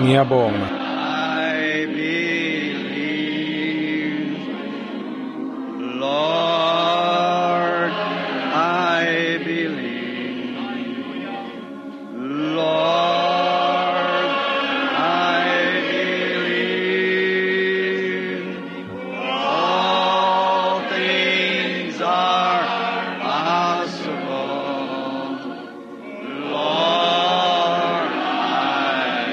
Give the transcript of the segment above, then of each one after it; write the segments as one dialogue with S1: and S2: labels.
S1: Ngiyabonga.
S2: I believe, Lord, I believe, Lord, I believe, all things are possible, Lord, I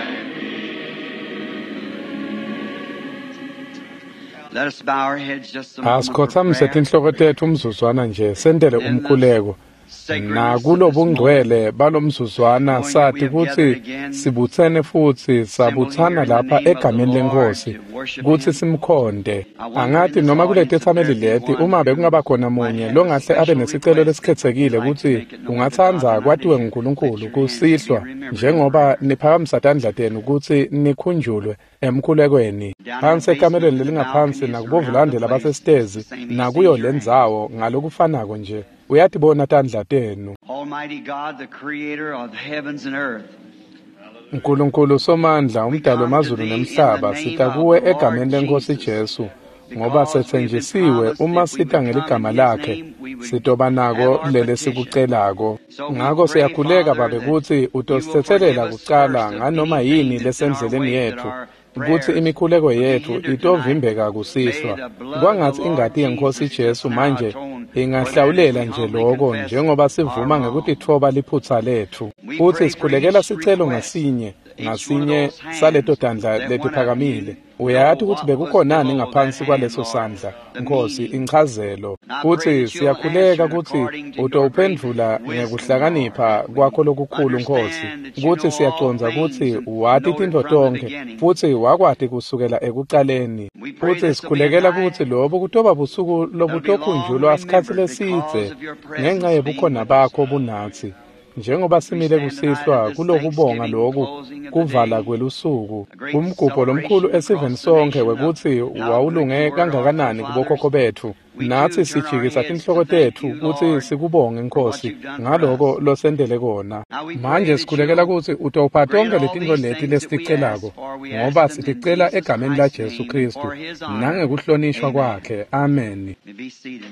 S2: Let us bow our heads just a moment for
S1: Asikhothamise
S2: prayer.
S1: tinhloko tethu umzuzwana nje sentele umkhuleko. Nakulobungcwele balomzuzwana sathi kutsi sibutsene futsi sabutsana lapha egameni leNkhosi kutsi simkhonde. Angati noma kuletetsameli leti uma bekungaba khona munye longahle abe nesicelo lesikhetsekile kutsi ungatsandza kwatiwe nguNkulunkulu kusihlwa njengoba niphakamisa tandla tenu kutsi nikhunjulwe emkhulekweni. Phansi ekamelweni lelingaphansi nakubovulande labasesitezi nakuyo lendzawo ngalokufanako nje uyatibona tandla tenu.
S2: Almighty God, the creator of heavens and earth.
S1: Nkulunkulu Somandla, umdali wemazulu nemhlaba, sita kuwe egameni leNkhosi Jesu, ngoba setsenjisiwe uma sita ngeligama lakhe, sitoba nako lele sikucelako. Ngako siyakhuleka Babe kutsi utosithethelela kucala nganoma yini lesendleleni yetfu, kutsi imikhuleko yetfu itovimbeka kusihlwa. Kwangatsi ingati yeNkhosi Jesu manje ingahlawulela nje loko njengoba sivuma ngekutitfoba liphutsa letfu. Futsi sikhulekela sicelo ngasinye ngasinye saleto tandla letiphakamile. Uyati kutsi bekukhonani ngaphansi kwaleso sandla, Nkhosi, inchazelo. Futsi siyakhuleka kutsi utowuphendvula ngekuhlakanipha kwakho lokukhulu, Nkhosi, kutsi siyacondza kutsi wati tintfo tonkhe futsi wakwati kusukela ekucaleni. Futsi sikhulekela kutsi lobu kutoba busuku lobutokhunjulwa sikhatsi lesidze ngenca yebukhona bakho bunatsi. Njengoba simile kusihlwa kulokubonga loku kuvala kwelusuku, umgubho lomkhulu esiveni sonkhe wekutsi wawulunge kangakanani kubokhokho betfu, natsi sijikisa tinhloko tetfu kutsi sikubonge Nkhosi ngaloko losentele kona. Manje sikhulekela kutsi utopha tonkhe letintfo leti lesiticelako, ngoba siticela egameni laJesu Khristu nangekuhlonishwa kwakhe. Ameni.
S2: May be seated.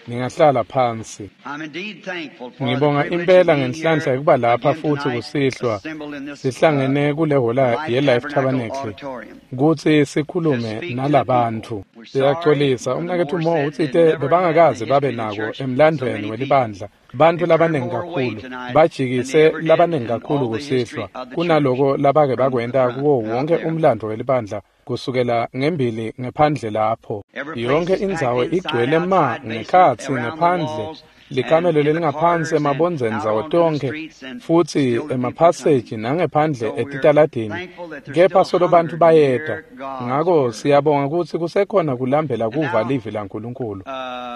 S1: Ningahlala phansi.
S2: I'm indeed thankful for the
S1: Ngibonga
S2: privilege of
S1: impela
S2: being
S1: ngenhlanhla
S2: here
S1: yekuba lapha
S2: again
S1: futhi
S2: tonight,
S1: kusihlwa
S2: assembled in this
S1: sihlangene kule hola
S2: Life
S1: ye-Life
S2: Tabernacle
S1: Tabernacle
S2: Auditorium.
S1: kutsi sikhulume
S2: To speak to the
S1: nalabantfu.
S2: people. We're sorry,
S1: Siyacolisa,
S2: Brother
S1: umnaketfu
S2: Moore
S1: Mo
S2: said
S1: utsite
S2: they never had in
S1: bebangakaze
S2: the
S1: babe
S2: history of the
S1: nako
S2: church so
S1: emlandvweni
S2: many people.
S1: welibandla bantfu
S2: They turned
S1: labaningi
S2: more away
S1: kakhulu
S2: tonight than they
S1: bajikise
S2: ever did
S1: labaningi
S2: in
S1: kakhulu
S2: all the history
S1: kusihlwa
S2: of the church
S1: kunaloko labake
S2: from the
S1: bakwenta
S2: front
S1: kuwo
S2: out
S1: wonke
S2: there.
S1: umlandvo welibandla kusukela ngembili ngephandle lapho.
S2: Every place
S1: Yonke
S2: is packed
S1: indzawo
S2: inside,
S1: igcwele ma
S2: outside, basement,
S1: ngekhatsi
S2: around the
S1: ngephandle
S2: walls, and
S1: likamelo
S2: in the
S1: lelingaphansi
S2: corridors, and
S1: emabondzeni
S2: out
S1: ndzawo
S2: onto the
S1: tonkhe
S2: streets, and
S1: futsi
S2: still the people coming.
S1: emaphaseji nangephandle
S2: So we're
S1: etitaladini
S2: thankful that there's
S1: kepha
S2: still
S1: solo bantfu
S2: hunger to
S1: bayeta.
S2: hear God's
S1: Ngako
S2: word.
S1: siyabonga kutsi kusekhona kulambela
S2: And
S1: kuva
S2: now,
S1: livi laNkulunkulu.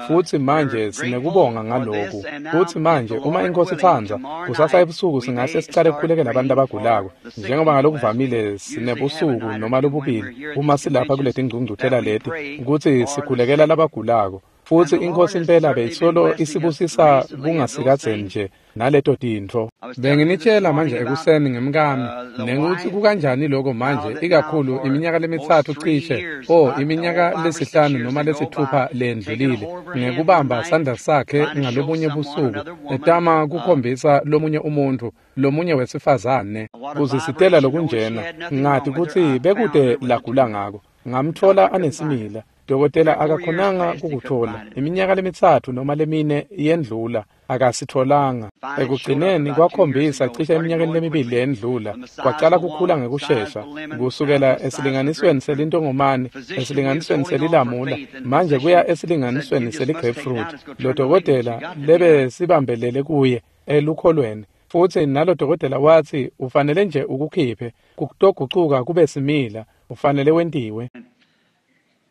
S1: Futsi
S2: we're
S1: manje
S2: grateful
S1: sinekubonga
S2: for
S1: ngaloku.
S2: this, and now,
S1: Futsi
S2: if
S1: manje
S2: the
S1: uma
S2: Lord
S1: iNkhosi
S2: willing,
S1: itsandza,
S2: tomorrow
S1: kusasa
S2: night
S1: ebusuku
S2: we
S1: singahle
S2: may
S1: sicale
S2: start
S1: kukhulekela abantu
S2: praying for
S1: labagulako.
S2: the sick
S1: Njengoba
S2: people as we
S1: ngalokuvamile
S2: usually have a
S1: sinebusuku
S2: night or
S1: noma
S2: two when
S1: lobubili
S2: we're here at
S1: uma
S2: these
S1: silapha
S2: conventions
S1: kuletingcungcuthela
S2: that we
S1: leti
S2: pray
S1: kutsi
S2: for the
S1: sikhulekela
S2: sick.
S1: labagulako. Futsi
S2: And the Lord
S1: iNkhosi
S2: has
S1: impela
S2: certainly been
S1: beyisolo
S2: blessing us
S1: isibusisa
S2: recently of those
S1: kungasikadzeni
S2: things.
S1: nje naleto tintfo.
S2: I was telling you this
S1: Benginitshela manje
S2: morning about
S1: ekuseni ngemkami
S2: the
S1: nekuthi
S2: wife,
S1: kukanjani loko
S2: how
S1: manje
S2: that now
S1: ikakhulu
S2: for
S1: iminyaka
S2: almost
S1: lemitsatfu
S2: 3
S1: cishe
S2: years,
S1: o
S2: about oh,
S1: iminyaka
S2: 5 or 6
S1: lesihlanu
S2: years
S1: noma
S2: ago,
S1: lesitfupha
S2: by taking a
S1: lendlulile
S2: hold of her hand one
S1: ngekubamba
S2: night,
S1: sandla sakhe
S2: trying to show
S1: ngalobunye
S2: someone,
S1: busuku
S2: another woman,
S1: etama kukhombisa lomunye umuntfu lomunye wesifazane
S2: what a
S1: kuzisitela
S2: vibration, knowing she
S1: lokunjena
S2: had nothing wrong
S1: ngati
S2: with her.
S1: kutsi
S2: I found
S1: bekute
S2: her with a
S1: lagula
S2: tumor.
S1: ngako. Ngamtfola
S2: Doctor couldn't find it.
S1: anesimila. Dokotela
S2: 3 or 4 years
S1: akakhonanga
S2: past, he couldn't
S1: kukutfola.
S2: find it.
S1: Iminyaka lemitsatfu noma lemine yendlula akasitfolanga.
S2: Finally, it showed up
S1: Ekugcineni
S2: about 2 years
S1: kwakhombisa
S2: ago. It
S1: cishe
S2: started
S1: eminyakeni
S2: growing
S1: lemibili
S2: quickly.
S1: leyendlula
S2: From the size
S1: kwacala
S2: of a
S1: kukhula
S2: walnut, size of
S1: ngekushesha
S2: a lemon, now
S1: kusukela
S2: to the size of a
S1: esilinganisweni
S2: grapefruit.
S1: selintongomane
S2: Physician we was
S1: esilinganisweni
S2: holding on for
S1: selilamula
S2: faith, and the
S1: manje kuya
S2: physician said, "You
S1: esilinganisweni
S2: just must take it out.
S1: seligrapefruit.
S2: It's going to
S1: Lo
S2: turn to malignant. You
S1: dokotela
S2: got to take it
S1: lebe
S2: out."
S1: sibambelele kuye elukholweni futsi nalo dokotela watsi ufanele nje ukukhiphe kutogucuka kube simila ufanele wentiwe.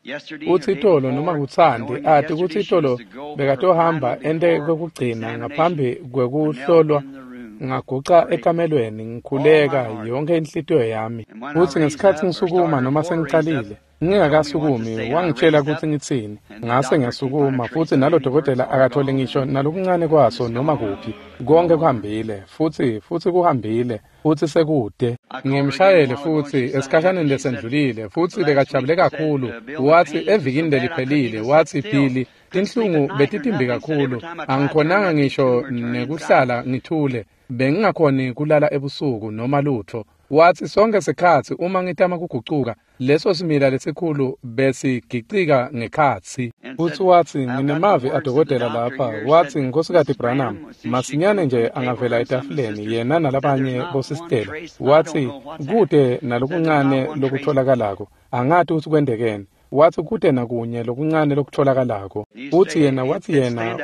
S2: Yesterday or
S1: Utsi
S2: day
S1: itolo noma
S2: before,
S1: kutsandi
S2: knowing that
S1: ati
S2: yesterday
S1: kutsi
S2: she was
S1: itolo
S2: to go for her
S1: bekatohamba
S2: final
S1: ente
S2: before
S1: kwekugcina
S2: examination,
S1: ngaphambi
S2: I knelt
S1: kwekuhlolwa
S2: in the room
S1: Ngaguca ekamelweni ngikhuleka yonke inhlitiyo yami. Futsi ngesikhatsi ngisukuma noma sengicalile, ngingakasukumi, wangitshela kutsi ngitsini. Ngase ngiyasukuma futsi nalo dokotela akatholi ngisho nalokuncane kwaso noma kuphi. Konke kuhambile futsi kuhambile futsi sekude. Ngimshayele futsi esikhashaneni lesendlulile futsi bekajabule kakhulu. Watsi evikini leliphelile, watsi Billy, tinhlungu betitimbi kakhulu, angikhonanga ngisho nekuhlala ngithule, bengingakhoni kulala ebusuku noma lutho. Watsi sonke sikhatsi uma ngitama kugucuka, leso simila lesikhulu besigicika ngekhatsi. Futsi watsi nginemavi adokotela lapha. Watsi Nkhosikati Branham masinyane nje angavela etafuleni yena nalabanye bosistela. Watsi kute nalokuncane lokutholakalako, angati kutsi kwentekeni. Watsi kute nakunye lokuncane lokutholakalako. Futsi yena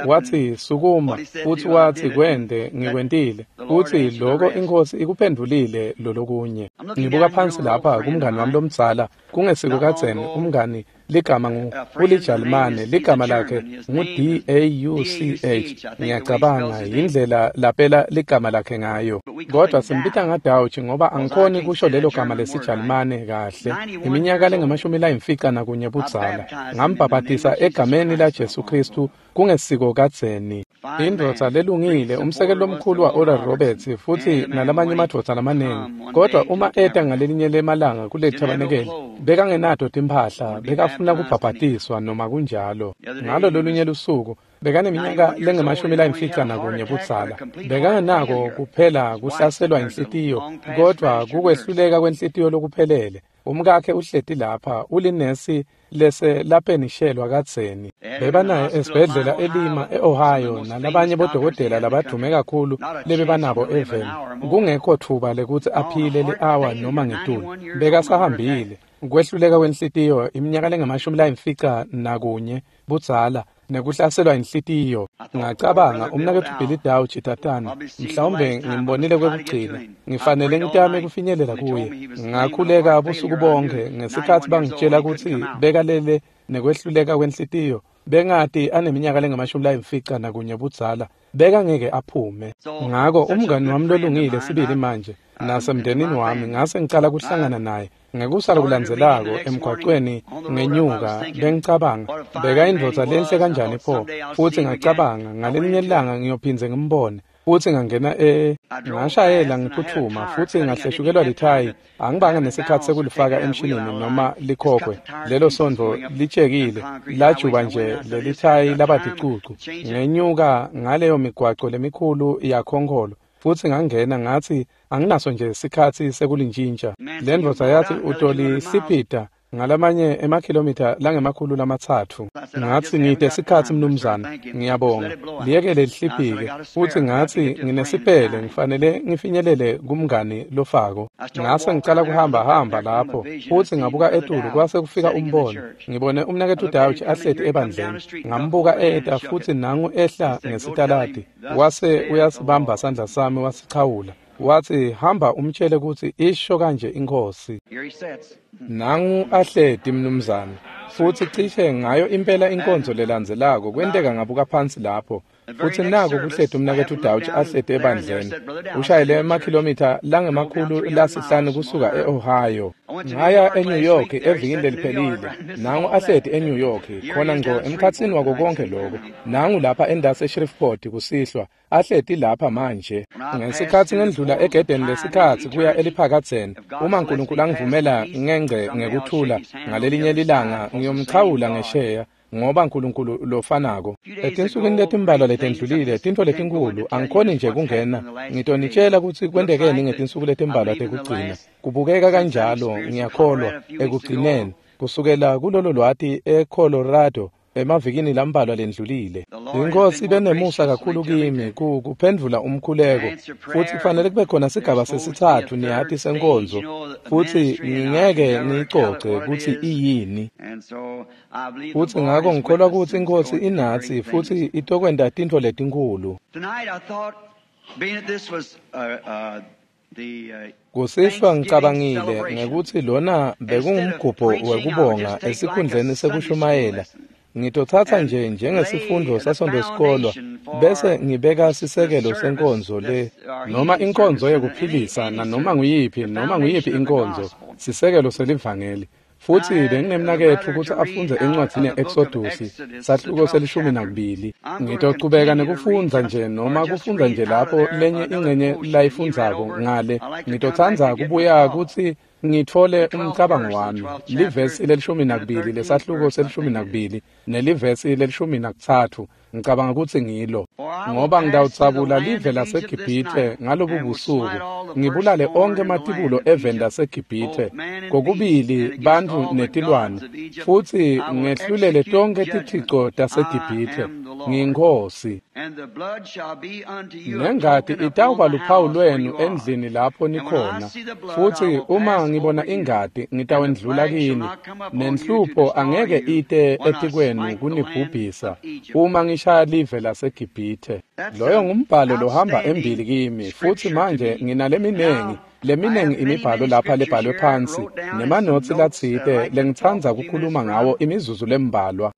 S1: watsi sukuma, futsi watsi kwente ngikwentile. Futsi loko iNkhosi ikuphendvulile lolokunye. Ngibuka phansi lapha kumngani wami lomdzala, kungesiko kadzeni, umngani ligama ngu uliJalimane, ligama lakhe ngu D-A-U-C-H. Ngiyacabanga yindlela lapela ligama lakhe ngayo. Kodwa simbita ngaDauch ngoba angikhoni kusho lelo gama lesiJalimane kahle. Iminyaka lengu-51 budzala. Ngambhabhatisa egameni la Jesu Kristu kungesiko kadzeni. Indvodza lelungile, umsekeli lomkhulu wa Oral Roberts futsi nalamanye emadvodza lamaningi. Kodwa uma eta ngalelinye lemalanga kuleli thabanekeli, bekangenato timphahla, bekafuna kubhabhatiswa noma kunjalo. Ngalo lolunye lusuku bekaneminyaka lengu-51 budzala. Bekangenako kuphela kuhlaselwa inhlitiyo, kodwa kukwehluleka kwenhlitiyo lokuphelele. Umkakhe uhleti lapha, ulinesi lese lapenishelwa kadzeni. Bebanaye esibhedlela eLima eOhio nalabanye bodokotela labadume kakhulu lebebanabo eveni. Kungekho thuba lekutsi aphile li-awa noma ngetulu. Bekasahambile. Kwehluleka kwenhlitiyo iminyaka lengu-51 budzala nekuhlaselwa inhlitiyo. Ngacabanga umnaketfu Billy Dauch tatana, mhlawumbe ngimbonile kwekugcina, ngifanele ngitame kufinyelela kuye. Ngakhuleka busuku bonke ngesikhatsi bangitshela kutsi bekalele nekwehluleka kwenhlitiyo. Bengati aneminyaka lengu-51 budzala, bekangeke aphume. Ngako umngani wami lolungile sibili manje nasemndenini wami ngase ngicala kuhlangana naye. Ngekusala kulandzelako emgwacweni ngenyuka, bengicabanga beka indvodza lenhle kanjani pho. Futsi ngacabanga ngalelinye ilanga ngiyophindze ngimbone. Futsi ngangena ngashayela ngiphuthuma futsi ngahleshukelwa lithayi. Angibange nesikhatsi sekulifaka emshinini noma likhokhwe. Lelo sondvo litshekile, lajuba nje lelithayi laba ticucu. Ngenyuka ngaleyo migwaco lemikhulu yakhonkolo. Futsi ngangena ngatsi anginaso nje sikhatsi sekulintjintja. Le ndvodza yatsi utolisiphita ngalamanye emakhilomitha langama-300. Ngatsi ngite sikhatsi mnumzane, ngiyabonga. Liyekele lihliphike. Futsi ngatsi nginesipele, ngifanele ngifinyelele kumngani lofako. Ngase ngicala kuhamba lapho. Futsi ngabuka etulu kwase kufika umbono. Ngibone umnaketfu Dauch ahleti ebandleni. Ngambuka eta futsi nangu ehla ngesitaladi. Wase uyasibamba sandla sami wasichawula. Watsi hamba umtshele kutsi isho kanje iNkhosi. Nangu ahleti mnumzane. Futsi cishe ngayo impela inkonzo lelandzelako kwenteka ngabuka phansi lapho. Futsi nako kuhleti umnaketfu Dauch ahleti ebandleni. Ushayele emakhilomitha langama-500 kusuka eOhio. Ngaya eNew York evikini leliphelile. Nangu ahleti eNew York khona ngco emkhatsini wako konke lokho. Nangu lapha endase eShreveport kusihlwa. Ahleti lapha manje. Ngesikhatsi ngendlula egedeni lesikhatsi kuya eliphakadzeni, uma uNkulunkulu angivumela ngengce ngekuthula ngalelinye lilanga ngiyomchawula ngesheya, ngoba uNkulunkulu lofanako. Etinsukwini letimbalwa letendlulile, tintfo letinkulu angikhoni nje kungena. Ngitonitshela kutsi kwentekeni ngetinsuku letimbalwa tekugcina. Kubukeka kanjalo, ngiyakholwa, ekugcineni kusukela kulolo lwati eColorado emavikini lambalwa lendlulile. Inkosi benemusa kakhulu kimi kuphendvula umkhuleko. Futsi kufanele kube khona sigaba sesitsatfu niyati senkonzo, futsi ngingeke ngiyicoce kutsi iyini. Futsi ngako ngikholwa kutsi iNkhosi inatsi futsi itokwenta tintfo letinkhulu. Kusihlwa ngicabangile ngekutsi lona bekungumgubho wekubonga esikhundleni sekushumayela. Ngitotsatsa nje njengesifundvo sasondosikolwa bese ngibeka sisekelo senkonzo le noma inkonzo yekuphilisa nanoma nguyiphi inkonzo, sisekelo selivangeli. Futhi benginemnaketfu kutsi afundze encwadzini ye-Exodus sahluko se-12. Ngitochubeka nekufundza nje noma kufundza nje lapho lenye ingcenye layifundzako ngale. Ngitotsandza kubuya kutsi ngitfole umcabango wami. Livesi le-12 lesahluko se-12 nelivesi le-13 ngicabanga kutsi ngilo. Ngoba ngitawudzabula live laseGibhithe ngalobu busuku, ngibulale onkhe ematibulo eveni laseGibhithe, kokubili bantfu netilwane, futsi ngehlulele tonkhe tithico taseGibhithe. NgiyiNkhosi. Nengati itawuba luphawu lwenu endlini lapho nikhona, futsi uma ngibona ingati ngitawendlula kini, nenhlupho angeke ite etikwenu kunibhubhisa uma ngishaya live laseGibhithe. Loyo ngumbhalo lohamba embili kimi, futhi manje nginaleminingi imibhalo lapha lebhalwe phansi nemanotsi latsite lengitsandza kukhuluma ngawo imizuzu lembalwa.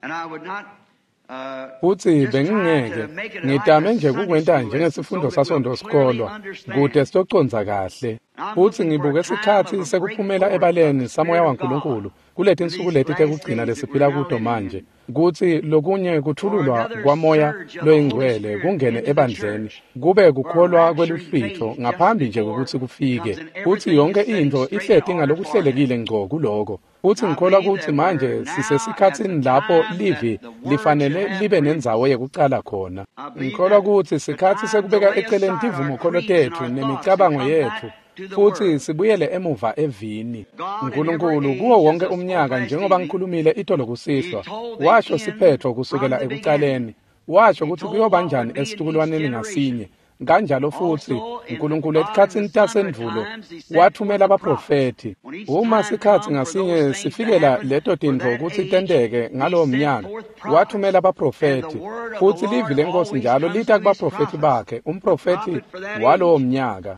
S1: Futsi bengingeke ngitame nje kukwenta njengesifundo sasondosikolwa kute sitocondza kahle. Futsi ngibuke sikhatsi sekuphumela ebaleni samoya waNkulunkulu kuletinsuku leti tekugcina lesiphila kuto manje, kutsi lokunye kuthululwa kwamoya loyingcwele kungene ebandleni kube kukholwa kweluhlwitfo ngaphambi nje kwekutsi kufike, futsi yonke intfo ihleti ngalokuhlelekile ngco kuloko. Futsi ngikholwa kutsi manje sisesikhatsini lapho livi lifanele libe nendzawo yekucala khona. Ngikholwa kutsi sikhatsi sekubeka eceleni tivumokholo tetfu nemicabango yetfu futsi sibuyele emuva evini. Nkulunkulu kuwo wonke umnyaka, njengoba ngikhulumile itolo kusihlwa, washo siphetfo kusukela ekucaleni, washo kutsi kuyoba njani esitukulwaneni ngasinye. Kanjalo futsi Nkulunkulu etikhatsini tasendvulo wathumela abaprofethi. Uma sikhatsi ngasinye sifikela leto tintfo kutsi tenteke ngalowo mnyaka, wathumela abaprofethi, futsi livi leNkhosi njalo lita kubaprofethi bakhe, umprofethi walowo mnyaka.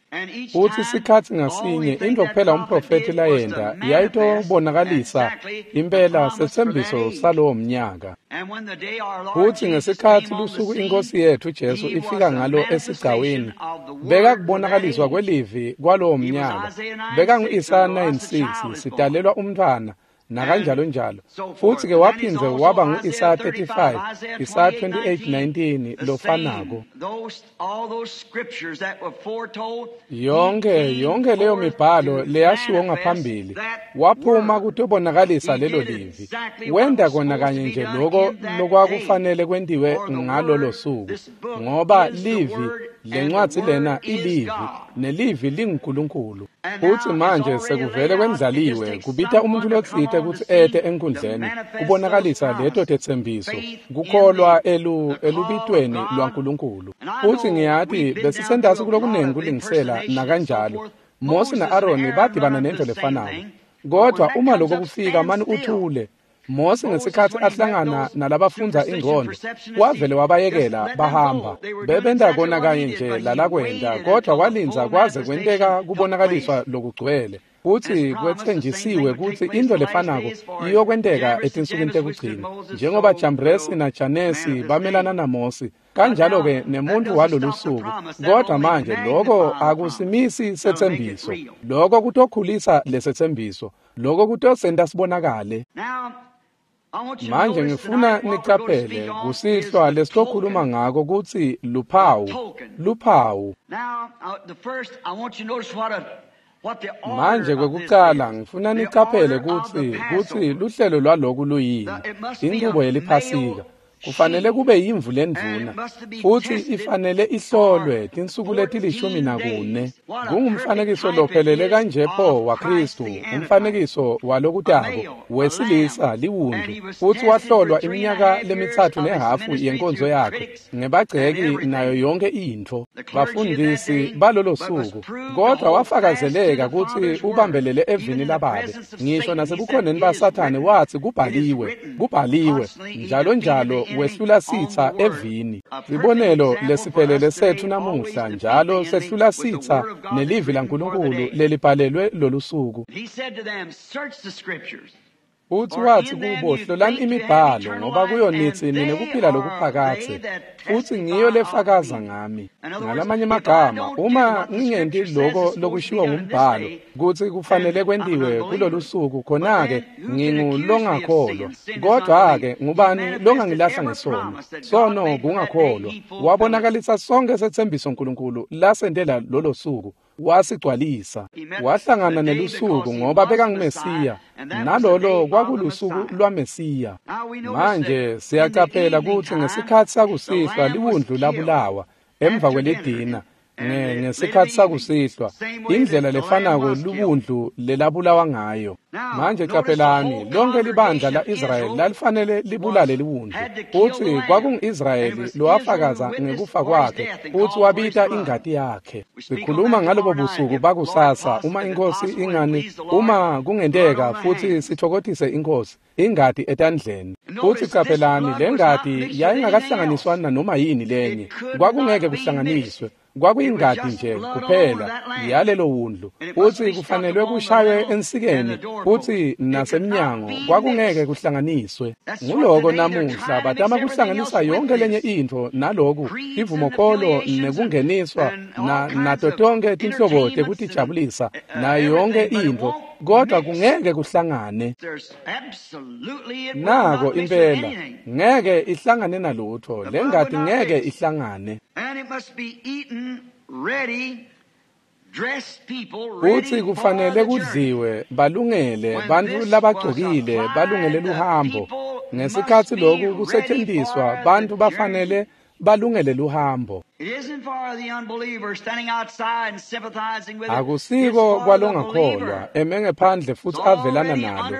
S1: Futsi sikhatsi ngasinye intfo kuphela umprofethi layenta yayitobonakalisa impela setsembiso salowo mnyaka. Futsi ngesikhatsi lusuku iNkhosi yetfu Jesu ifika ngalo esigcawini, bekakubonakaliswa kwelivi kwalowo mnyaka. Bekangu-Isaya 9:6, sitalelwa umntfwana nakanjalo njalo. Futsi ke waphindze waba ngu-Isaya 35, Isaya 28:19 lofanako. Yonke leyo mibhalo leyashiwo ngaphambili waphuma kutobonakalisa lelo livi. Wenta kona kanye nje loko lokwakufanele kwentiwe ngalolo suku, ngoba livi lencwadzi lena ilivi, nelivi linguNkulunkulu. Futsi manje sekuvele kwendlaliwe kubita umuntu lotsite kutsi ete enkundleni kubonakalisa leto tetsembiso, kukholwa elubitweni lwaNkulunkulu. Futsi ngiyati besisentasi kulokunengi kulingisela nakanjalo. Mose na-Aroni badibana nento lefanako. Kodwa uma lokho kufika mani uthule. Mose ngesikhatsi ahlangana nalabafundza ingqondo wavele wabayekela bahamba. Bebenta kona kanye nje lalakwenta, kodwa walindza kwaze kwenteka kubonakaliswa lokugcwele. Futsi kwetsenjisiwe kutsi intfo lefanako iyokwenteka etinsukwini tekugcina, njengoba Jambresi naJanesi bamelana naMosi, kanjalo-ke nemuntfu walolu suku. Kodwa manje loko akusimisi setsembiso, loko kutokhulisa lesetsembiso, loko kutosenta sibonakale. Manje ngifuna nicaphele kusihlwa lesitokhuluma ngako kutsi luphawu. Manje kwekucala ngifuna nicaphele kutsi luhlelo lwaloku luyini, inchubo yeliphasika. Kufanele kube yimvu lendvuna, futsi ifanele ihlolwe tinsuku leti-14. Kungumfanekiso lophelele kanje pho waKhristu, umfanekiso walokutako wesilisa liwundlu, futsi wahlolwa iminyaka le-3.5 yenkonzo yakhe ngebagceki nayo yonke intfo, bafundisi balolo suku. Kodwa wafakazeleka kutsi ubambelele evini lababe, ngisho nasebukhoneni baSathane watsi kubhaliwe, kubhaliwe, njalo njalo wehlula sitsa evini. Sibonelo lesiphelele setfu namuhla njalo sehlula sitsa nelivi laNkulunkulu lelibhalelwe lolu suku. Futsi watsi kubo, hlolani imibhalo, ngoba kuyo nitsi ninekuphila lokuphakadze, futsi ngiyo lefakaza ngami. Ngalamanye amagama, uma ngingenti loko lokushiwo ngumbhalo kutsi kufanele kwentiwe kulolu suku, khona-ke ngingulongakholwa. Kodwa-ke ngubani longangilahla ngesono? Sono kungakholwa. Wabonakalisa sonke setsembiso Nkulunkulu lasentela lolo suku, wasigcwalisa. Wahlangana nelusuku ngoba bekanguMesiya, nalolo kwakulusuku lwaMesiya. Manje siyacaphela kutsi ngesikhatsi sakusihlwa liwundlu labulawa emva kwelidina. Ngesikhatsi sakusihlwa, indlela lefanako liwundlu lelabulawa ngayo. Manje caphelani, lonke libandla la-Israyeli lalifanele libulale liwundlu, futsi kwakungu-Israyeli lowafakaza ngekufa kwakhe futsi wabita ingati yakhe. Sikhuluma ngalobo busuku bakusasa, uma iNkhosi ingani, uma kungenteka futsi sitfokotise iNkhosi, ingati etandleni. Futsi caphelani, le ngati yayingakahlanganiswa nanoma yini lenye, kwakungeke kuhlanganiswe. Kwakuyingati nje kuphela yalelo wundlu, futsi kufanelwe kushaywe ensikeni futsi nasemnyango, kwakungeke kuhlanganiswe. Nguloko namuhla batama kuhlanganisa yonke lenye intfo naloku, ivumokolo nekungeniswa nato tonke tinhlobo tekutijabulisa nayo yonke intfo, kodwa kungeke kuhlangane. Nako impela ngeke ihlangane nalutho, le ngati ngeke ihlangane. Futsi kufanele kudliwe balungele bantfu labagcokile, balungele luhambo. Ngesikhatsi loku kusetjentiswa, bantfu bafanele balungele luhambo. Akusiko kwalongakholwa eme ngephandle futsi avelana nalo.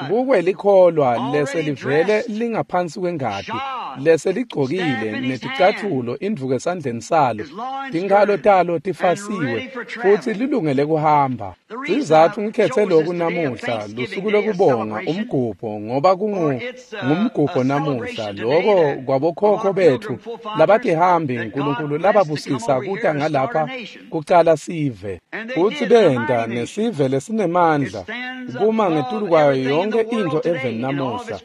S1: Kukwelikholwa leselivele lingaphansi kwengati, leseligcokile neticatfulo indvuku esandleni salo, tinkhalo talo tifasiwe futsi lilungele kuhamba. Sizatfu ngikhetse loku namuhla, lusuku lokubonga, umgubho, ngoba ngumgubho namuhla, loko kwabokhokho bethu labatihambi Nkulunkulu lababusisa kuta ngalapha kucala sive. Futsi benta nesive lesinemandla kuma ngetulu kwayo yonke intfo eveni namuhla.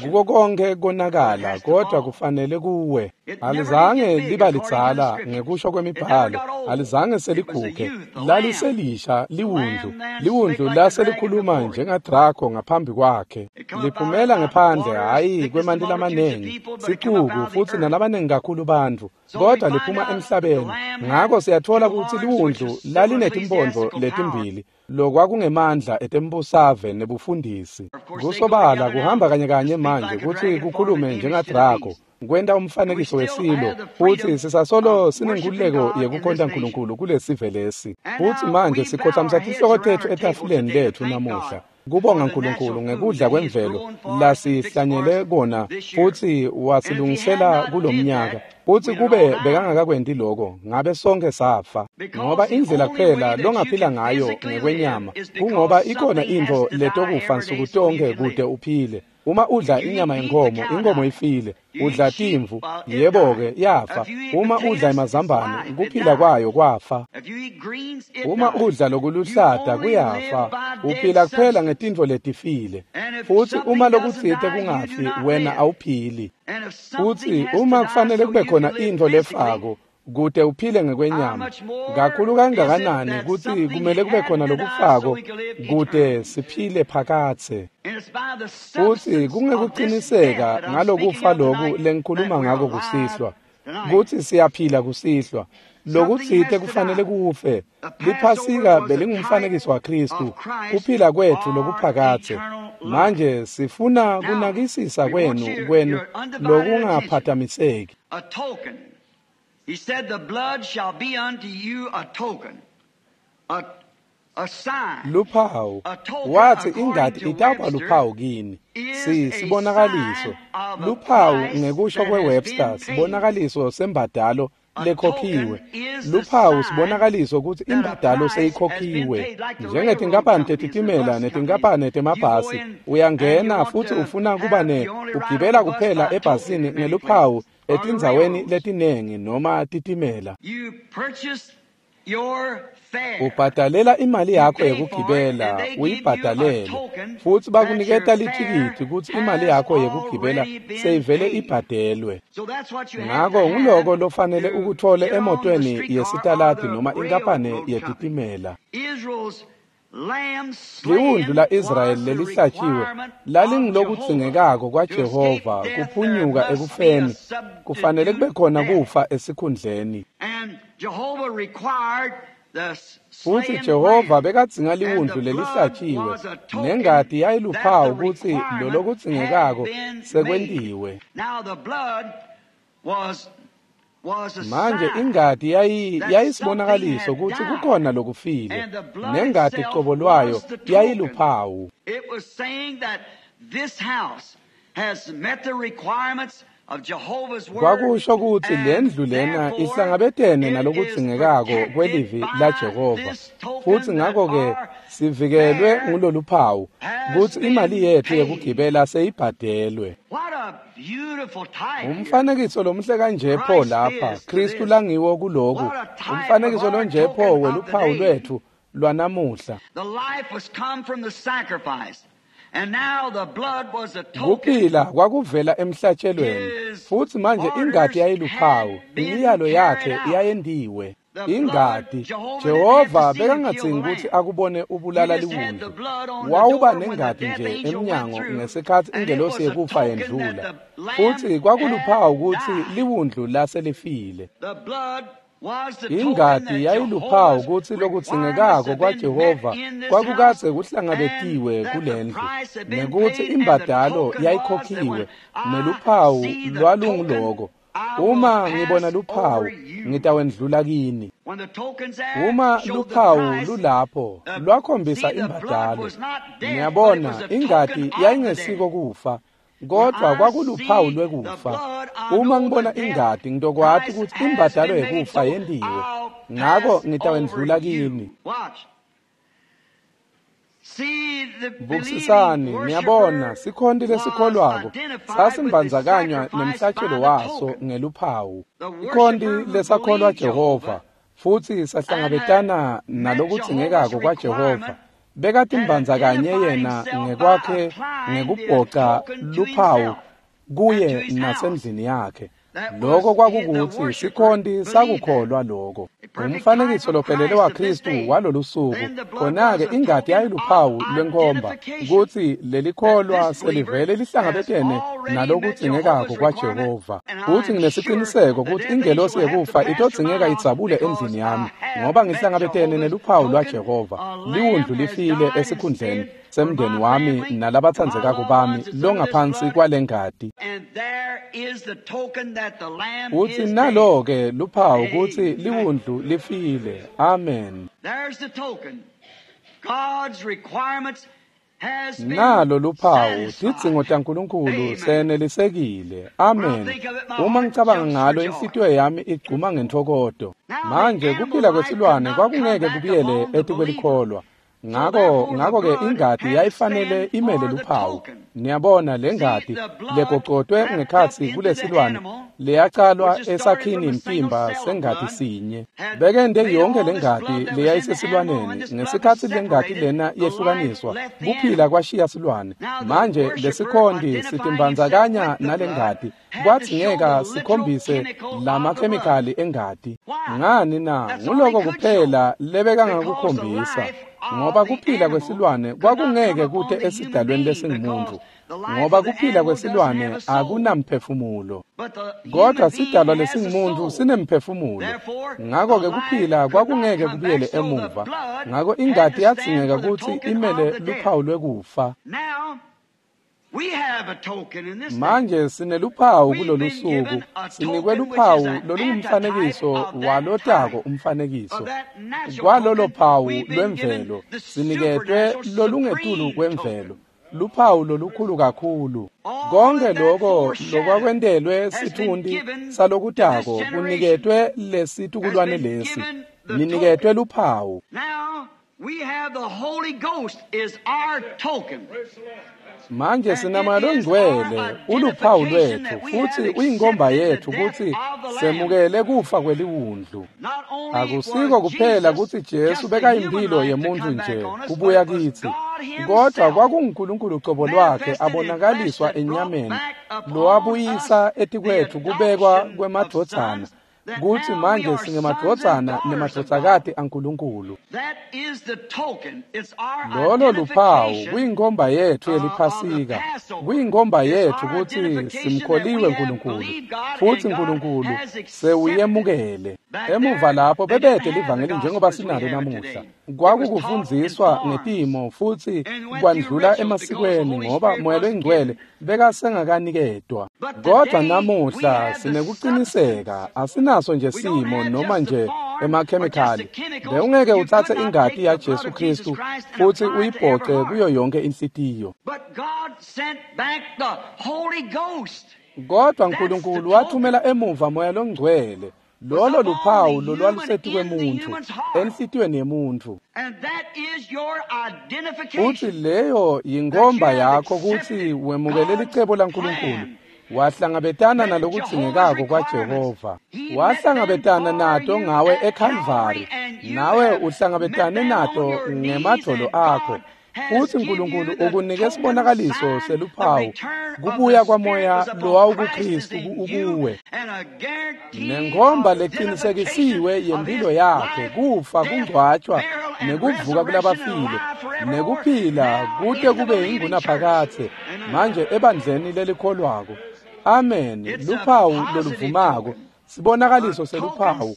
S1: Kuko konke konakala, kodwa kufanele kuwe. Alizange liba lidzala ngekusho kwemibhalo, alizange seliguge, laliselisha liwundlu. Liwundlu laselikhuluma njengadrako ngaphambi kwakhe. Liphumela ngephandle, hhayi kwemanti lamanengi, sicuku futsi nalabanengi kakhulu bantfu, kodwa liphuma emhlabeni. Ngako siyatfola kutsi liwundlu lalinetimphondvo letimbili, lokwakungemandla etembusave nebufundisi. Kusobala kuhamba kanye kanye manje kutsi kukhulume njengadrako, kwenta umfanekiso wesilo, futsi sisasolo sinenkululeko yekukhonta Nkulunkulu kulesive lesi. Futsi manje sikhotsamisa tinhloko tetfu etafuleni letfu namuhla, kubonga Nkulunkulu ngekudla kwemvelo lasihlanyele kona futsi wasilungisela kulomnyaka. Futsi kube bekangakakwenti loko, ngabe sonke safa. Ngoba indlela kuphela longaphila ngayo ngekwenyama kungoba ikhona intfo letokufa nsuku tonke kute uphile. Uma udla inyama yenkhomo, inkhomo ifile. Udla timvu, yebo-ke yafa. Uma udla emazambane, kuphila kwayo kwafa. Uma udla lokuluhlata kuyafa. Uphila kuphela ngetintfo letifile. Futsi uma lokutsite kungafi, wena awuphili. Futsi uma kufanele kube khona intfo lefako kute uphile ngekwenyama, kakhulu kangakanani kutsi kumele kube khona lokufako kute siphile phakadze. Futsi kungekuqiniseka ngalokufa loku lengikhuluma ngako kusihlwa, kutsi siyaphila kusihlwa. Lokutsite kufanele kufe. Liphasika belingumfanekiso waKhristu, kuphila kwetfu lokuphakadze. Manje sifuna kunakisisa kwenu lokungaphatamiseki.
S2: He said, the blood shall be unto you a token, a sign.
S1: Luphawu. Wathi ingati itawuba luphawu kini. Sibonakaliso. Luphawu ngekusho kweWebster, sibonakaliso sembadalo lekhokhiwe. Luphawu sibonakaliso kutsi imbadalo seyikhokhiwe. Njengetinkampani tetitimela netinkampani temabhasi, uyangena futsi ufuna kuba ugibela kuphela ebhasini ngeluphawu etindzaweni letinengi noma titimela.
S2: You purchased
S1: Ubhadalela imali yakho yekugibela, uyibhadalele, futsi bakuniketa lithikithi kutsi imali yakho yekugibela seyivele ibhadelwe. Ngako nguloko lofanele ukuthole emotweni yesitaladi noma inkampane yetitimela. Liwundlu la-Israyeli lelihlatshiwe lalingulokudzingekako kwaJehova kuphunyuka ekufeni, kufanele kube khona kufa esikhundleni. Futsi Jehova bekadzinga liwundlu lelihlatshiwe, nengati yayiluphawu kutsi lolokudzingekako sekwentiwe. Manje ingati yayisibonakaliso kutsi kukhona lokufile, nengati cobo lwayo yayiluphawu. Kwakusho kutsi lendlu lena ihlangabetene nalokudzingekako kwelivi laJehova, futsi ngako-ke sivikelwe nguloluphawu kutsi imali yetfu yekugibela seyibhadelwe. Umfanekiso lomuhle kanje pho lapha, Kristu langiwo kuloku, umfanekiso lonje pho weluphawu lwetfu lwanamuhla. Kuphila kwakuvela emhlatshelweni, futsi manje ingati yayiluphawu, imiyalo yakhe yayentiwe. Ingati, Jehova bekangadzingi kutsi akubone ubulala liwundlu. Wawuba nengati nje emnyango ngesikhatsi ingelosi yekufa yendlula, futsi kwakuluphawu kutsi liwundlu laselifile. Ingati yayiluphawu kutsi lokudzingekako kwaJehova kwakukadze kuhlangabetiwe kulendlu, nekutsi imbadalo yayikhokhiwe, neluphawu lwalunguloko. Uma ngibona luphawu, ngitawendlula kini. Uma luphawu lulapho, lwakhombisa imbadalo. Ngiyabona ingati yayingesiko kufa, kodwa kwakuluphawu lwekufa. Uma ngibona ingati, ngitokwati kutsi imbadalo yekufa yentiwe, ngako ngitawendlula kini. Bukisisani, niyabona, sikhonti lesikholwako sasimbandzakanywa nemhlatshelo waso ngeluphawu. Sikhonti lesakholwa Jehova futsi sahlangabetana nalokudzingekako kwaJehova, bekatimbandzakanye yena ngekwakhe ngekubhoca luphawu kuye nasendlini yakhe. Lokho kwakukutsi sikhonti sakukholwa lokho. Umfanekiso lophelele waKristu walolusuku, khona-ke ingati yayiluphawu lwenkhomba kutsi lelikholwa selivele lihlangabetene nalokudzingekako kwaJehova. Futsi nginesiciniseko kutsi ingelosi yekufa itodzingeka idzabule endlini yami, ngoba ngihlangabetene neluphawu lwaJehova. Liwundlu lifile esikhundleni semndeni wami nalabatsandzekako bami longaphansi kwalengati. Utsi nalo-ke luphawu kutsi liwundlu lifile. Amen. Nalo luphawu, tidzingo taNkulunkulu senelisekile. Amen. Uma ngicabanga ngalo, inhlitiyo yami igcuma ngentfokoto. Manje kuphila kwesilwane kwakungeke kubuyele etikwelikholwa. Ngako-ke ingati yayifanele imele luphawu. Niyabona lengati legocotwe ngekhatsi kulesilwane leyacalwa esakhini mtimba sengati sinye. Bekente yonke lengati leyayisesilwaneni ngesikhatsi lengati lena yehlukaniswa, kuphila kwashiya silwane. Manje lesikhonti sitimbandzakanya nalengati, kwadzingeka sikhombise lamakhemikhali engati. Ngani na? Nguloko kuphela lebekangakukhombisa, ngoba kuphila kwesilwane kwakungeke kute esidalweni lesingumuntu, ngoba kuphila kwesilwane akunamphefumulo. Kodwa sidalwa lesingumuntu sinemphefumulo, ngako-ke kuphila kwakungeke kubuyele emuva. Ngako ingati yadzingeka kutsi imele luphawu lwekufa. Manje sineluphawu kulolusuku, sinikwe luphawu lolungumfanekiso walotako umfanekiso. Kwalolo phawu lwemvelo siniketwe lolungetulu kwemvelo, luphawu lolukhulu kakhulu. Konke lokho lokwakwentelwe sitfunti salokutako kuniketwe lesitukulwane lesi, niniketwe luphawu.
S2: We have the Holy Ghost is our token.
S1: Manje sinamoya longcwele uluphawu lwetfu futhi uyinkomba yetfu kutsi semukele kufa kweliwundlu. Akusiko kuphela kutsi Jesu bekayimphilo yemuntfu nje kubuya kitsi, kodwa kwakunguNkulunkulu cobo lwakhe abonakaliswa enyameni lowabuyisa etikwetfu kubekwa kwemadvodzana, kutsi manje singemadvodzana nemadvodzakati aNkulunkulu. Lolo luphawu kuyinkomba yetfu yeliphasika, kuyinkomba yetfu kutsi simkholiwe Nkulunkulu futhi Nkulunkulu sewuyemukele. Emuva lapho bebede livangeli njengoba sinalo namuhla. Kwakukufundziswa ngetimo futhi kwandlula emasikweni ngoba Moya Longcwele bekasengakanikedwa. Kodwa namuhla sinekuqiniseka, asinaso nje simo noma nje emakhemikhali. Bewungeke utsatse ingati yaJesu Kristu futhi uyibhoce kuyo yonke inhlitiyo. Kodwa Nkulunkulu wathumela emuva Moya Longcwele. Lolo luphawu lolwalusetikwemuntfu enhlitiyweni yemuntfu. Futhi leyo yinkomba yakho kutsi wemukele licebo laNkulunkulu, wahlangabetana nalokudzingekako kwaJehova, wahlangabetana nato ngawe eKhalvari, nawe uhlangabetane nato ngemadvolo akho. Futhi Nkulunkulu ukunike sibonakaliso seluphawu kubuya kwamoya lowawukuKristu ukuwe, nenkomba leqinisekisiwe yempilo yakhe, kufa, kungcwatshwa nekuvuka kulabafile, nekuphila kute kube ingunaphakadze manje ebandleni lelikholwako. Amen. Luphawu loluvumako, sibonakaliso seluphawu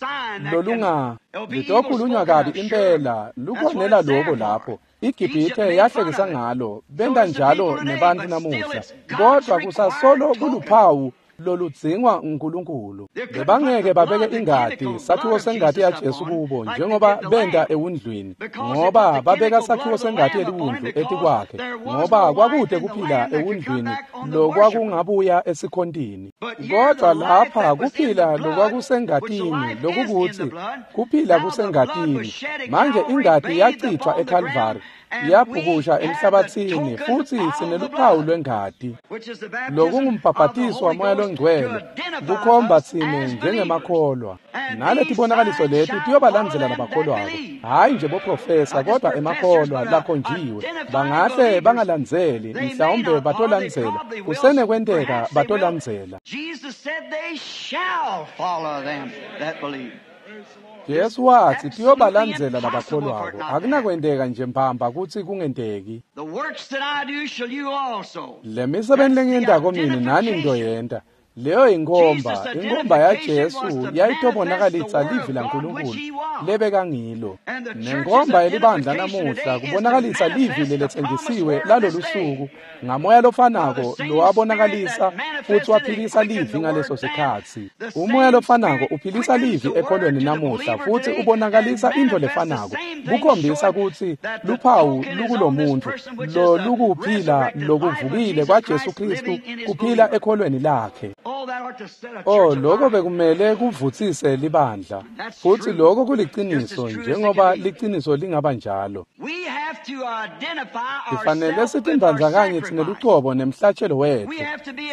S1: lolunga litokhulunywa kabi impela, lukhonela loko lapho. iGibhithe yahlekisa ngalo, benta njalo nebantfu namuhla, kodwa kusasolo kuluphawu loludzingwa nguNkulunkulu. Bebangeke babeke ingati, sakhiwo sengati yaJesu kubo njengoba benta ewundlwini, ngoba babeka sakhiwo sengati yeliwundlu etikwakhe, ngoba kwakude kuphila ewundlwini lokwakungabuya esikhontini. Kodwa lapha kuphila lokwakusengatini, lokukuthi kuphila kusengatini. Manje ingati yachithwa eKhalvari, yabhukusha emhlabathini, futhi sineluphawu lwengati, lokungumbhabhatiso waMoya Longcwele, kukhomba tsine njengemakholwa. Naletibonakaliso leti tiyobalandzela labakholwako, hhayi nje boprofesa, kodwa emakholwa lakhonjiwe. Bangahle bangalandzeli, mhlawumbe batolandzela, kusenekwenteka batolandzela. Jesu wathi tiyobalandzela labakholwako. Akunakwenteka nje mbamba kutsi kungenteki. Le misebenti lengiyentako mine nani nitoyenta. Leyo inkomba, inkomba yaJesu yayitobonakalisa livi laNkulunkulu lebekangilo. Nenkomba yelibandla namuhla kubonakalisa livi leletsenjisiwe lalolu suku ngamoya lofanako lowabonakalisa futhi waphilisa livi ngaleso sikhatsi. Umoya lofanako uphilisa livi ekholweni namuhla futhi ubonakalisa into lefanako, kukhombisa kutsi luphawu lukulomuntu lolukuphila lokuvukile kwaJesu Kristu kuphila ekholweni lakhe. Oh, lokho bekumele kuvutsise libandla, futhi lokho kuliciniso njengoba liciniso lingaba njalo. Sifanele sitimbandzakanye tsine lucobo nemhlatshelo wetfu.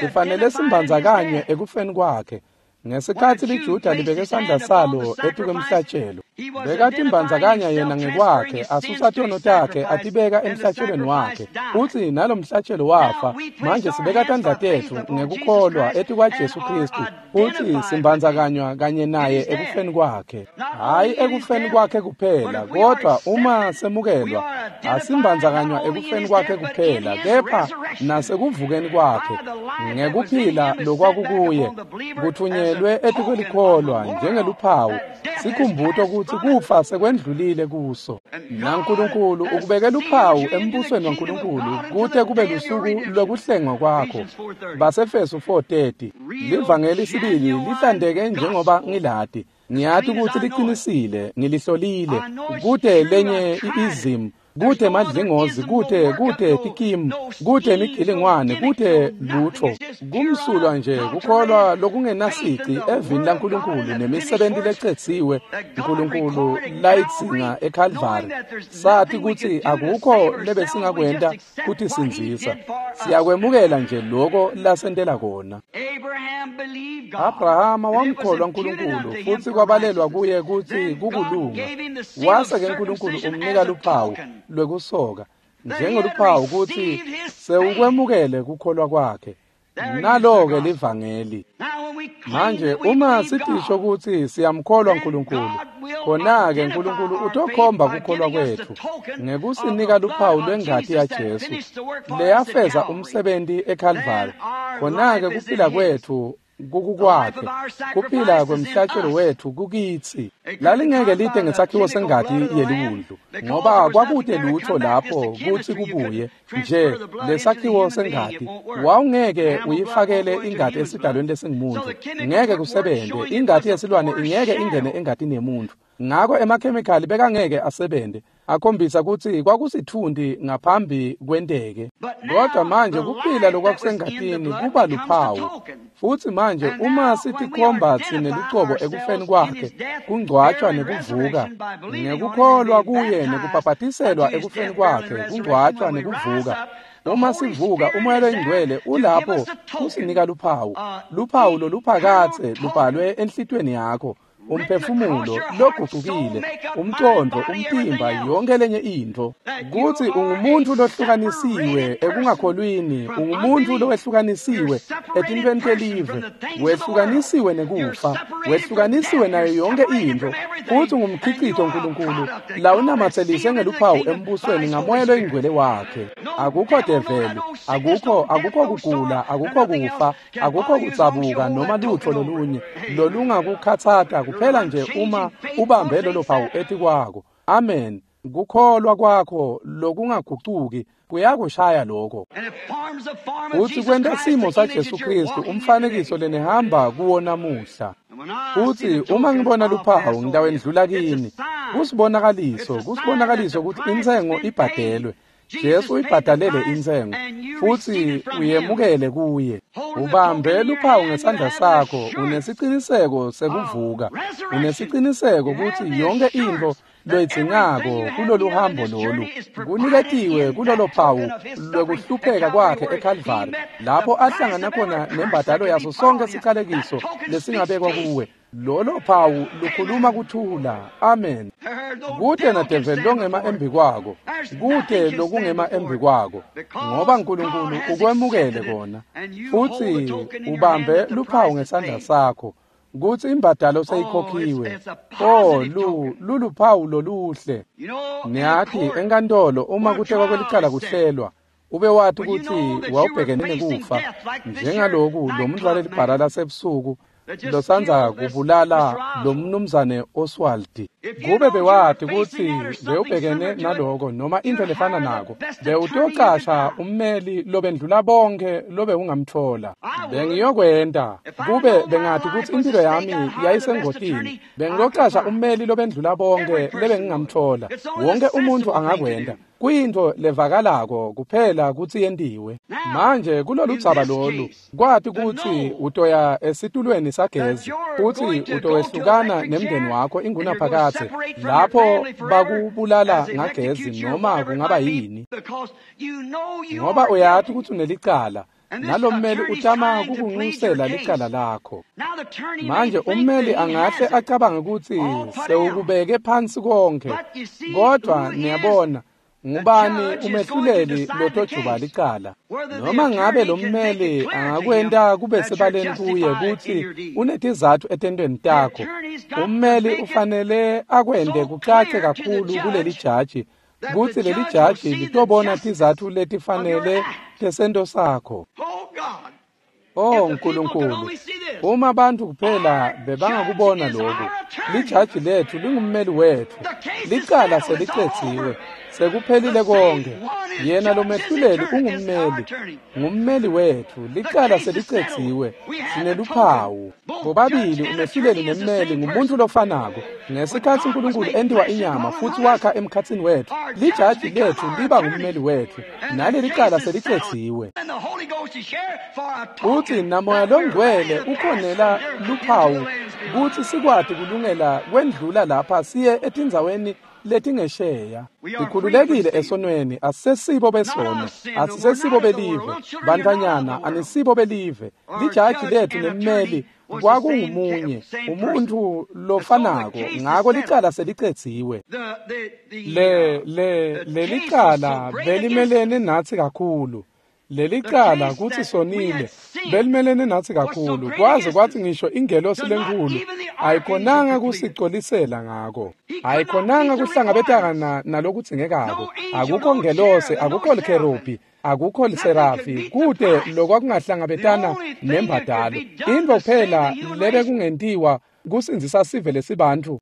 S1: Sifanele simbandzakanye ekufeni kwakhe. Ngesikhatsi liJuda libeke sandla salo etikwemhlatshelo, bekatimbandzakanya yena ngekwakhe, asusa tono takhe atibeka emhlatshelweni wakhe, futhi nalomhlatshelo wafa. Manje sibeka tandla tetfu ngekukholwa etikwaJesu Kristu, futhi simbandzakanywa kanye naye ekufeni kwakhe. Hhayi ekufeni kwakhe kuphela, kodwa uma semukelwa, asimbandzakanywa ekufeni kwakhe kuphela, kepha nasekuvukeni kwakhe ngekuphila lokwakukuye kuthunyelwe etikwelikholwa njengeluphawu, sikhumbuto kutsi kufa sekwendlulile kuso. NaNkulunkulu ukubeke luphawu embusweni waNkulunkulu kute kube lusuku lwekuhlengwa kwakho. Basefesu 4:30. Livangeli sibili lihlandeke njengoba ngilati. Ngiyati kutsi liqinisile, ngilihlolile. Kute lenye i-ism Kute madlingozi, kute tikimu, kute imigilingwane, kute lutho. Kumsulwa nje kukholwa lokungenasici evini laNkulunkulu nemisebenti lecetsiwe uNkulunkulu layidzinga eKalvari. Sathi kutsi akukho lebesingakwenta kutisindzisa. Siyakwemukela nje loko lasentela kona. Abrahama wamkholwa uNkulunkulu futsi kwabalelwa kuye kutsi kukulunga. Wase-ke uNkulunkulu umnika luphawu lwekusoka njengeluphawu kutsi sewukwemukele kukholwa kwakhe. Nalo-ke livangeli. Manje uma sitisho kutsi siyamkholwa uNkulunkulu, khona-ke uNkulunkulu utokhomba kukholwa kwetfu ngekusinika luphawu lwengati yaJesu leyafeza umsebenti eKalvari. Khona-ke kuphila kwetfu kukukwakhe, kuphila kwemhlatshelo wetfu kukitsi. Lalingeke lide ngesakhiwo sengati yeliwundlu, ngoba kwakute lutho lapho kutsi kubuye nje lesakhiwo sengati. Wawungeke uyifakele ingati esidalweni lesingumuntu, ngeke kusebente. Ingati yesilwane ingeke ingene engatini yemuntu. Ngako emakhemikhali bekangeke asebente, akhombisa kutsi kwakusitfunti ngaphambi kwenteke. Kodwa manje kuphila lokwakusengatini kuba luphawu. Futsi manje uma sitikhomba tsine lucobo ekufeni kwakhe, kungcwatshwa nekuvuka, ngekukholwa kuye nekubhabhatiselwa ekufeni kwakhe, kungcwatshwa nekuvuka. Uma sivuka, uMoya loyiNgcwele ulapho kusinika luphawu, luphawu loluphakadze lubhalwe enhlitiyweni yakho, umphefumulo logucukile, umcondvo, umtimba, yonke lenye intfo, kutsi ungumuntu lohlukanisiwe ekungakholwini, ungumuntu lowehlukanisiwe etintfweni telive, wehlukanisiwe nekufa, wehlukanisiwe nayo yonke intfo, futsi ungumkhicito uNkulunkulu lawunamatselise ngeluphawu embusweni ngaMoya loyiNgcwele wakhe. Akukho develi, akukho kugula, akukho kufa, akukho kudzabuka noma lutho lolunye lolungakukhatsata, kuphela nje uma ubambe lolo phawu etikwako. Amen. Kukholwa kwakho lokungagucuki kuyakushaya lokho. Futsi kwenta simo saJesu Kristu umfanekiso lenihamba kuwo namuhla. Futsi uma ngibona luphawu ngitawendlula kini. Kusibonakaliso kutsi intsengo ibhadelwe. Jesu uyibhadalele intsengo futsi uyemukele kuye. Ubambe luphawu ngesandla sakho, unesiciniseko sekuvuka, unesiciniseko kutsi yonke intfo loyidzingako kulolu hambo lolu kuniketiwe kulolo phawu lwekuhlupheka kwakhe eKalvari, lapho ahlangana khona nembadalo yaso sonke siqalekiso lesingabekwa kuwe. Lolo phawu lukhuluma kuthula. Amen. Kute nadeveli longema embi kwako, kute lokungema embi kwako, ngoba uNkulunkulu ukwemukele kona. Futsi ubambe luphawu ngesandla sakho kutsi imbadalo seyikhokhiwe. Oh, luluphawu loluhle. Niyathi enkantolo uma kutekwa kwelicala kuhlelwa, ube wathi kutsi wawubhekene nekufa njengaloku lo muntu walelibhala lasebusuku losandza kubulala lo mnumzane Oswald. Kube bewathi kutsi bewubhekene naloko noma into lefana nako, bewutocasha ummeli lobendlula bonke lobewungamtfola. Bengiyokwenta kube bengathi kutsi impilo yami yayisengotini, bengiyocasha ummeli lobendlula bonke lebengingamtfola. Wonke umuntu angakwenta. Kuyintfo levakalako kuphela kutsi yentiwe. Manje kulolu dzaba lolu, kwati kutsi utoya esitulweni sagezi futsi utowehlukana nemndeni wakho ingunaphakadze lapho bakubulala ngagezi noma kungaba yini, ngoba uyati kutsi unelicala. Nalo mmeli utama kukunxusela licala lakho. Manje ummeli angahle acabange kutsi sewukubeke phansi konke, kodwa niyabona ngubani umehluleli lotojuba licala? Noma ngabe lo mmeli angakwenta kube sebaleni kuye kutsi unetizatfu etentweni takho, ummeli ufanele akwente kucace kakhulu kuleli jaji kutsi leli jaji litobona tizatfu letifanele tesento sakho. Oh Nkulunkulu, uma bantfu kuphela bebangakubona lokhu. Lijaji lethu lingummeli wethu. Licala selicedziwe, sekuphelile konke. Yena lomehluleli ungummeli, ngummeli wethu. Licala selicedziwe, sineluphawu. Bobabili umehluleli nemmeli ngumuntu lofanako. Ngesikhatsi uNkulunkulu entiwa inyama futhi wakha emkhatsini wethu, lijaji lethu liba ngummeli wethu, naleli cala selicedziwe. Uthi namoya longcwele ukhonela luphawu kutsi sikwati kulungela kwendlula lapha siye etindzaweni letingesheya. Sikhululekile esonweni, asisesibo besono, asisesibo belive. Bantfwanyana, anisibo belive. Lijaji lethu nemmeli kwakungumunye, umuntu lofanako, ngako licala selicedziwe. Lelicala belimelene natsi kakhulu. Lelicala kutsi sonile belimelene natsi kakhulu, kwaze kwathi ngisho ingelosi lenkulu ayikhonanga kusicolisela ngako, ayikhonanga kuhlangabetana nalokudzingekako. Akukho ngelosi, akukho likherubhi, akukho liserafi, kute lokwakungahlangabetana nembadalo. Intfo kuphela lebekungentiwa kusindzisa sive lesibantfu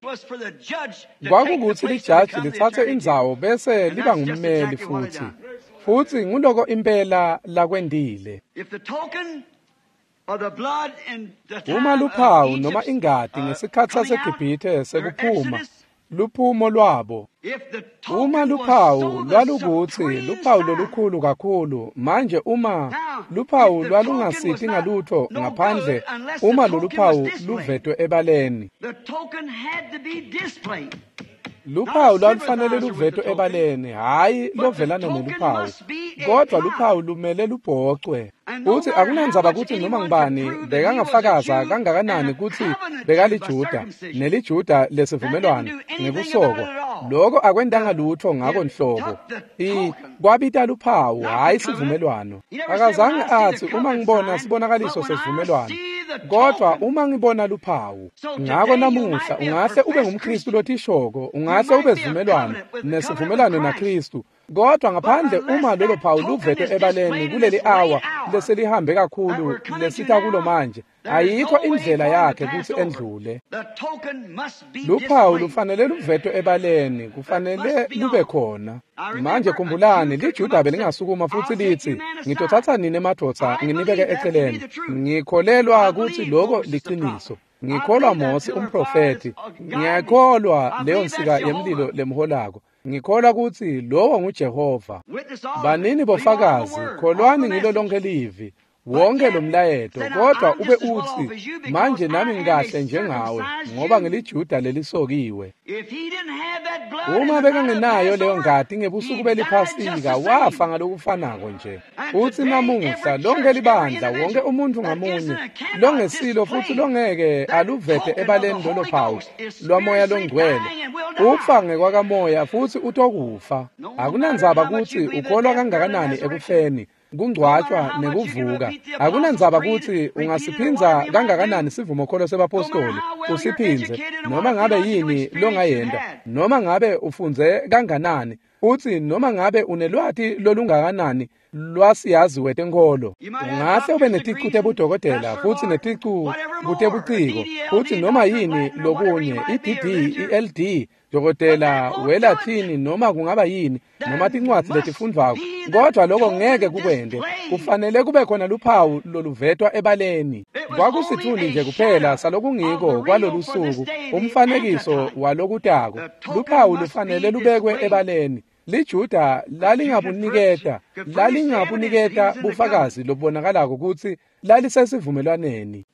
S1: kwakukutsi lijaji litsatse indzawo bese liba ngummeli futhi. Futhi nguloko impela lakwendile. Uma luphawu noma ingati ngesikhatsi saseGibhithe sekuphuma, luphumo lwabo. Uma luphawu lwalukutsi luphawu lolukhulu kakhulu, manje uma luphawu lwalungasiti ngalutho ngaphandle uma loluphawu luvetwe ebaleni. Luphawu lwalufanele luvetwe ebaleni, hhayi lovelana neluphawu, kodwa luphawu lumele lubhocwe. Uthi akunandzaba kutsi noma ngubani bekangafakaza kangakanani kutsi bekaliJuda neliJuda lesivumelwano ngekusokwa, loko akwentanga lutho ngako nhlobo. Kwabita luphawu, hhayi sivumelwano. Akazange atsi uma ngibona sibonakaliso sesivumelwano, kodwa uma ngibona luphawu. Ngako namuhla ungahle ube ngumKristu lotishoko, ungahle ube sivumelwano nesivumelwano naKristu, kodwa ngaphandle uma lolo phawu luvetwe ebaleni kuleli awa leselihambe kakhulu lesita kulo manje, ayikho indlela yakhe kutsi endlule. Luphawu lufanele luvetwe ebaleni, kufanele lube khona. Manje khumbulani, liJuda belingasukuma futsi litsi, ngitothatha nini emadvodza nginibeke eceleni. Ngikholelwa kutsi loko liciniso. Ngikholwa Mosi umprofethi. Ngiyakholwa leyo nsika yemlilo lemholako. Ngikholwa kutsi lowo nguJehova. Banini bofakazi, kholwani ngilo lonke livi, wonke lo mlayeto, kodwa ube utsi, manje nami ngikahle njengawe, ngoba ngiliJuda lelisokiwe. Uma bekangenayo leyo ngati ngebusuku beliphasika, wafa ngalokufanako nje. Utsi namuhla lonke libandla, wonke umuntu ngamunye longesilo futhi longeke aluvete ebaleni lolo phawu lwamoya longcwele, ufa ngekwakamoya futhi utokufa. Akunandzaba kutsi ukholwa kangakanani ekufeni, kungcwatshwa nekuvuka. Akunandzaba kutsi ungasiphindza kangakanani sivumokholo sebapostoli, usiphindze noma ngabe yini longayenta, noma ngabe ufundze kanganani, utsi noma ngabe unelwati lolungakanani lwasiyazi wetenkholo. Ungahle ube neticu tebudokotela futhi neticu kutebuciko futhi noma yini lokunye, i-DD, i-LD, dokotela welathini, noma kungaba yini, noma tincwadzi letifundvwako, kodwa loko ngeke kukwente. Kufanele kube khona luphawu loluvetwa ebaleni. Kwakusitfundi nje kuphela salokungiko kwalolu suku, umfanekiso walokutako. Luphawu lufanele lubekwe ebaleni. LiJuda lalingabuniketa bufakazi lobubonakalako kutsi lalisesivumelwaneni.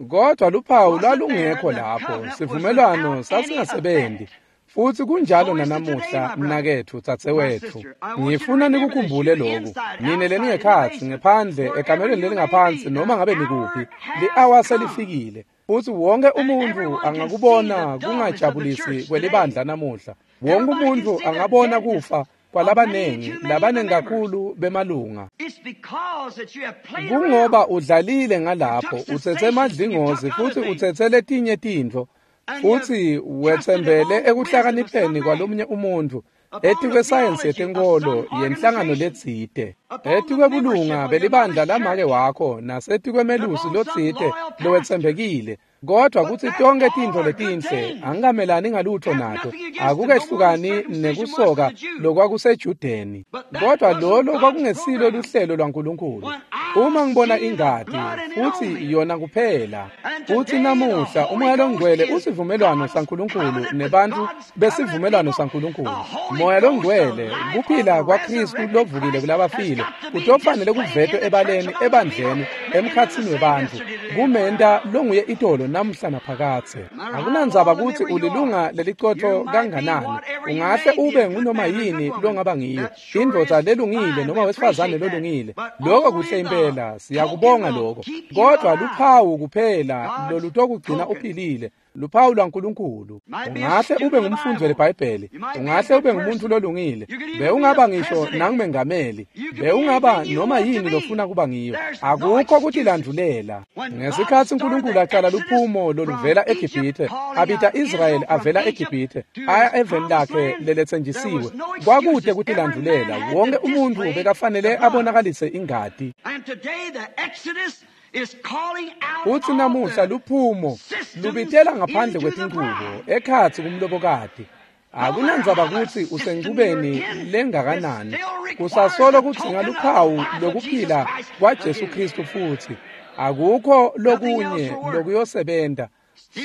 S1: Kodwa luphawu lwalungekho lapho, sivumelwano sasingasebenzi. Futhi kunjalo nanamuhla, mnaketfu, dzadzewetfu. Ngifuna nikukhumbule loku. Nine leningekhatsi, ngephandle, ekamelweni lelingaphansi, noma ngabe nikuphi, li-awa selifikile. Futhi wonke umuntu angakubona kungajabulisi kwelibandla namuhla. Wonke umuntu angabona kufa kwalabanengi, labanengi kakhulu bemalunga. Kungoba udlalile ngalapho, utsetse emadlingozi futhi utsetse letinye tintfo, futhi wetsembele ekuhlakanipheni kwalomunye umuntu, etikwesayensi yetenkholo yenhlangano letsite, etikwebulunga belibandla lamake wakho, nasetikwemelusi lotsite lowetsembekile. Kodwa kutsi tonkhe tintfo letinhle angikamelani ngalutho nato, akukehlukani nekusoka lokwakuseJudeni. Kodwa lolo kwakungesilo luhlelo lwaNkulunkulu. Uma ngibona ingati futhi yona kuphela. Futhi namuhla uMoya loNgcwele usivumelwano saNkulunkulu nebantu besivumelwano saNkulunkulu. Moya loNgcwele kuphila kwaKristu lovukile kulabafile kutofanele kuvetwe ebaleni ebandleni emkhatsini webantfu kumenta longuye itolo namuhla naphakathe. Akunandzaba kutsi ulilunga lelicotfo kanganani, ungahle ube ngunoma yini longaba ngiyo, indvodza lelungile noma wesifazane lolungile, lokho kuhle impela, siyakubonga lokho. Kodwa luphawu kuphela lolutokugcina uphilile, luphawu lwaNkulunkulu. Ungahle ube ngumfundi weBhayibheli, ungahle ube ngumuntu lolungile, bewungaba ngisho nangumengameli, bewungaba noma yini lofuna kuba ngiyo, akukho kutilandvulela. Ngesikhatsi uNkulunkulu aqala luphumo loluvela eGibhithe, abita Israyeli avela eGibhithe aya eveni lakhe leletsenjisiwe, kwakude kutilandvulela. Wonke umuntu bekafanele abonakalise ingati. Uthi namuhla luphumo lubitela ngaphandle kwetingubo ekhatsi kumlobokati. Akunandzaba kutsi usenkubeni lengakanani, kusasolo kudzinga luphawu lokuphila kwaJesu Kristu futsi akukho lokunye lokuyosebenta.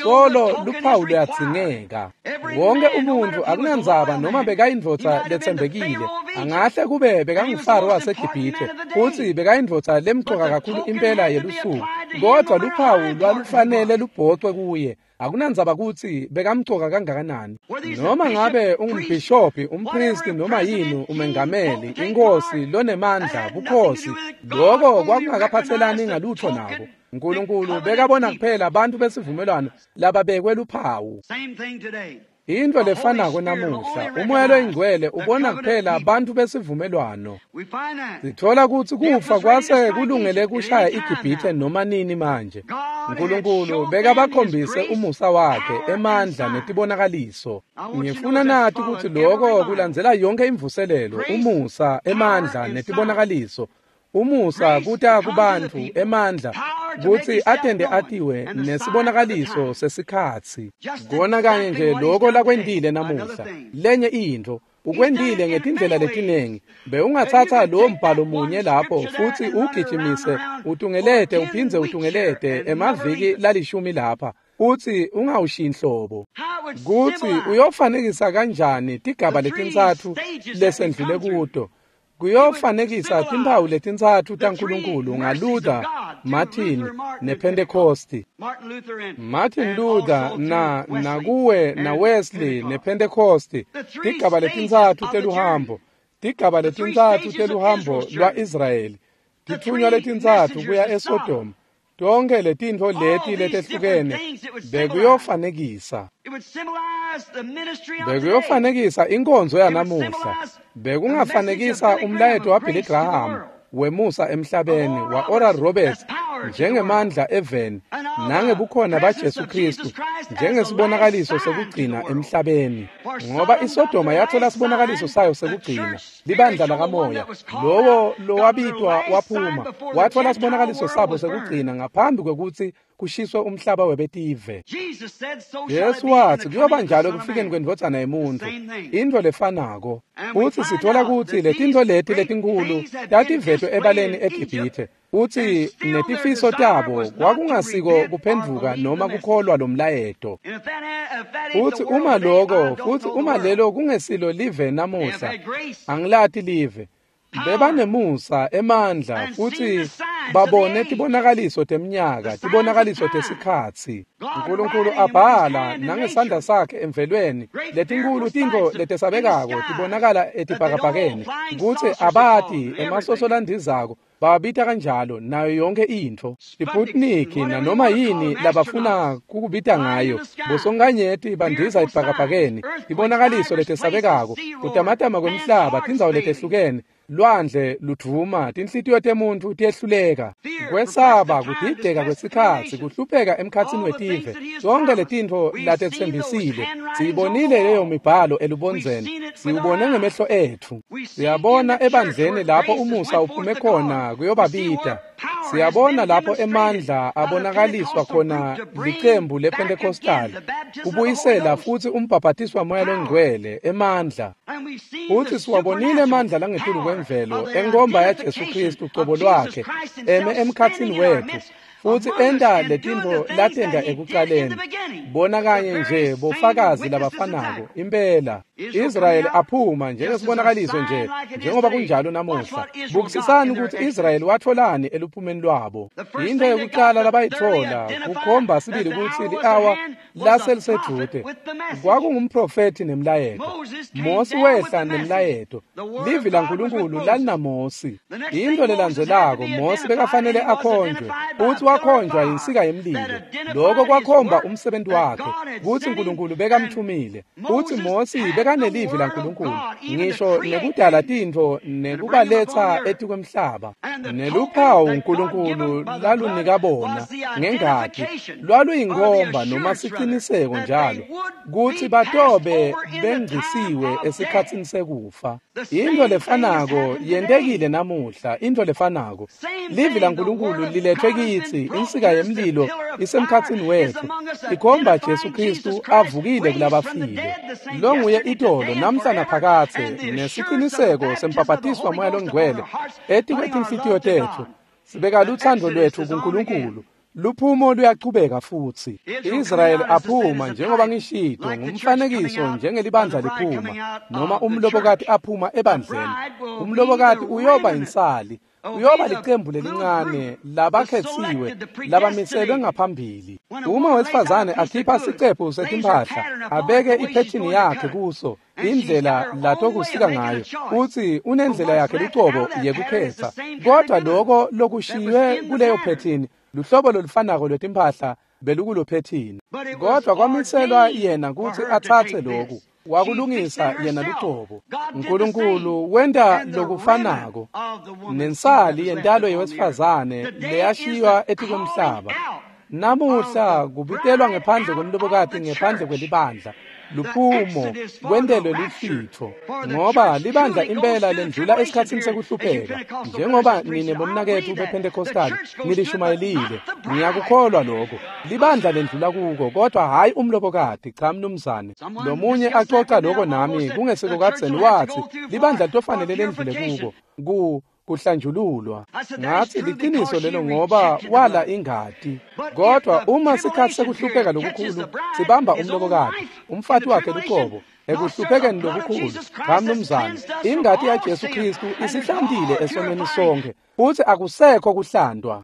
S1: Solo luphawu luyadzingeka. Wonke umuntfu akunandzaba noma bekayindvodza letsembekile, angahle kube bekangufaro waseGibhithe futsi bekayindvodza lemcoka kakhulu impela yelusuku, kodwa luphawu lwalufanele lubhocwe kuye. Akunandzaba kutsi bekamcoka kangakanani, noma ngabe ungumbhishobhi, umpristi, noma yini, umengameli, inkosi lonemandla, bukhosi, lokho kwakungakaphathelani ngalutho nako. uNkulunkulu bekabona kuphela abantu besivumelwano lababekwe luphawu. Into lefanako namuhla, uMoya loyiNgcwele ubona kuphela abantu besivumelwano. Sithola kutsi kufa kwase kulungele kushaya iGibhithe noma nini manje. uNkulunkulu bekabakhombise umusa wakhe, emandla netibonakaliso. Ngifuna nathi kutsi lokho kulandzela yonke imvuselelo, umusa, emandla netibonakaliso. Umusa kuta kubantu, emandla kutsi atende atiwe nesibonakaliso sesikhatsi. Kona kanye nje lokho lakwentile namuhla. Lenye intfo ukwentile ngetindlela letinengi. Bewungatsatsa lowo mbhalo munye lapho futsi ugijimise utungelete uphindze utungelete emaviki lalishumi lapha, utsi ungawushiyi nhlobo. Kutsi uyofanekisa kanjani tigaba letintsatfu lesendlule kuto. Kuyofanekisa timphawu letintsatfu taNkulunkulu ngaLuther, Martin nePentecosti. Martin Luther na nakuwe na Wesley nePentecosti, tigaba letintsatfu teluhambo, tigaba letintsatfu teluhambo lwa-Israyeli, titfunywa letintsatfu kuya eSodoma. Tonke letintfo leti letehlukene bekuyofanekisa. Bekuyofanekisa inkonzo yanamuhla. Bekungafanekisa umlayeto waBilly Graham wemusa emhlabeni, wa-Oral Roberts njengemandla eveni, nangebukhona baJesu Kristu njengesibonakaliso sekugcina emhlabeni. Ngoba iSodoma yathola sibonakaliso sayo sekugcina, libandla lakamoya, lowo lowabitwa waphuma, wathola sibonakaliso sabo sekugcina ngaphambi kwekutsi kushiswe umhlaba webetive. Jesu watsi kuyoba njalo ekufikeni kwendvodzana yemuntfu, intfo lefanako. Futsi sithola kutsi letintfo leti letinkhulu tativetwe ebaleni eGibhithe, futsi netifiso tabo kwakungasiko kuphendvuka noma kukholwa lomlayeto. Futsi uma lokho, futsi uma lelo kungesilo live namuhla, angilati live. Bebanemusa, emandla, futsi babone tibonakaliso teminyaka, tibonakaliso tesikhatsi. uNkulunkulu abhala nangesandla sakhe emvelweni letinkulu tintfo letesabekako tibonakala etibhakabhakeni, kutsi abati emasoso landizako bababita kanjalo, nayo yonke intfo. Sputnik nanoma yini labafuna kukubita ngayo, bosonkanyeti bandiza ebhakabhakeni, tibonakaliso letesabekako, kutamatama kwemhlaba, tindzawo letehlukene, lwandle ludvuma, tinhlitiyo temuntfu tiyehluleka. Kwesaba, kudideka kwesikhatsi, kuhlupheka emkhatsini wetive, tonke letintfo latetsembisile. Siyibonile leyo mibhalo elubondzeni, siwubone ngemehlo etfu. Siyabona ebandleni lapho umusa uphume khona kuyobabita. Siyabona lapho emandla abonakaliswa khona licembu lePentecostal kubuyisela futhi umbhabhatiswa moya longcwele emandla. Futhi siwabonile emandla langetulu kwemvelo enkomba yaJesu Kristu cobo lwakhe eme emkhatsini wethu futhi enta letintfo latenta ekucaleni. Bona kanye nje bofakazi labafanako impela. Israyeli aphuma njengesibonakaliso nje njengoba kunjalo namuhla. Bukisisani ukuthi Israyeli watholani eluphumeni lwabo. Into yokuqala labayithola kukhomba sibili ukuthi li-awa laselisedvute. Kwakungumprofethi nemlayeto. Mosi wehla nemlayeto. Livi laNkulunkulu lalinaMosi. Into lelandzelako Mosi bekafanele akhonjwe futhi wakhonjwa yinsika yemlilo. Lokho kwakhomba umsebenzi wakhe kutsi uNkulunkulu bekamthumile. Futhi Mosi bekanelivi laNkulunkulu ngisho nekudala tintfo nekubaletsa etikwemhlaba. Neluphawu uNkulunkulu lalunika bona ngengati lwaluyinkomba noma siciniseko njalo kutsi batobe bengcisiwe esikhatsini sekufa. Into lefanako yentekile namuhla, into lefanako. Livi laNkulunkulu lilethwe kitsi, insika yemlilo isemkhatsini wethu, ikhomba Jesu Kristu avukile kulabafile. Lo nguye itolo namhla naphakadze nesiciniseko sembhabhatiswa moya longcwele etikwetinhlitiyo tetfu. Sibeka lutsandvo lwetfu kuNkulunkulu. Luphumo luyachubeka futhi. Israyeli aphuma njengoba ngishito ngumfanekiso njengelibandla liphuma noma umlobokati aphuma ebandleni. Umlobokati uyoba insali, uyoba licembu lelincane labakhetsiwe labamiselwe ngaphambili. Uma wesifazane akhipha sicephu setimphahla abeke iphethini yakhe kuso indlela latokusika ngayo, uthi unendlela yakhe lucobo yekukhetsa, kodwa lokho lokushiywe kuleyo phethini luhlobo lolufanako lwetimphahla belukulophethini. Kodwa kwamiselwa yena kutsi atsatse loku, wakulungisa yena lucobo. uNkulunkulu wenta lokufanako nensali yentalo yewesifazane leyashiywa etikwemhlaba. Namuhla kubitelwa ngephandle kwemlobokati ngephandle kwelibandla. Luphumo kwentelwe luhlitfo ngoba libandla impela lendlula esikhatsini sekuhlupheka. Njengoba nine bomnaketfu bePentecostal nilishumayelile, ngiyakukholwa lokho. Libandla lendlula kuko, kodwa hhayi umlobokati. Cha mnumzane. Lomunye acoca lokho nami kungesiko kadzeni, wathi libandla litofanele lendlule kuko kuhlanjululwa. Ngathi liqiniso lelo ngoba wala ingati. Kodwa uma sikhathi sekuhlupheka lokukhulu sibamba umlobokati, umfati wakhe lucobo, ekuhluphekeni lokukhulu, cha mnumzane, ingati yaJesu Kristu isihlantile esonweni sonke futhi akusekho kuhlandwa.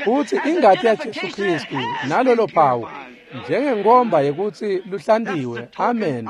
S1: Futhi ingati yaJesu Kristu nalolo phawu njengenkomba yekutsi luhlantiwe, amen.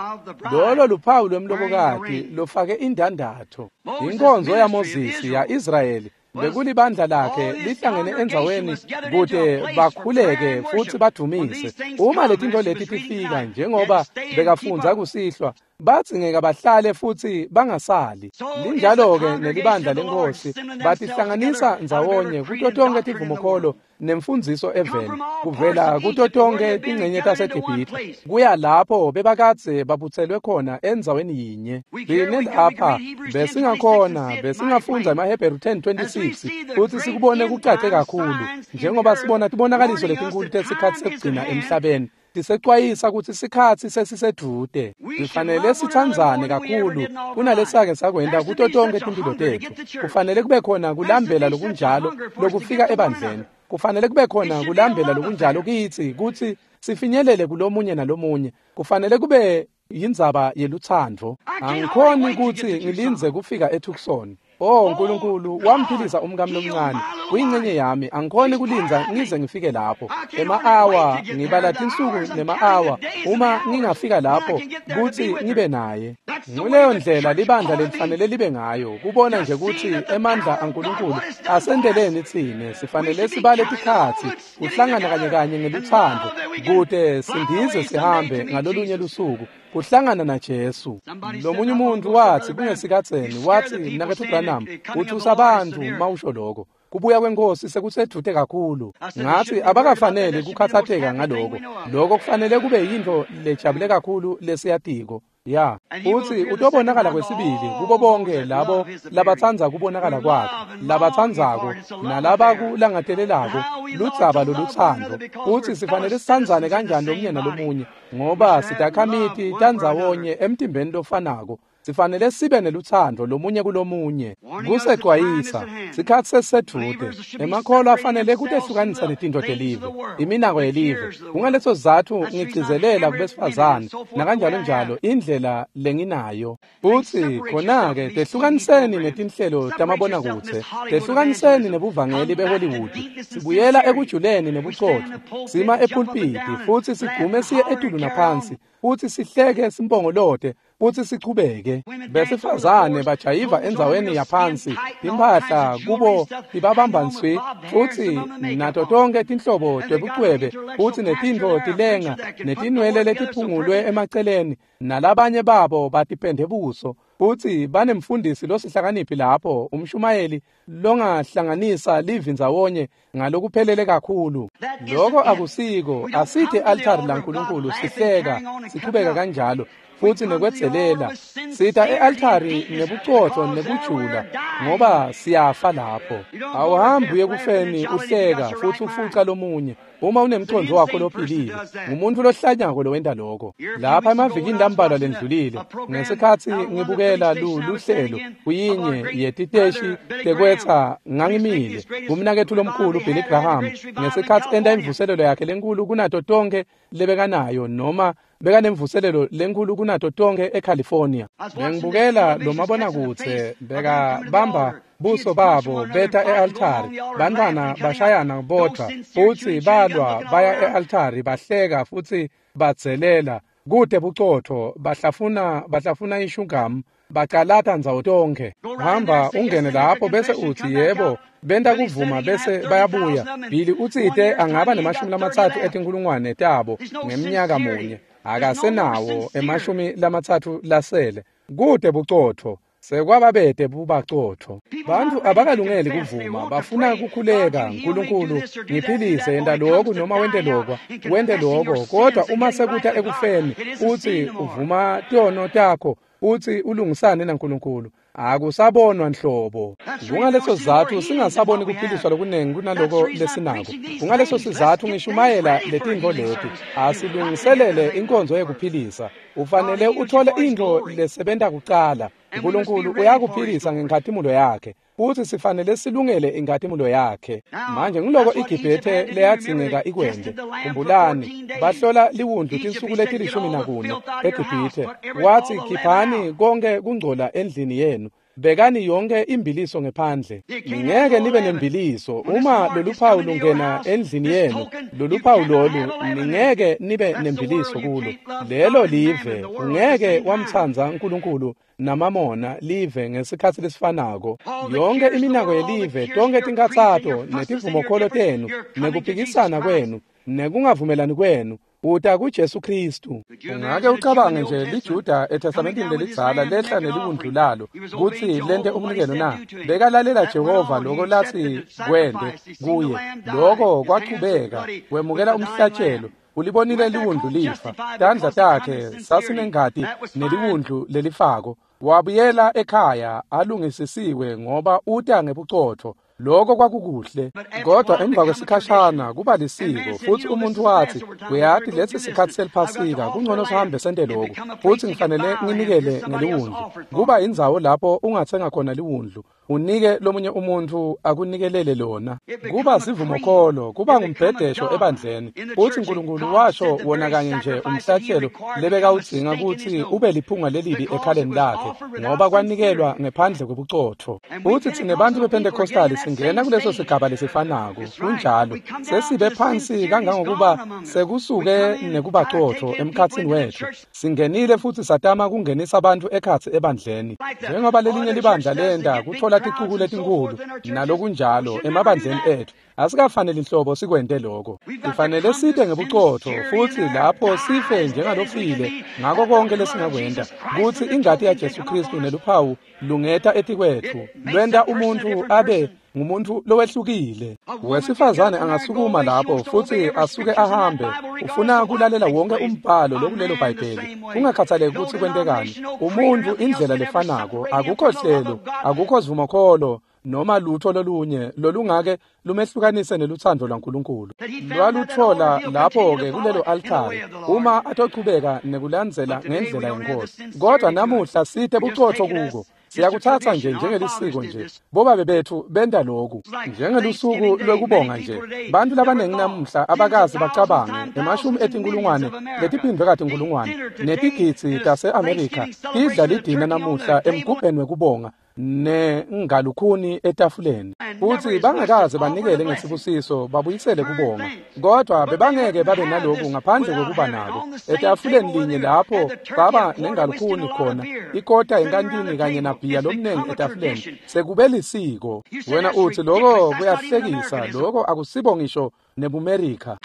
S1: Lolo luphawu lwemlobokati lofake indandatho. Inkonzo yaMozisi ya-Israyeli bekulibandla lakhe lihlangene endzaweni kute bakhuleke futhi badumise. Uma letintfo leti tifika njengoba bekafundza kusihlwa, badzingeka bahlale futhi bangasali. Linjalo-ke nelibandla lenkosi, batihlanganisa ndzawonye kuto tonkhe tivumokholo nemfundziso eveni, kuvela kuto tonkhe tincenye taseGibhithe kuya lapho bebakadze babutselwe khona endzaweni yinye. Thine lapha besingakhona besingafundza emaHebheru 10:26 futhi sikubone kucace kakhulu njengoba sibona tibonakaliso letinkulu tesikhatsi sekugcina emhlabeni tisecwayisa kutsi sikhatsi sesisedvute. Sifanele sitsandzane kakhulu kunalesake sakwenta kuto tonkhe timphilo tetfu. Kufanele kube khona kulambela lokunjalo lokufika ebandleni. Kufanele kube khona kulambela lokunjalo kitsi kutsi sifinyelele kulomunye nalomunye. Kufanele kube yindzaba yelutsandvo. Angikhoni kutsi ngilindze kufika eTucson. Oh Nkulunkulu, wamphilisa umkami lomncane, uyincenye yami. Angikhoni kulindza ngize ngifike lapho. Ema-awa ngibala tinsuku nema-awa uma ngingafika lapho kutsi ngibe naye. Nguleyo ndlela libandla lelifanele libe ngayo, kubona nje kutsi emandla aNkulunkulu asenteleni tsine. Sifanele sibale tikhatsi kuhlangana kanye kanye ngelutsandvo kute sindize sihambe ngalolunye lusuku kuhlangana naJesu. Lomunye umuntu wathi kungesikhatseni, wathi mnaketfu Branham, uthusa abantu mawusho lokho. Kubuya kwenkosi sekusedvute kakhulu. Ngathi abakafanele kukhathatheka ngaloko. Lokho kufanele kube yintfo lejabule kakhulu lesiyatiko. Ya, futsi utobonakala kwesibili kubo bonke labo labatsandza kubonakala kwakhe, labatsandzako nalabakulangatelelako ludzaba lolutsandvo. Futsi sifanele sitsandzane kanjani lomunye nalomunye, ngoba sitakhamiti tandzawonye emtimbeni lofanako. Sifanele sibe nelutsandvo lomunye kulomunye. Kusecwayisa, sikhatsi sesisedvute. Emakholwa afanele kutehlukanisa netintfo telive, iminako yelive. Kungaleso sizatfu ngigcizelela kubesifazane nakanjalo njalo indlela lenginayo. Futsi khona-ke tehlukaniseni netinhlelo tamabonakudze, tehlukaniseni nebuvangeli beHollywood. Sibuyela ekujuleni nebucotfo, sima epulpiti futsi sigume siye etulu naphansi, futsi sihleke simpongolote, futsi sichubeke. Besifazane bajayiva endzaweni yaphansi, timphahla kubo tibabamba nswi, futsi nato tonke tinhlobo tebucwebe, futsi netintfo tilenga, netinwele letiphungulwe emaceleni, nalabanye babo batipende buso, futsi banemfundisi losihlakaniphi lapho, umshumayeli longahlanganisa livi ndzawonye ngalokuphelele kakhulu. Loko akusiko, asithe altari laNkulunkulu sihleka, sichubeka kanjalo, futsi nekwedzelela. Sita e-altari nebucotfo nekujula, ngoba siyafa lapho. Awuhambi uye kufeni uhleka futsi ufuca lomunye. Uma unemcondvo wakho lophilile, ngumuntu lohlanyako lowenta lokho. Lapha emavikini lambalwa lendlulile, ngesikhatsi ngibukela luhlelo kuyinye yetiteshi tekwetsa, ngangimile kumnaketfu lomkhulu Billy Graham ngesikhatsi enta imvuselelo yakhe lenkulu kunato tonke lebekanayo, noma bekanemvuselelo lenkulu kunato tonke eCalifornia. Bengibukela lo mabonakudze bekabamba buso babo beta e-altari, bantfwana bashayana bodvwa, futsi balwa baya e-altari, bahleka futsi badzelela, kute bucotfo, bahlafuna ishungamu, bacalata ndzawo tonkhe. Hamba ungene lapho bese utsi yebo, benta kuvuma bese bayabuya. Billy utsite angaba ne-30 etinkhulungwane tabo ngemnyaka munye, akasenawo 30 lasele. Kute bucotfo, sekwababete bubacotfo. Bantfu abakalungeli kuvuma, bafuna kukhuleka, Nkulunkulu ngiphilise, yenta lokhu noma wente lokwa, wente lokho. Kodwa uma sekuta ekufeni, utsi uvuma tono takho, utsi ulungisane naNkulunkulu, akusabonwa nhlobo. Kungaleso sizatfu singasaboni kuphiliswa lokunengi kunaloko lesinako. Kungaleso sizatfu ngishumayela letintfo leti. Asilungiselele inkonzo yekuphilisa. Ufanele uthole intfo lesebenta kucala. Nkulunkulu uyakuphilisa ngenkhatimulo yakhe, futsi sifanele silungele inkhatimulo yakhe. Manje ngiloko iGibhithe leyadzingeka ikwente. Khumbulani, bahlola liwundlu tinsuku leti-14 eGibhithe. Watsi, khiphani konke kungcola endlini yenu, bekani yonke imbiliso ngephandle. Ningeke nibe nembiliso uma loluphawu lungena endlini yenu. Loluphawu lolu ningeke nibe nembiliso kulo. Lelo live, ungeke wamtsandza Nkulunkulu namamona live ngesikhatsi lesifanako. Yonke iminako yelive, tonke tinkhatsato netivumokholo tenu, nekuphikisana kwenu, nekungavumelani kwenu, uta kuJesu Kristu. Ungake ucabange nje liJuda eTestamentini lelidzala lehla neliwundlu lalo kutsi lente umnikelo na? Bekalalela Jehova loko latsi kwente kuye. Loko kwachubeka, wemukela umhlatshelo. Ulibonile liwundlu lifa, tandla takhe sasinengati neliwundlu lelifako. Wabuyela ekhaya alungisisiwe ngoba uta ngebucotfo. Loko kwakukuhle, kodwa emva kwesikhashana kuba lisiko, futsi umuntu wathi, uyati lesi sikhatsi seliphasika, kungcono sihambe sente lokhu, futsi ngifanele nginikele ngeliwundlu. Kuba indzawo lapho ungathenga khona liwundlu, unike lomunye umuntu akunikelele lona. Kuba sivumokholo, kuba ngumbhedesho ebandleni, futsi Nkulunkulu washo wona kanye nje umhlatshelo lebekawudzinga kutsi ube liphunga lelibi ekhaleni lakhe, ngoba kwanikelwa ngephandle kwebucotfo. Futsi tsine bantfu bePentecostali singena kuleso sigaba lesifanako. Kunjalo, sesibe phansi kangangokuba sekusuke nekubacotfo emkhatsini wetfu. Singenile futsi satama kungenisa abantu ekhatsi ebandleni, njengoba lelinye libandla lenta kutfola ticuku letinkulu nalokunjalo emabandleni etfu. Asikafaneli inhlobo sikwente lokho. Kufanele site ngebuqotho futhi lapho sife njengalofile ngako konke lesingakwenta kutsi ingati yaJesu Kristu neluphawu lungeta etikwetfu lwenta umuntfu abe ngumuntu lowehlukile. Wesifazane angasukuma lapho futhi asuke ahambe ufuna kulalela wonke umbhalo lokulelo Bhayibheli kungakhathaleki ukuthi kwentekani. Umuntu indlela lefanako, akukho hlelo, akukho sivumokholo noma lutho lolunye lolungake lumehlukanise neluthando lwaNkulunkulu. Lwaluthola lapho-ke kulelo altari uma atochubeka nekulandzela ngendlela yenkosi. Kodwa namuhla site bucotho kuko. Siyakuthatha nje njengelisiko nje. Bobabe bethu benta lokhu njengelusuku lwekubonga nje. Bantu labaningi namuhla abakazi bacabange emashumi etinkulungwane letiphindwe katinkulungwane netigidzi tase-Amerika tidla lidina namuhla emgubheni wekubonga nengalukhuni etafuleni futhi bangakaze banikele ngesibusiso babuyisele kubonga. Kodwa bebangeke babe naloku ngaphandle kokuba nako etafuleni linye lapho baba nengalukhuni khona ikota enkantini kanye nabhiya lomnengi etafuleni sekube lisiko. Wena uthi lokho kuyahlekisa, lokho akusibo ngisho nebuMerika.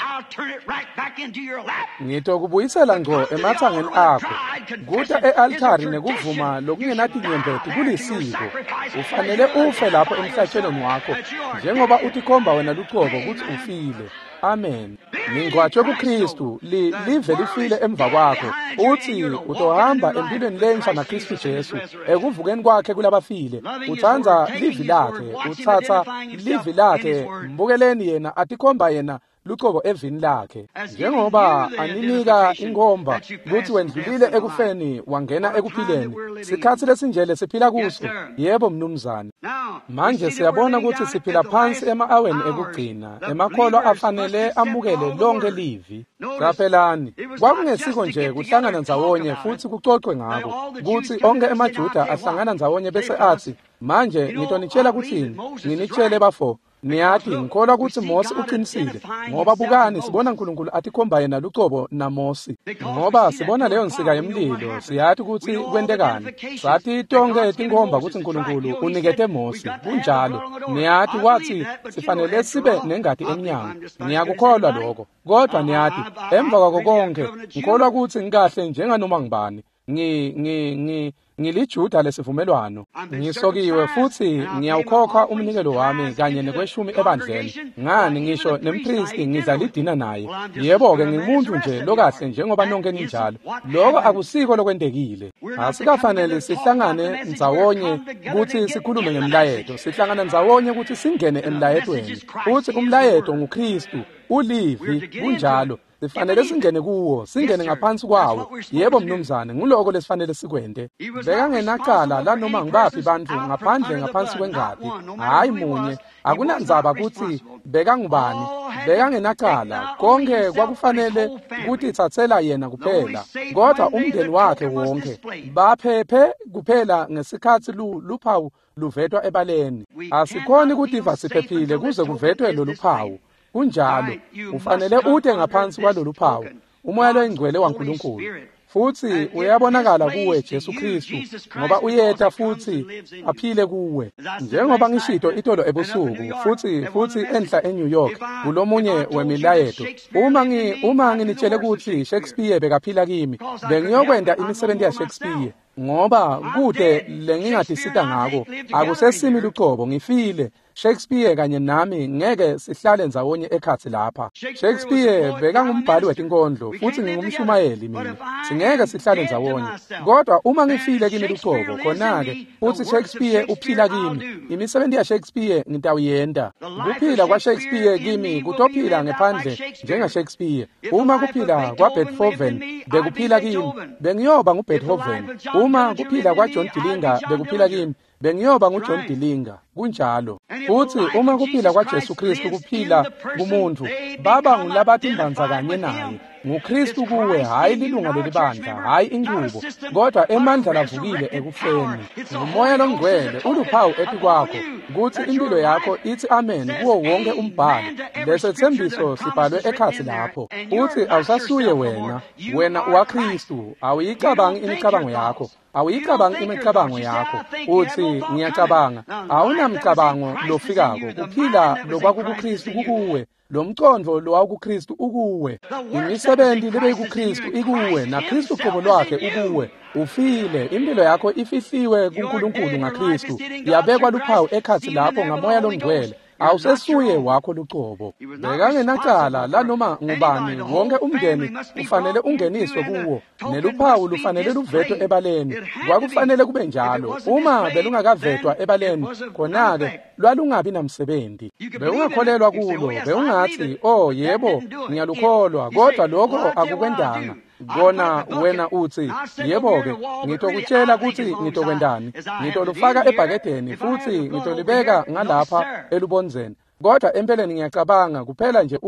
S1: Ngitokubuyisela ngco emathangeni akho. Kuta e-altari nekuvuma lokungenatinyembeti kulisiko. Ufanele ufe lapho emhlatshelweni wakho njengoba utikhomba wena lucobo kutsi ufile. Amen. Ningcwatshwe kuKristu, live lifile emva kwakho. Uthi utohamba empilweni lensha naKristu Jesu ekuvukeni kwakhe kulabafile. Utsandza livi lakhe, utsatsa livi lakhe, mbukeleni yena atikhomba yena lucobo evini lakhe. Njengoba aninika inkhomba kutsi wendlulile ekufeni wangena ekuphileni. Sikhatsi lesinjele siphila kuso. Yebo mnumzane. Manje siyabona kutsi siphila phansi ema-aweni ekugcina. Emakholwa afanele amukele lonke livi. Qaphelani, kwakungesiko nje kuhlangana ndzawonye futhi kucocwe ngako kutsi onke emaJuda ahlangana ndzawonye bese athi, manje ngitonitshela kutsini, nginitshele bafo. Niyati ngikholwa kutsi Mosi uqinisile ngoba bukani sibona uNkulunkulu atikhomba yena lucobo naMosi. Ngoba sibona leyo nsika yemlilo, siyati kutsi kwentekani. Sati tonke tinkhomba kutsi uNkulunkulu unikete Mosi. Kunjalo. Niyati wathi sifanele sibe nengati emnyango. Ngiyakukholwa lokho. Kodwa niyati emva kwako konke ngikholwa kutsi ngikahle njenganoma ngibani. Ngilijuda lesivumelwano. Ngisokiwe futhi ngiyawukhokha umnikelo wami kanye nekweshumi ebandleni. Ngani ngisho nempristi ngidla lidina naye. Yebo-ke ngingumuntu nje lokahle njengoba nonke ninjalo. Lokho akusiko lokwentekile. Asikafanele sihlangane ndzawonye kutsi sikhulume ngemlayeto. Sihlangana ndzawonye kutsi singene emlayetweni. Futhi umlayeto nguKristu, ulivi, kunjalo. Sifanele singene kuwo, singene ngaphansi kwawo. Yebo mnumzane, nguloko lesifanele sikwente. Bekangenacala lanoma ngibaphi bantfu ngaphandle ngaphansi kwengati. Hayi munye, akunandzaba kutsi bekangubani. Bekangenacala, konke kwakufanele kutitsatsela yena kuphela. Kodwa umndeni wakhe wonke baphephe kuphela ngesikhatsi luphawu luvetwa ebaleni. Asikhoni kutiva siphephile kuze kuvetwe loluphawu. Kunjalo, ufanele ute ngaphansi kwalolu phawu, umoya loyingcwele waNkulunkulu. Futhi uyabonakala kuwe Jesu Kristu ngoba uyeta futhi aphile kuwe. Njengoba ngishito itolo ebusuku futhi enhla eNew York kulomunye wemilayeto, uma nginitshele kutsi Shakespeare bekaphila kimi, bengiyokwenta imisebenzi yaShakespeare ngoba kude lengingatisita ngako. Akusesimi lucobo, ngifile. Shakespeare kanye nami ngeke sihlale ndzawonye ekhatsi lapha. Shakespeare bekangumbhali wetinkondlo futhi ngingumshumayeli mina. Singeke sihlale ndzawonye. Kodwa uma ngifile kimi lucobo, khona-ke futhi Shakespeare uphila kimi. Imisebenzi yaShakespeare ngitawuyenta. Kuphila kwaShakespeare kimi kutophila ngephandle njengaShakespeare. Uma kuphila kwaBeethoven bekuphila kimi, bengiyoba nguBeethoven. Uma kuphila kwaJohn Dillinger bekuphila kimi, bengiyoba nguJohn Dillinger. Kunjalo. Futhi uma kuphila kwaJesu Kristu kuphila kumuntu, baba ngulabatimbanza kanye naye. NguKristu kuwe, hayi lilunga lelibandla, hayi inqubo, kodwa emandla lavukile ekufeni. Ngumoya longcwele uluphawu etikwakho kutsi impilo yakho ithi amen kuwo wonke umbhalo. Lesethembiso sibhalwe ekhatsi lapho. Uthi awusasuye wena, wena uwaKristu, awuyicabangi imicabango yakho. Awuyicabangi imicabango yakho. Uthi ngiyacabanga. Awunamcabango lofikako. Kuphila lokwakukuKristu kukuwe. Lo mcondvo lowawukuKristu ukuwe. Imisebenzi lebeyikuKristu ikuwe, naKristu qobo lwakhe ukuwe. Ufile, impilo yakho ifihliwe kuNkulunkulu ngaKristu. Yabekwa luphawu ekhatsi lapho ngaMoya loNgcwele. Awusesuye wakho lucobo. Bekangenacala lanoma ngubani, wonke umndeni ufanele ungeniswe kuwo, neluphawu lufanele luvetwe ebaleni. Kwakufanele kube njalo. Uma belungakavetwa ebaleni, khona-ke lwalungabi namsebenzi. Bewungakholelwa kulo, bewungathi, "Oh yebo, ngiyalukholwa," kodwa lokho akukwendanga. Kona wena uthi, "Yebo-ke, ngitokutshela kutsi ngitokwendani. Ngitolufaka ebhakedeni futhi ngitolibeka ngalapha elubondzeni. Kodwa empeleni ngiyacabanga kuphela nje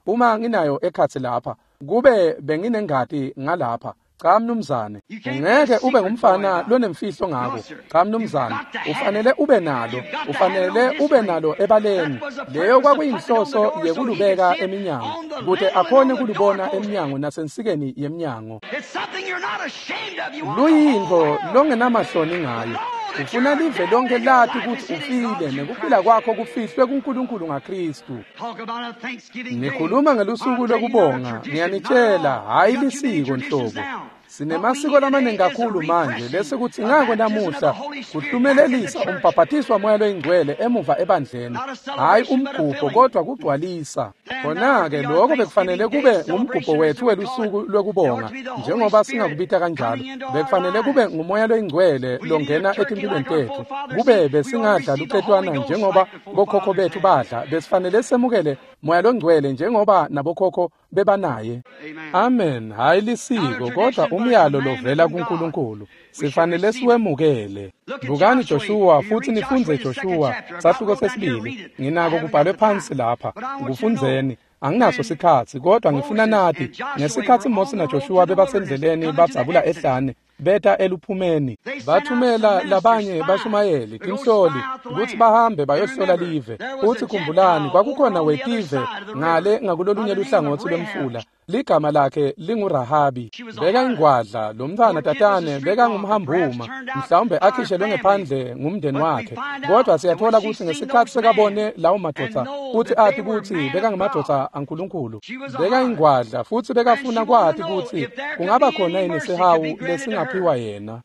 S1: uma nginayo ekhatsi lapha, kube benginengati ngalapha." Cha mnumzane, ngeke ube ngumfana lonemfihlo ngako. Cha mnumzane, ufanele ube nalo, ufanele ube nalo ebaleni. Leyo kwakuyinhloso yekulubeka eminyango, kute akhone kulubona eminyango nasensikeni yemnyango. Luyintfo longenamahloni ngayo. Ufuna live lonke lati kutsi ufile nekuphila kwakho kufihlwe kuNkulunkulu ngaKristu. Nikhuluma ngelusuku lokubonga, ngiyanitshela, hhayi lisiko nhlobo. Sinemasiko lamaningi kakhulu manje lesikuthi ngako namuhla kuhlumelelisa umbhabhatiswa waMoya loyiNgcwele emuva ebandleni, hhayi umgubho kodwa kugcwalisa. Khona-ke lokho bekufanele kube ngumgubho wethu welusuku lwekubonga, njengoba singakubita kanjalo. Bekufanele kube nguMoya loyiNgcwele longena etimpilweni tethu. Kube besingadla lucetwana njengoba bokhokho bethu badla, besifanele semukele Moya loNgcwele njengoba nabokhokho bebanaye. Amen. Hhayi lisiko kodwa umyalo lovela kuNkulunkulu. Sifanele siwemukele. Bukani Joshua futhi nifunze Joshua sahluko sesibili. Nginako kubhalwe phansi lapha. Kufundzeni. Anginaso sikhatsi kodwa ngifuna nati. Ngesikhatsi Mose naJoshua bebasendleleni badzabula ehlane, beta eluphumeni, bathumela labanye bashumayeli tinhloli kutsi bahambe bayohlola live. Uthi khumbulani, kwakukhona wetive ngale ngakulolunye luhlangotsi lwemfula, ligama lakhe linguRahabi. Bekayingwadla, lo mntfwana tatane bekangumhambuma, mhlawumbe akhishelwe ngephandle ngumndeni wakhe. Kodwa siyathola kutsi ngesikhatsi sekabone lawo madvodza futsi ati kutsi bekangemadvodza aNkulunkulu, bekayingwadla futhi bekafuna kwati kutsi kungaba khona yini sihawu lesingaphiwa yena.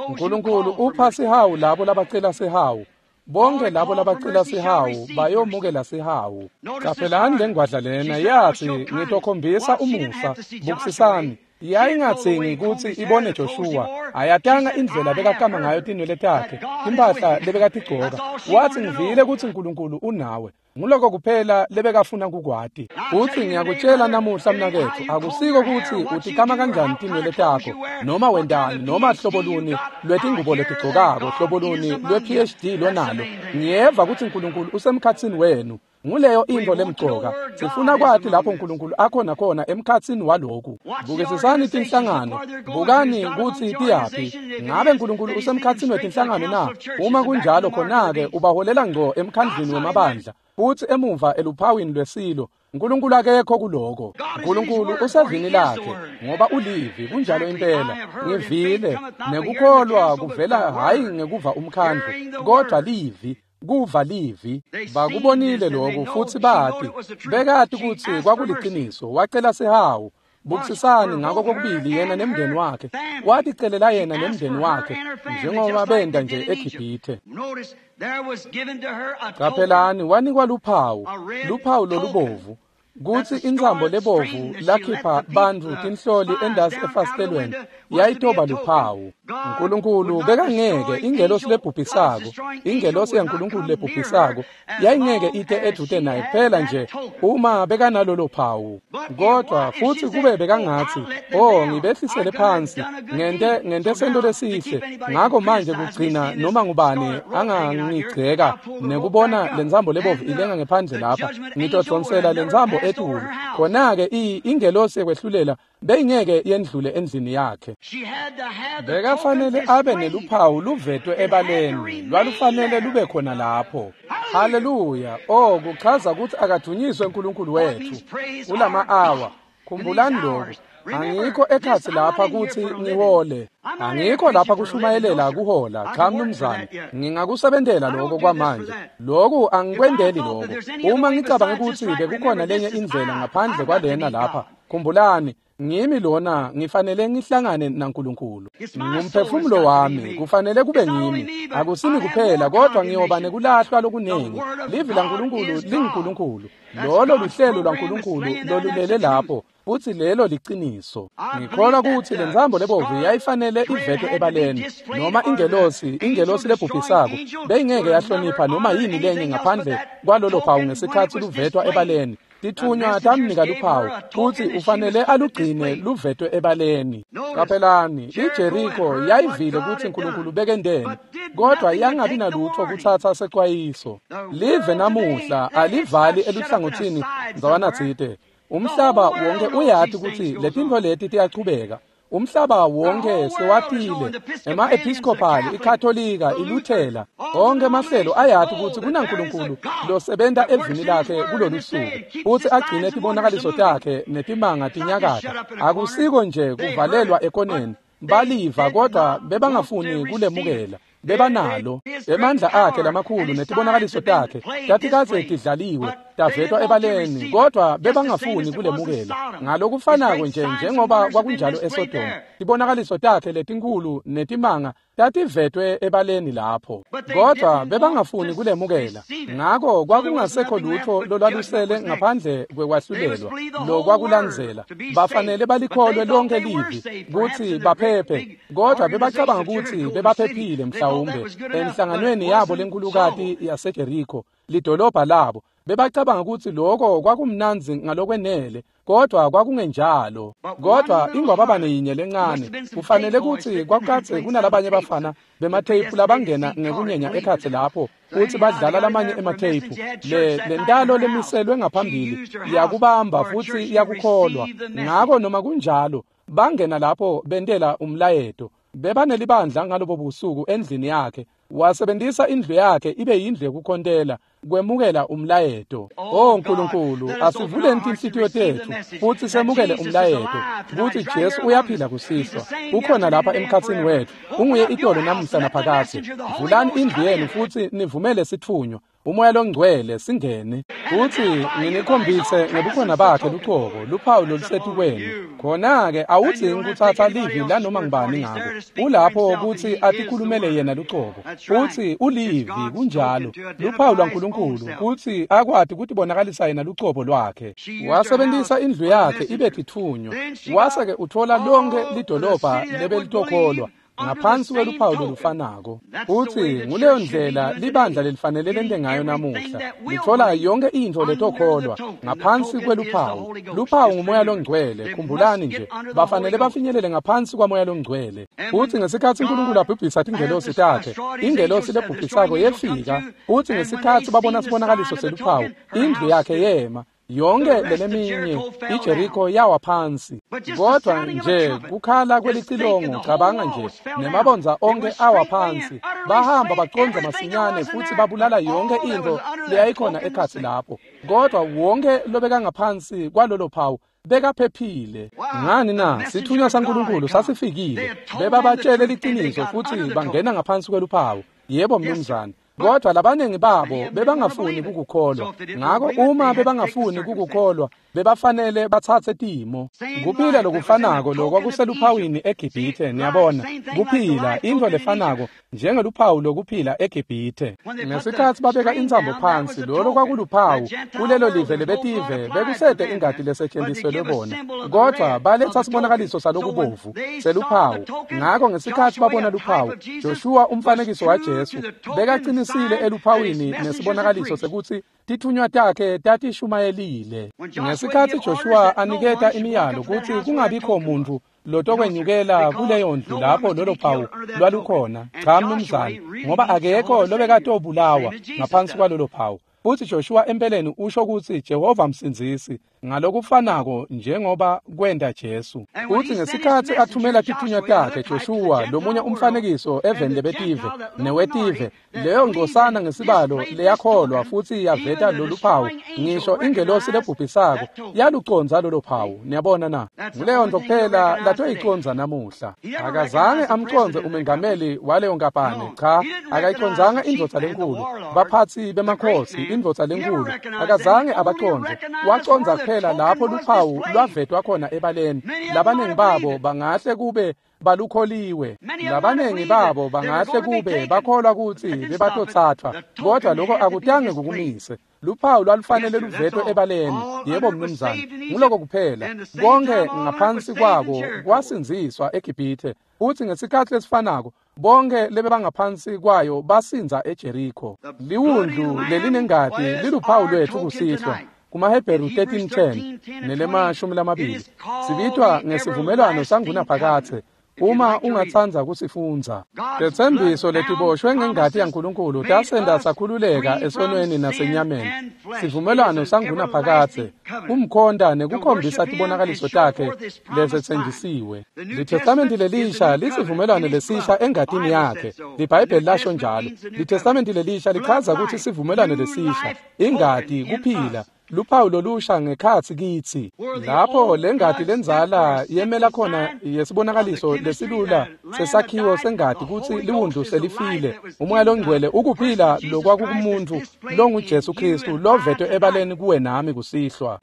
S1: uNkulunkulu upha sihawu labo labacela sihawu. Bonke labo labacela sihawu bayomukela sihawu. Qaphelani lengwadla lena yathi, ngitokhombisa umusa, bukisisani. Yayingadzingi kutsi ibone Joshua. Ayatanga indlela bekakama ngayo tinwele takhe, timphahla lebekatigcoka. Wathi, ngivile kutsi uNkulunkulu unawe. Nguloko kuphela lebekafuna kukwati. Uthi ngiyakutshela namuhla mnaketfu, akusiko kutsi utikama kanjani tinwele takho, noma wendani, noma hlobo luni lwetingubo letigcokako, hlobo luni lwe-PhD lonalo. Ngiyeva kutsi uNkulunkulu usemkhatsini wenu. Nguleyo intfo lemcoka. Sifuna kwati lapho uNkulunkulu akhona khona emkhatsini waloku. Bukisisani tinhlangano, bukani kutsi tiyaphi. Ngabe uNkulunkulu usemkhatsini wetinhlangano na? Uma kunjalo khona-ke ubaholela ngco emkhandlwini wemabandla, futsi emuva eluphawini lwesilo. uNkulunkulu akekho kuloko. uNkulunkulu usevini lakhe, ngoba ulivi, kunjalo impela. Ngivile, nekukholwa kuvela hhayi ngekuva umkhandlu, kodwa livi. Kuva livi. Bakubonile lokhu futhi bati, bekati kutsi kwakuliciniso. Wacela sihawu. Bukisisani ngako kokubili yena nemndeni wakhe. Waticelela yena nemndeni wakhe njengoba benda nje eGibhithe. Qaphelani, wanikwa luphawu, luphawu lolubovu, kutsi intsambo lebovu lakhipha bantfu tinhloli endasi efasitelweni yayitoba luphawu. uNkulunkulu bekangeke, ingelosi lebhubhisako, ingelosi yaNkulunkulu lebhubhisako yayingeke ite edvute naye kuphela nje uma bekanalolo phawu. Kodwa futhi kube bekangatsi, oh, ngibehlisele phansi, ngente sento lesihle, ngako manje kugcina noma ngubani angangigceka nekubona lentsambo lebovu ilenga ngephandle lapha, ngitodonsela lentsambo etulu. Khona-ke ingelosi yekwehlulela beyingeke yendlule endlini yakhe. Bekafanele abe neluphawu luvetwe ebaleni, lwalufanele lube khona lapho. Haleluya! Oh, kuchaza kutsi akadunyiswe uNkulunkulu wethu kulama awa. Khumbulani lokhu. Angikho ekhatsi lapha kutsi ngihole. Angikho lapha kushumayelela kuhola. Cha mnumzane, ngingakusebentela lokho kwamanje. Lokhu angikwendeli lokho. Uma ngicabanga ukuthi bekukhona lenye indlela ngaphandle kwalena lapha, khumbulani, ngimi lona ngifanele ngihlangane naNkulunkulu. Ngumphefumulo wami kufanele kube ngimi. Akusimi kuphela kodwa ngiyoba nekulahlwa lokunengi. Livi laNkulunkulu linguNkulunkulu. Lolo luhlelo lwaNkulunkulu lolulele lapho, futhi lelo liciniso. Ngikholwa ukuthi lentsambo lebovu yayifanele ivetwe ebaleni, noma ingelosi lebhubhisako beyingeke yahlonipha noma yini lenye ngaphandle kwalolo phawu ngesikhatsi luvetwa ebaleni. Tithunywa tamnika luphawu futhi ufanele alugcine luvetwe ebaleni. Qaphelani, iJeriko yayivile ukuthi uNkulunkulu bekendeni, kodwa yangabi nalutho kutsatsa secwayiso. Live namuhla alivali eluhlangothini ndzawanatsite. Umhlaba wonke uyati ukuthi letintfo leti tiyachubeka. Umhlaba wonke sewatile, ema-Episcopal, iKatolika, iLuthela, onke emahlelo ayati ukuthi kunaNkulunkulu losebenta evini lakhe kulolu suku, futhi agcine tibonakaliso takhe netimanga tinyakata. Akusiko nje kuvalelwa ekoneni, baliva kodwa bebangafuni kulemukela. Bebanalo emandla akhe lamakhulu netibonakaliso takhe tatikadze tidlaliwe tavetwa ebaleni, kodwa bebangafuni kulemukela. Ngalokufanako nje njengoba kwakunjalo eSodoma, tibonakaliso takhe letinkhulu netimanga tativetwe ebaleni lapho, kodwa bebangafuni kulemukela. Ngako kwakungasekho lutho lolwalusele ngaphandle kwekwahlulelwa lokwakulandzela. Bafanele balikholwe lonke livi kutsi baphephe, kodwa bebacabanga ukuthi bebaphephile mhlawumbe enhlanganweni yabo lenkulukati yaseJeriko, lidolobha labo. Bebacabanga ukuthi lokho kwakumnandzi ngalokwenele, kodwa kwakungenjalo. Kodwa ingwababane yinye lencane, kufanele ukuthi kwakukadze kunalabanye bafana bematheyiphu labangena ngekunyenya ekhatsi lapho futhi badlala lamanye ematheyiphu. Le ntalo lemiselwe ngaphambili yakubamba futhi yakukholwa. Ngako noma kunjalo bangena lapho bentela umlayeto. Bebanelibandla ngalobo busuku endlini yakhe. Wasebenzisa indlu yakhe ibe yindlu yekukhontela kwemukela umlayeto. Oh Nkulunkulu, asivuleni tinhlitiyo tetfu futhi semukele umlayeto kutsi Jesu uyaphila kusihlwa, ukhona lapha emkhatsini wetfu, unguye itolo namuhla naphakadze. Vulani indlu yenu futhi nivumele sitfunywa uMoya loNgcwele singene, futhi nginikhombise ngebukhona bakhe lucobo luphawu lolusetukwenu. Khona-ke awudzingi kutsatsa livi lanoma ngubani ngako, ulapho kutsi atikhulumele yena lucobo, futhi ulivi. Kunjalo, luphawu lwaNkulunkulu kutsi akwati kutibonakalisa yena lucobo lwakhe. Wasebentisa indlu yakhe ibe titfunywa, wase-ke utfola lonke lidolobha lebelitokholwa ngaphansi kweluphawu lolufanako. Futhi nguleyo ndlela libandla lelifanele lente ngayo namuhla, lithola yonke intfo letokholwa ngaphansi kweluphawu. Luphawu nguMoya loNgcwele. Khumbulani nje, bafanele bafinyelele ngaphansi kwaMoya loNgcwele. Futhi ngesikhatsi uNkulunkulu abhubhisa tingelosi takhe, ingelosi lebhubhisako yefika, futhi ngesikhatsi babona sibonakaliso seluphawu, indlu yakhe yema. Yonke leleminye iJeriko yawa phansi. Kodwa nje kukhala kwelicilongo, cabanga nje, nemabondza onke awa phansi. Bahamba bacondza masinyane futhi babulala yonke intfo leyayikhona ekhatsi lapho. Kodwa wonke lobekangaphansi kwalolo phawu bekaphephile. Ngani na? Sithunywa saNkulunkulu sasifikile. Bebabatshele liciniso futhi bangena ngaphansi kweluphawu. Yebo mnumzane. Kodwa labaningi babo bebangafuni kukukholwa. Ngako uma bebangafuni kukukholwa, bebafanele batsatse timo. Kuphila lokufanako lokwakuseluphawini eGibhithe, niyabona. Kuphila intfo lefanako njengeluphawu lokuphila eGibhithe. Ngesikhatsi babeka intsambo phansi, lolo kwakuluphawu kulelo live lebetive bekusete ingati lesetjenziselwe bona. Kodwa baletsa sibonakaliso salokubovu seluphawu. Ngako ngesikhatsi babona luphawu, Joshua umfanekiso waJesu bekaqinisile eluphawini nesibonakaliso sekutsi tithunywa takhe tatishumayelile. Ngesikhatsi Joshua aniketa imiyalo kutsi kungabikho muntfu lotokwenyukela kuleyo ndlu lapho lolo phawu lwalukhona, cha mnumzane, ngoba akekho lobekatobulawa ngaphansi kwalolo phawu. Futhi Joshua empeleni usho ukuthi Jehova msindzisi ngalokufanako njengoba kwenta Jesu. Futhi ngesikhathi athumela tithunywa takhe Joshua lomunye umfanekiso eveni lebetive newetive, leyo ngcosana ngesibalo leyakholwa futhi yaveta lolu phawu, ngisho ingelosi lebhubhisako yaluconza lolo phawu. Niyabona na? Nguleyo nto kuphela latoyiconza namuhla. Akazange amconze umengameli waleyo nkampani, cha, akayiconzanga indvodza lenkulu, baphatsi bemakhosi, indvodza lenkulu, akazange abaconze. Waconza kuphela lapho luphawu lwavetwa khona ebaleni. Labaningi babo bangahle kube balukholiwe, labaningi babo bangahle kube bakholwa ukuthi bebatothathwa, kodwa lokho akutange kukumise. Luphawu lwalufanele luvetwe ebaleni. Yebo mnumzane, nguloko kuphela. Konke ngaphansi kwako kwasindziswa eGibhithe, futhi ngesikhathi lesifanako bonke lebebangaphansi kwayo basinza eJeriko. Liwundlu lelinengati liluphawu lwethu kusihlwa. KumaHebheru 13:10 nelema-20 sibitwa ngesivumelwano sangunaphakadze. Uma ungatsandza kusifundza, tetsembiso letiboshwe ngengati yaNkulunkulu tasenta sakhululeka esonweni nasenyameni. Sivumelwano sangunaphakadze kumkhonta nekukhombisa tibonakaliso takhe lesetsenjisiwe. Litestamenti lelisha lisivumelwano lesisha engatini yakhe. LiBhayibheli lasho njalo. Litestamenti lelisha lichaza ukuthi sivumelwano lesisha, ingati kuphila, luphawu lolusha ngekhatsi kitsi. Lapho lengati lenzala yemela khona yesibonakaliso lesilula sesakhiwo sengati kutsi liwundlu selifile. Umoya longcwele ukuphila lokwakukumuntu longuJesu Kristu lovetwe ebaleni kuwe nami kusihlwa.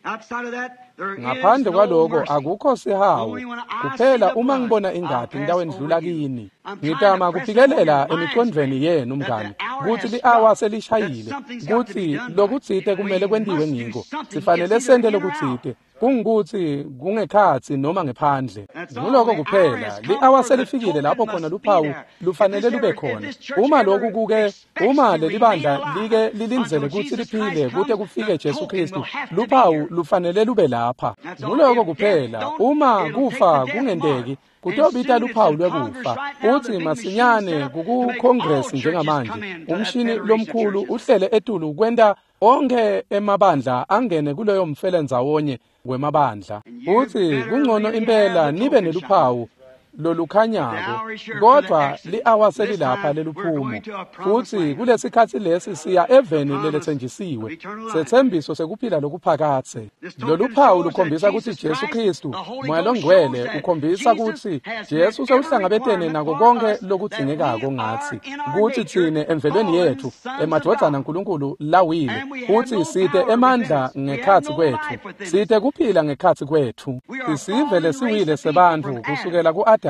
S1: Ngaphandle kwaloko akukho sihawu. Kuphela uma ngibona ingati ngitawendlula kini. Ngitama kuphikelela emicondvweni yenu mngani kutsi li-awa selishayile, kutsi lokutsite kumele kwentiwe ngiko. Sifanele sente lokutsite, kungukutsi kungekhatsi noma ngephandle. Nguloko kuphela. Li-awa selifikile lapho khona luphawu lufanele lube khona. Uma lokhu kuke, uma lelibandla like lilindzele kutsi liphile kute kufike Jesu Kristu, luphawu lufanele lube lapha. Nguloko kuphela. Uma kufa kungenteki, kutobita luphawu lwekufa. Uthi masinyane kukuCongress njengamanje, umshini lomkhulu uhlele etulu kwenta onke emabandla angene kuleyo mfelendzawonye wemabandla. Uthi kungcono impela nibe neluphawu lolukhanyako, kodwa li-awa selilapha leluphumo. Futhi kulesikhatsi lesi siya eveni leletsenjisiwe, setsembiso sekuphila lokuphakadze. Loluphawu lukhombisa kutsi Jesu Kristu, Moya longcwele ukhombisa kutsi Jesu sewuhlangabetene nako konke lokudzingekako ngatsi, kutsi tsine emvelweni yethu emadvodzana aNkulunkulu lawile, kutsi site emandla ngekhatsi kwethu, site kuphila ngekhatsi kwethu. Sisive lesiwile sebantfu kusukela ku-Adamu,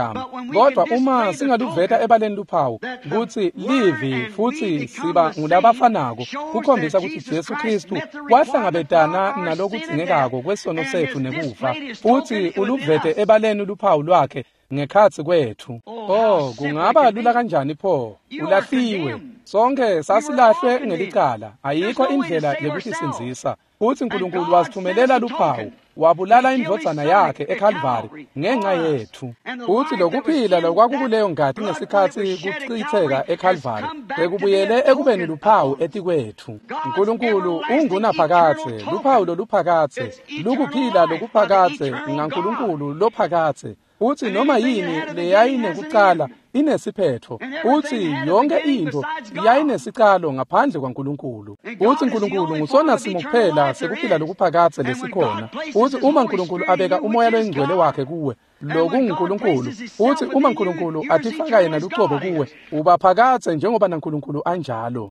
S1: kodwa uma singaluveta ebaleni luphawu kutsi livi futhi siba ngulabafanako, kukhombisa kutsi Jesu Kristu wahlangabetana nalokudzingekako kwesono setfu nekufa, futhi uluvete ebaleni luphawu lwakhe ngekhatsi kwethu. Oh, kungaba lula kanjani pho? Ulahliwe. Sonke sasilahlwe ngelicala. Ayikho indlela yekutisindzisa. Futhi uNkulunkulu wasithumelela luphawu, wabulala indvodzana yakhe eKalvari ngenxa yethu. Futhi lokuphila lokwakukuleyo ngati ngesikhatsi kuchitheka eKalvari bekubuyele ekubeni luphawu etikwethu. uNkulunkulu ungunaphakadze, luphawu loluphakadze, lukuphila lokuphakadze ngaNkulunkulu lophakadze. Uthi noma yini leyayinekucala inesiphetho. Uthi yonke into yayinesicalo ngaphandle kwaNkulunkulu. Uthi uNkulunkulu ngusona simo kuphela sekuphila lokuphakadze lesikhona. Uthi uma uNkulunkulu abeka umoya loyingcwele wakhe kuwe, lokunguNkulunkulu. Uthi uma uNkulunkulu atifaka yena lucobo kuwe, uba phakadze njengoba naNkulunkulu anjalo.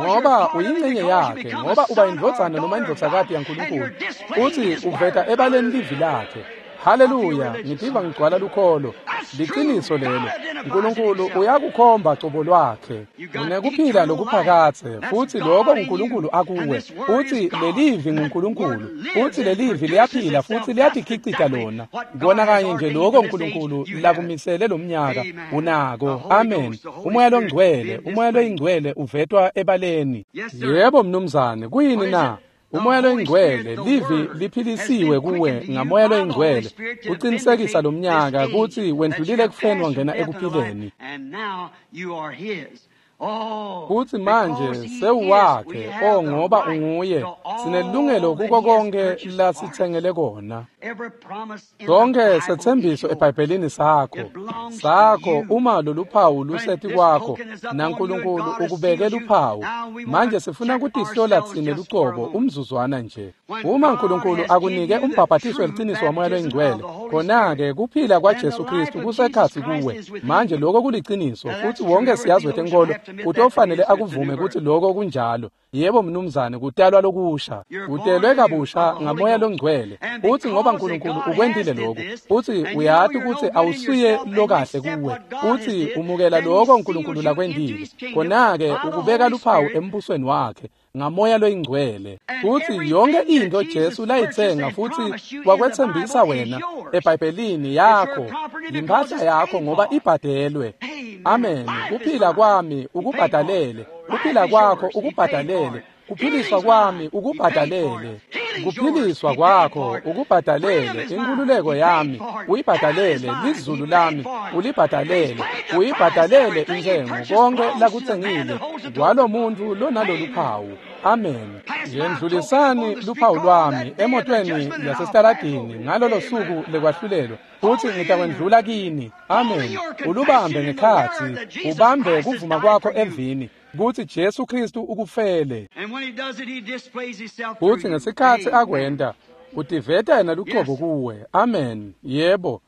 S1: Ngoba uyingcenye yakhe, ngoba uba indvodzana noma indvodzakati yaNkulunkulu. Uthi uveta ebaleni livi lakhe. Haleluya, ngitiva ngigcwala lukholo. Liqiniso lelo. uNkulunkulu uyakukhomba cobo lwakhe. Unekuphila lokuphakadze, futhi lokho uNkulunkulu akuwe. Uthi lelivi nguNkulunkulu. Uthi lelivi liyaphila futhi liyatikhicita lona. Kona kanye nje lokho uNkulunkulu lakumisele lomnyaka unako. Amen. Umoya longcwele, umoya loyingcwele uvetwa ebaleni. Yebo mnumzane, kuyini na? Umoya loyingcwele, livi liphilisiwe kuwe ngamoya loyingcwele, uqinisekisa lomnyaka kutsi wendlulile ekufeni wangena ekuphileni. Futsi manje sewuwakhe, o ngoba unguye, sinelungelo kuko konke lasitsengele kona. Konke setsembiso eBhayibhelini sakho, sakho uma loluphawu luseti kwakho, naNkulunkulu ukubeke luphawu. Manje sifuna kutihlola tsine lucobo umzuzwana nje. Uma uNkulunkulu akunike umbhaphathiso weliciniso waMoya loyiNgcwele, khona-ke kuphila kwaJesu Kristu kusekhatsi kuwe. Manje lokho kuliciniso, futsi wonke siyazi wetenkolo kutofanele akuvume kutsi lokho kunjalo. Yebo mnumzane, kutalwa lokusha, utelwe kabusha ngaMoya loNgcwele. Futsi ngoba uNkulunkulu ukwentile lokhu, futsi uyati kutsi awusuye lokahle kuwe, futsi umukela lokho uNkulunkulu lakwentile, khona-ke ukubeka luphawu embusweni wakhe ngaMoya loyiNgcwele. Futsi yonke into Jesu layitsenga futsi wakwetsembisa wena eBhayibhelini yakho, yimpahla yakho ngoba ibhadelwe. Amen. Kuphila kwami ukubhadalele, kuphila kwakho ukubhadalele, kuphiliswa kwami ukubhadalele, kuphiliswa kwakho ukubhadalele, inkululeko yami uyibhadalele, lizulu lami ulibhadalele, uyibhadalele intsengo, konke lakutsengile kwalomuntu lonalolu phawu. Amen. Yendlulisani luphawu lwami emotweni yasesitaladini ngalolo suku lekwahlulelwa, futsi ngitakwendlula kini. Amen. Ulubambe ngekhatsi, ubambe kuvuma kwakho evini kutsi Jesu Kristu ukufele. Futsi ngesikhatsi akwenta, utiveta yena lucobo kuwe. Amen. Yebo.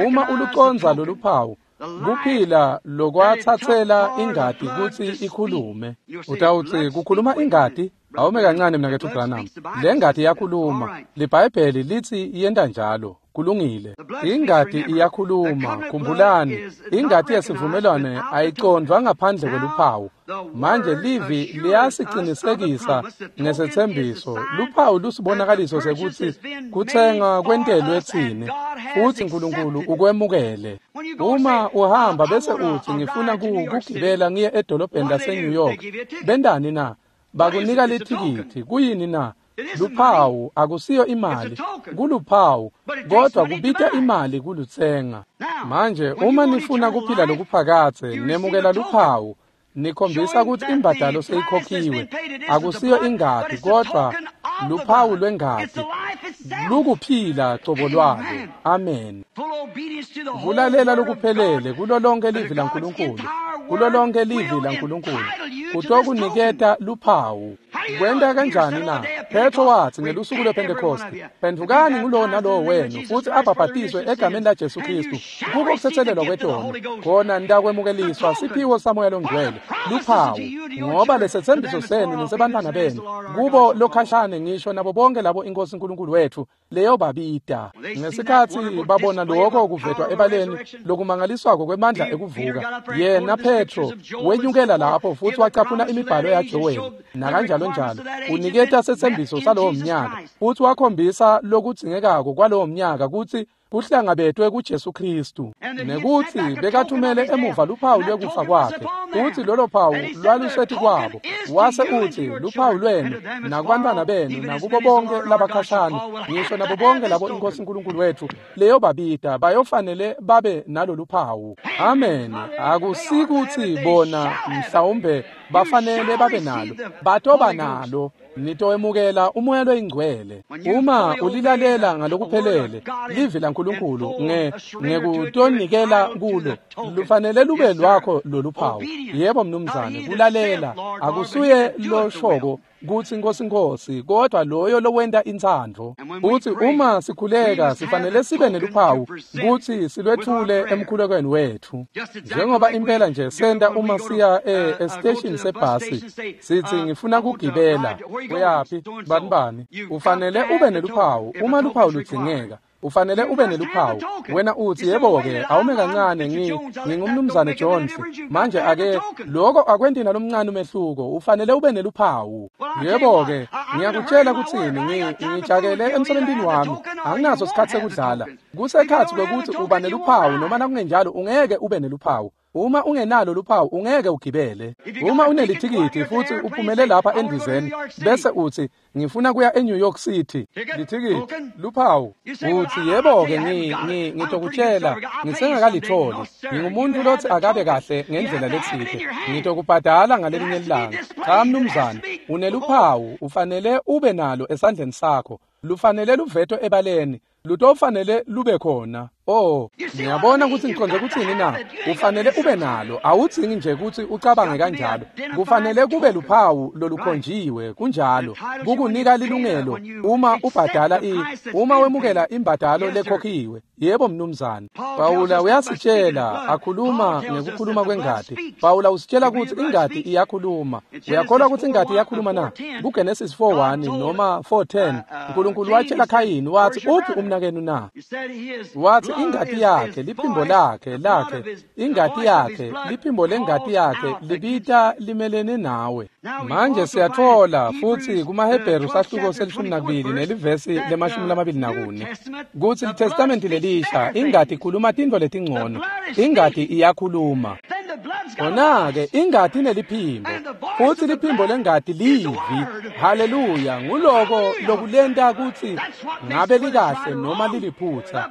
S1: Uma ulucondza loluphawu, kuphila lokwatsatsela ingati kutsi ikhulume. Utawutsi kukhuluma ingati? Awume kancane mnaketfu Branham. Le ngati iyakhuluma. LiBhayibheli litsi iyenta njalo. Kulungile. Ingati iyakhuluma. Khumbulani, ingati yesivumelwano ayicondvwa ngaphandle kweluphawu. Manje livi liyasicinisekisa ngesetsembiso. Luphawu lusibonakaliso sekutsi kutsenga kwentelwe tsine, futsi uNkulunkulu ukwemukele. Uma uhamba bese utsi ngifuna kugibela ngiye edolobheni lase-New York, bentani na? Bakunika lithikithi. Kuyini na? Luphawu. Akusiyo imali, kuluphawu, kodwa kubita imali kulutsenga. Manje uma nifuna kuphila lokuphakadze, nemukela luphawu, nikhombisa kutsi imbadalo seyikhokhiwe. Akusiyo ingati, kodwa luphawu lwengati, lukuphila cobo lwalo. Amen. Kulalela lokuphelele kulo lonke livi laNkulunkulu, kulo lonke livi laNkulunkulu kutokuniketa luphawu. Kwenta kanjani na? Petro watsi ngelusuku lwePhentekhosti, phendvukani ngulowo nalowo wenu futsi abhabhatiswe egameni laJesu Kristu kuko kutsetselelwa kwetono, khona nitakwemukeliswa siphiwo saMoya loNgcwele. Luphawu, ngoba lesetsembiso senu nesebantfwana benu, kubo lokhashane ngisho nabo bonke labo iNkosi uNkulunkulu wethu leyobabita. Ngesikhatsi babona lokho kuvetwa ebaleni lokumangaliswako kwemandla ekuvuka, yena Petro wenyukela lapho futsi wacaphuna imibhalo yaJoweli nakanjalo njalo, uniketa setsembiso salowo mnyaka, futsi wakhombisa lokudzingekako kwalowo mnyaka kutsi kuhlangabetwe kuJesu Kristu, nekutsi bekathumele emuva luphawu lwekufa kwakhe, futsi lolo phawu lwaluseti kwabo. Wase utsi luphawu lwenu nakubantfwana benu nakubo bonke labakhashane, ngisho nabo bonke labo iNkosi uNkulunkulu wethu leyobabita, bayofanele babe nalolu phawu. Amen. Akusikuthi bona mhlawumbe bafanele babe nalo, batoba nalo. Nitowemukela uMoya loyiNgcwele uma ulilalela ngalokuphelele livi laNkulunkulu ngekutonikela kulo. Lufanele lube lwakho loluphawu. Yebo mnumzane, kulalela akusuye loshoko kutsi Nkosi Nkosi, kodwa loyo lowenta intsandvo. Futsi uma sikhuleka sifanele sibe neluphawu kutsi silwethule emkhulekweni wethu, njengoba impela nje senta uma siya esiteshini sebhasi sitsi ngifuna kugibela. Uyaphi? Bani bani? Ufanele ube neluphawu uma luphawu ludzingeka. Ufanele ube neluphawu. Wena utsi yebo-ke, awume kancane, ngingumnumzane Jones. Manje ake lokho akwenti nalomncane umehluko. Ufanele ube neluphawu. Yebo-ke, ngiyakutshela kutsini, ngijakele emsebentini wami. Anginaso sikhatsi sekudlala. Kusekhatsi kwekutsi uba neluphawu noma nakungenjalo ungeke ube neluphawu. Uma ungenalo luphawu ungeke ugibele. Uma unelithikithi futhi uphumele lapha endizeni bese uthi ngifuna kuya eNew York City, lithikithi luphawu, uthi yebo-ke ngitokutshela ngisengakalitholi, ngingumuntu lothi akabe kahle ngendlela letsite, ngitokubhadala ngalelinye ilanga. Cha mnumzane, uneluphawu, ufanele ube nalo esandleni sakho, lufanele luvetwe ebaleni, lutofanele lube khona. Oh, ngiyabona ukuthi ngiqonde kuthini na. Ufanele ube nalo, awudzingi nje ukuthi ucabange kanjalo. Kufanele kube luphawu lolukhonjiwe, kunjalo. Kukunika lilungelo uma ubhadala uma wemukela imbadalo lekhokhiwe. Yebo mnumzane. Pawula uyasitshela, akhuluma ngekukhuluma kwengati. Pawula usitshela ukuthi ingati iyakhuluma. Uyakholwa ukuthi ingati iyakhuluma na? KuGenesis 4:1 noma 4:10, uNkulunkulu watshela Khayini wathi, uphi umnakenu na? Wathi ingati yakhe, liphimbo lakhe, ingati yakhe, liphimbo lengati yakhe libita limelene nawe. Manje siyathola futhi kumaHebheru sahluko se-12 nelivesi le-24 kuthi iTestamente lelisha ingati ikhuluma tintfo letingcono, ingati iyakhuluma. Khona-ke ingati ineliphimbo, futhi liphimbo lengati livi. Haleluya! Nguloko lokulenta kutsi ngabe likahle noma liliphutsa.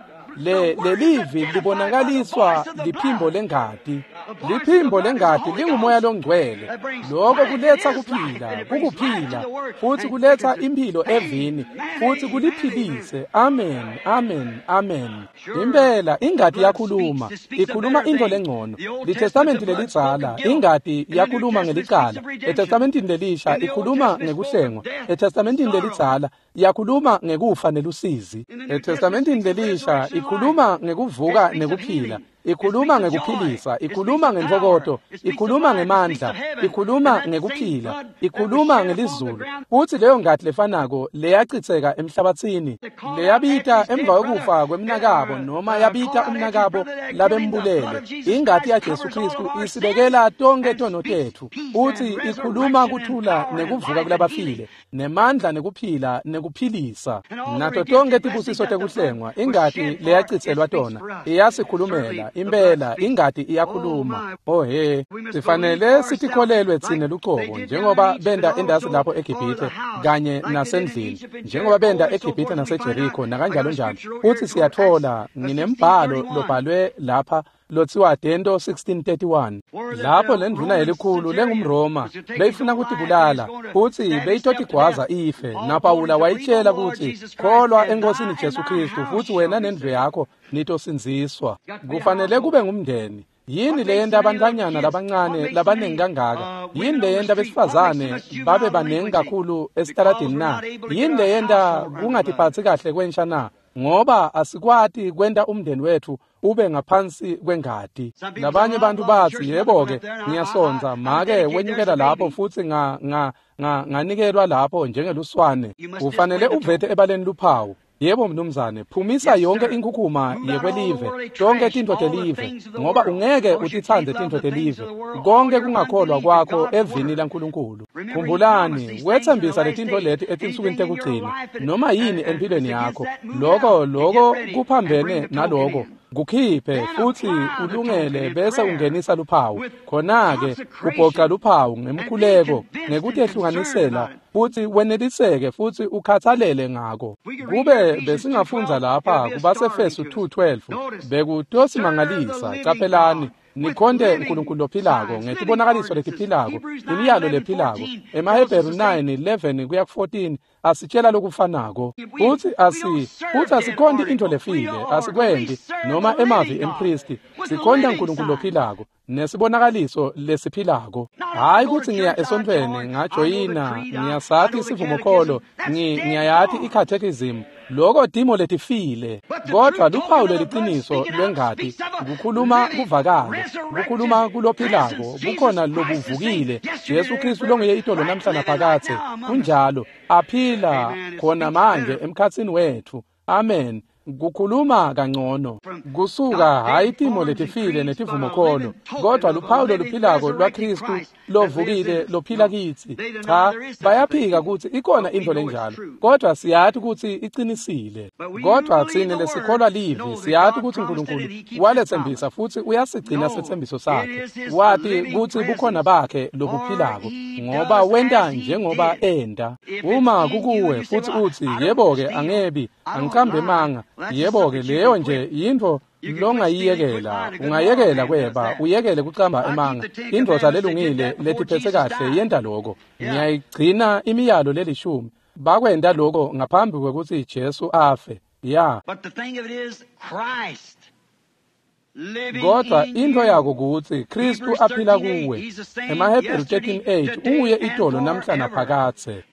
S1: Lelivi libonakaliswa liphimbo lengati. Liphimbo lengati lingumoya longcwele. Lokho kuletha kuphila, kukuphila, futhi kuletha impilo evini, futhi kuliphilise. Amen, amen, amen. Impela ingati yakhuluma, ikhuluma into lengcono. LiTestamenti lelidzala ingati yakhuluma ngelicala. ETestamentini lelisha ikhuluma ngekuhlengwa. ETestamentini lelidzala yakhuluma ngekufa nelusizi. ETestamentini lelisha ikhuluma ngekuvuka nekuphila, ikhuluma ngekuphilisa, ikhuluma ngentokoto, ikhuluma ngemandla, ikhuluma ngekuphila, ikhuluma ngelizulu. Futhi leyo ngati lefanako leyachitheka emhlabathini, leyabita emva kwekufa kwemnakabo noma yabita umnakabo labembulele, ingati yaJesu Kristu isibekela tonke tono tetfu. Futhi ikhuluma kuthula nekuvuka kulabafile, nemandla nekuphila nekuphilisa. Nato tonke tibusiso tekuhlengwa, ingati leyachitselwa tona iyasikhulumela. Impela ingati iyakhuluma. Oh he, sifanele sitikholelwe tsine lucobo njengoba benda endasi lapho eGibhithe kanye nasendlini, njengoba benda eGibhithe naseJeriko nakanjalo njalo. Futhi siyathola nginembhalo lobhalwe lapha lothiwa Dento 1631, lapho lendvuna yelikhulu lengumRoma beyifuna kutibulala futhi beyitotigwaza ife, naPawula wayitshela ukuthi kholwa eNkosini Jesu Kristu futhi wena nendlu yakho nitosindziswa. Kufanele kube ngumndeni. Yini leyenta abantwanyana labancane labaningi kangaka? Yini leyenta besifazane babe baningi kakhulu esitaladini na? Yini leyenta kungatiphatsi kahle kwensha na? Ngoba asikwati kwenta umndeni wethu ube ngaphansi kwengati. Labanye bantu bathi yebo-ke ngiyasonza, make wenyukela lapho futhi nganikelwa lapho njengeluswane. Ufanele uvete ebaleni luphawu. Yebo mnumzane, phumisa yonke inkhukhuma yekwelive, tonke tintfo telive, ngoba ungeke utitsandze tintfo telive. Konke kungakholwa kwakho evini laNkulunkulu. Khumbulani, wethembisa letintfo leti etinsukwini tekugcina, noma yini empilweni yakho, lokho kuphambene naloko. Kukhiphe futhi ulungele bese ungenisa luphawu. Khona-ke ubhoca luphawu ngemkhuleko, ngekutehlukanisela, futhi weneliseke futhi ukhathalele ngako. Kube besingafundza lapha kubaseFesu 2:12, bekutosimangalisa. Caphelani, nikhonte uNkulunkulu lophilako ngetibonakaliso letiphilako, imiyalo lephilako. EmaHebheru 9:11 kuya ku-14 asitshela lokufanako. Futhi asikhonti into lefile, asikwendi noma emavi empristi. Sikhonta uNkulunkulu lophilako nesibonakaliso lesiphilako. Hayi ukuthi ngiya esontweni ngajoyina, ngiyasati isivumokholo, ngiyayati i-catechism, loko timo letifile. Kodwa luphawu leliqiniso lwengati kukhuluma kuvakale, kukhuluma kulophilako, bukhona lobuvukile, Jesu Kristu longuye itolo namhla naphakadze, kunjalo aphila khona manje emkhatsini wethu. Amen. Kukhuluma kangcono kusuka hayi timo letifile netivumokholo, kodwa luphawu loluphilako lwaKristu lovukile lophila kitsi. Cha, bayaphika kutsi ikhona intfo lenjalo, kodwa siyati kutsi icinisile. Kodwa tsine lesikholwa livi siyati kutsi Nkulunkulu waletsembisa futsi uyasigcina setsembiso sakhe. Wati kutsi bukhona bakhe lobuphilako, ngoba wenta njengoba enta. Uma kukuwe futsi utsi, yebo-ke angebi, angiqambi emanga, yebo-ke leyo nje yintfo longayiyekela. Ungayekela kweba, uyekele kucamba emanga. Indvodza lelungile letiphetse kahle yenta loko. Ngiyayigcina imiyalo lelishumi. Bakwenta loko ngaphambi kwekutsi Jesu afe. Ya. Kodwa intfo yako kutsi Kristu aphila kuwe. EmaHebheru 13:8 unguye itolo namhla naphakadze.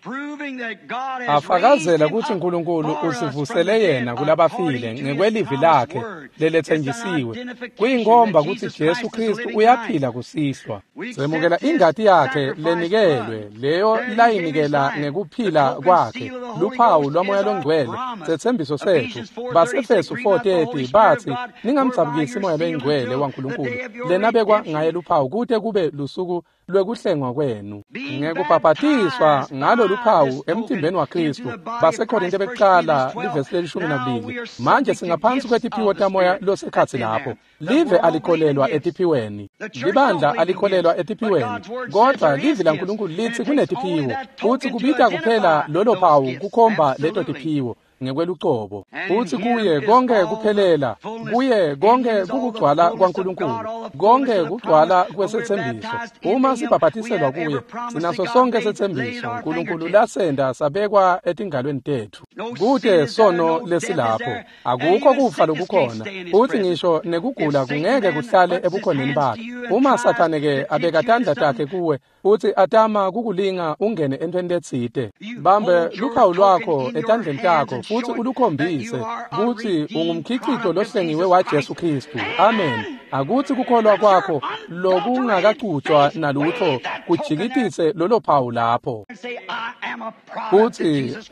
S1: Afakazela kutsi Nkulunkulu usivusele yena kulabafile ngekwelivi lakhe leletsenjisiwe. Kuyinkomba kutsi Jesu Kristu uyaphila kusihlwa. Semukela ingati yakhe lenikelwe, leyo layinikela ngekuphila kwakhe, luphawu lwaMoya loNgcwele, setsembiso setfu. Basefesu 4:30 batsi, ningamdzabukisi Moya loNgcwele waNkulunkulu, lenabekwa ngaye luphawu kute kube lusuku lwekuhlengwa kwenu. Ngekubhabhatiswa ngalo luphawu emtimbeni waKristu. BaseKorinte bekuqala livesi le-12. Manje singaphansi kwetiphiwo taMoya losekhatsi lapho. Live alikholelwa etiphiweni, libandla alikholelwa etiphiweni, kodwa livi laNkulunkulu litsi kunetiphiwo, futsi kubita kuphela lolo phawu kukhomba leto tiphiwo ngekwelucobo. Futsi kuye konke kuphelela, kuye konke kukugcwala kwaNkulunkulu, konke kugcwala kwesetsembiso. Uma sibhabhatiselwa kuye, sinaso sonke setsembiso Nkulunkulu lasenda sabekwa etingalweni tetfu. Kute sono lesilapho, akukho kufa lokukhona, futsi ngisho nekugula kungeke kuhlale ebukhoneni bakhe. Uma Sathane ke abeka tandla takhe kuwe futsi atama kukulinga ungene entweni letsite, bambe luphawu lwakho etandleni takho futsi ulukhombise kutsi ungumkhicito lohlengiwe waJesu Kristu. Amen. Akutsi kukholwa kwakho lokungakacutshwa nalutho kujikitise lolo phawu lapho.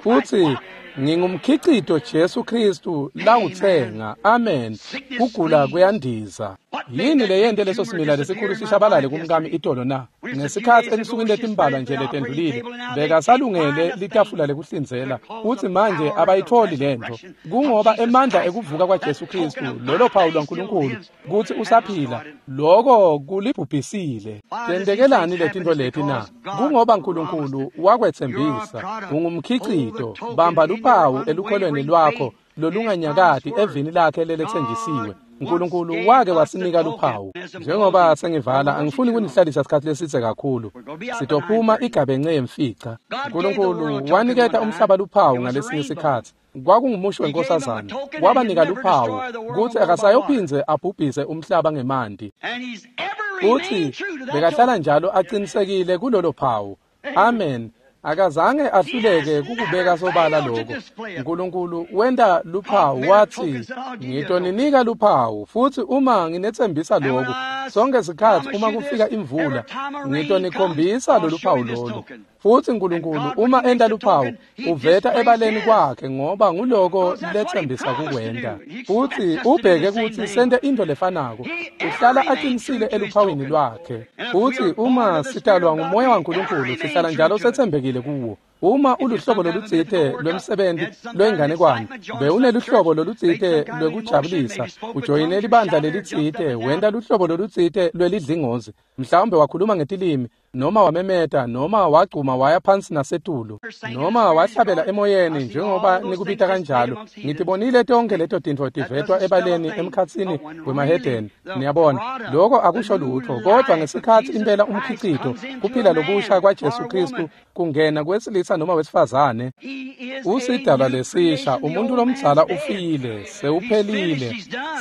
S1: Futsi ngingumkhicito Jesu Kristu lawutsenga. Amen. Kugula kuyandiza. Yini leyente leso simila lesikhulu sishabalale kumkami itolo na? Ngesikhatsi ensukwini letimbalwa nje letendlulile, bekasalungele litafula lekuhlinzela, futsi manje abayitholi lentfo. Kungoba emandla ekuvuka kwaJesu Kristu, lolo phawu lwaNkulunkulu, kutsi usaphila, loko kulibhubhisile. Tentekelani letintfo leti na? Kungoba Nkulunkulu wakwetsembisa. Ungumkhicito. Bamba luphawu elukholweni lwakho lolunganyakati evini lakhe leletsenjisiwe. Nkulunkulu wake wasinika luphawu. Njengoba sengivala, angifuni kunihlalisa isikhathi lesidze kakhulu. Sitophuma igabence yemfica. Nkulunkulu waniketa umhlaba luphawu ngalesinye sikhatsi. Kwakungumusho wenkosazana. Wabanika luphawu kutsi akasayophindze abhubhise umhlaba ngemanti. Futsi bekahlala njalo aqinisekile kulolo phawu. Amen. Akazange ahluleke kukubeka sobala lokho. Nkulunkulu wenta luphawu wathi, ngitoninika luphawu, futsi uma nginetsembisa lokho, sonke sikhatsi uma kufika imvula, ngitonikhombisa lolu phawu lolu. Futsi Nkulunkulu uma enta luphawu, uveta ebaleni kwakhe ngoba nguloko letsembisa kukwenta. Futsi ubheke kutsi sente intfo lefanako, uhlala aqinisile eluphawini lwakhe. Futsi uma sitalwa nguMoya waNkulunkulu, sihlala njalo setsembekile kuwo. Uma uluhlobo lolutsite lwemsebenti lwenganekwane, bewuneluhlobo lolutsite lwekujabulisa, ujoyine libandla lelitsite, wenta luhlobo lolutsite lwelidlingozi, mhlawumbe wakhuluma ngetilimi, noma wamemeta, noma wagcuma waya phansi nasetulu, noma wahlabela emoyeni njengoba nikubita kanjalo. Ngitibonile tonke leto tintfo tivetwa ebaleni emkhatsini wemahedeni. Niyabona, loko akusho lutho, kodwa ngesikhatsi impela umkhicito, kuphila lokusha kwaJesu Kristu kungena kwesilisa noma wesifazane, usidalwa lesisha. Umuntu lomdzala ufile, sewuphelile,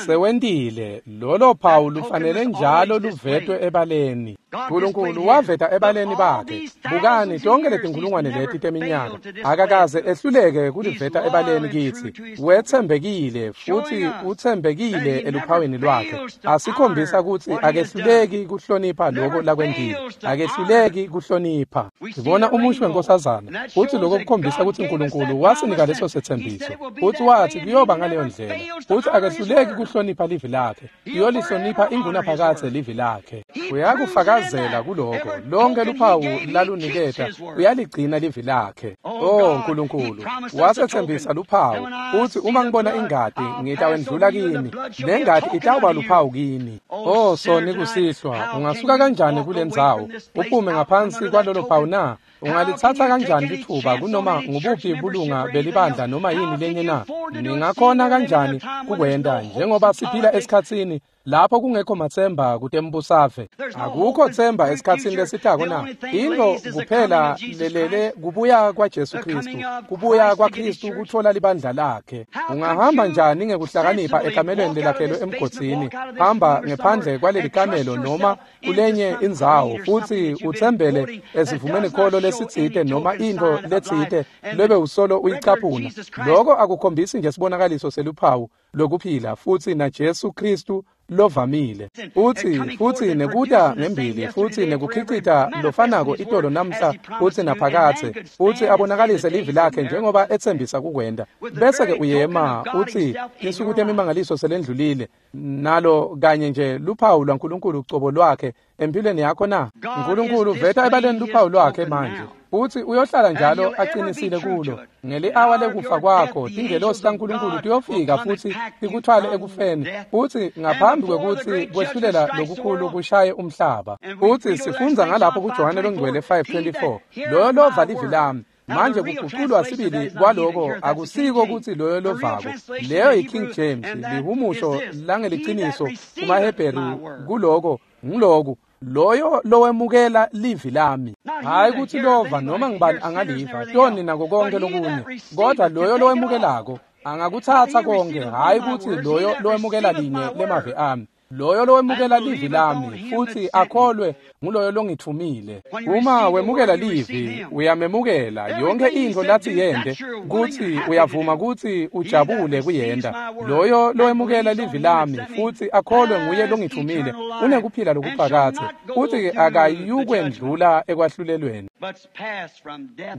S1: sewentile. Lolo phawu lufanele njalo luvetwe ebaleni. Nkulunkulu waveta ebaleni bakhe. Bukani tonke letinkulungwane leti teminyaka, akakaze ehluleke kuliveta ebaleni kitsi. Wetsembekile futhi utsembekile eluphawini lwakhe. Asikhombisa kutsi akehluleki kuhlonipha lokho lakwentile. Akehluleki kuhlonipha. Sibona umusho wenkosazana, futhi lokho kukhombisa kutsi Nkulunkulu wasinika leso setsembiso. Futhi wathi kuyoba ngaleyo ndlela. Futhi akehluleki kuhlonipha livi lakhe. Uyolihlonipha ingunaphakadze livi lakhe. Uyakufakazela kuloko. Lonke luphawu laluniketa uyaligcina livi lakhe. Oh Nkulunkulu, wasethembisa luphawu. Uthi uma ngibona ingati ngitawendlula kini, lengati itawuba luphawu kini. Oh soni kusihlwa, ungasuka kanjani kulendzawo uphume ngaphansi kwalolo phawu na? Ungalithatha kanjani lithuba kunoma ngubuphi bulunga belibandla noma yini lenye na? Ningakhona kanjani kukwenta njengoba siphila esikhatsini lapho kungekho matsemba kutembusave? Akukho themba esikhatsini lesitako na? Into kuphela lelele kubuya kwaJesu Kristu, kubuya kwaKristu kuthola libandla lakhe. Ungahamba njani ngekuhlakanipha ekamelweni lelakhelwe emgodzini? Hamba ngephandle kwaleli kamelo noma kulenye indzawo futhi uthembele esivumeni kholo lesitsite noma into letsite lebe usolo uyicaphuna. Lokho akukhombisi nje sibonakaliso seluphawu lokuphila futhi na Jesu Kristu lovamile. Uthi futhi nekuta ngembili futhi nekukhicita lofanako itolo namhla futhi naphakathe, futhi abonakalise livi lakhe njengoba etsembisa kukwenta. Bese ke uyema uthi insuku temimangaliso selendlulile, nalo kanye nje luphawu lwaNkulunkulu ucobo lwakhe empilweni yakho na? Nkulunkulu veta ebaleni luphawu lwakhe manje, futhi uyohlala njalo aqinisile kulo. Ngeli-awa lekufa kwakho tingelosi taNkulunkulu tiyofika futhi tikuthwale ekufeni, futhi ngaphambi kwekutsi kwehlulela lokukhulu kushaye umhlaba. Futhi sifundza ngalapho kuJohane longcwele 5:24, loyo lova livi lami. Manje kuguqulwa sibili kwaloko akusiko kutsi loyo lovako. Leyo yi-King James, lihumusho langeliciniso kumaHebheru kuloko ngiloku: loyo lowemukela livi lami. Hayi kutsi lova noma ngibani angaliva, toni nako konke lokunye, kodwa loyo lowemukelako angakutsatsa konke. Hayi kutsi loyo lowemukela linye lemavi ami, loyo lowemukela livi lami futhi akholwe nguloyo longithumile. Uma wemukela livi, uyamemukela yonke intfo lathi yente, kutsi uyavuma kutsi ujabule kuyenta. Loyo lowemukela livi lami futhi akholwe nguye longithumile unekuphila lokuphakadze, futhi akayukwendlula ekwahlulelweni,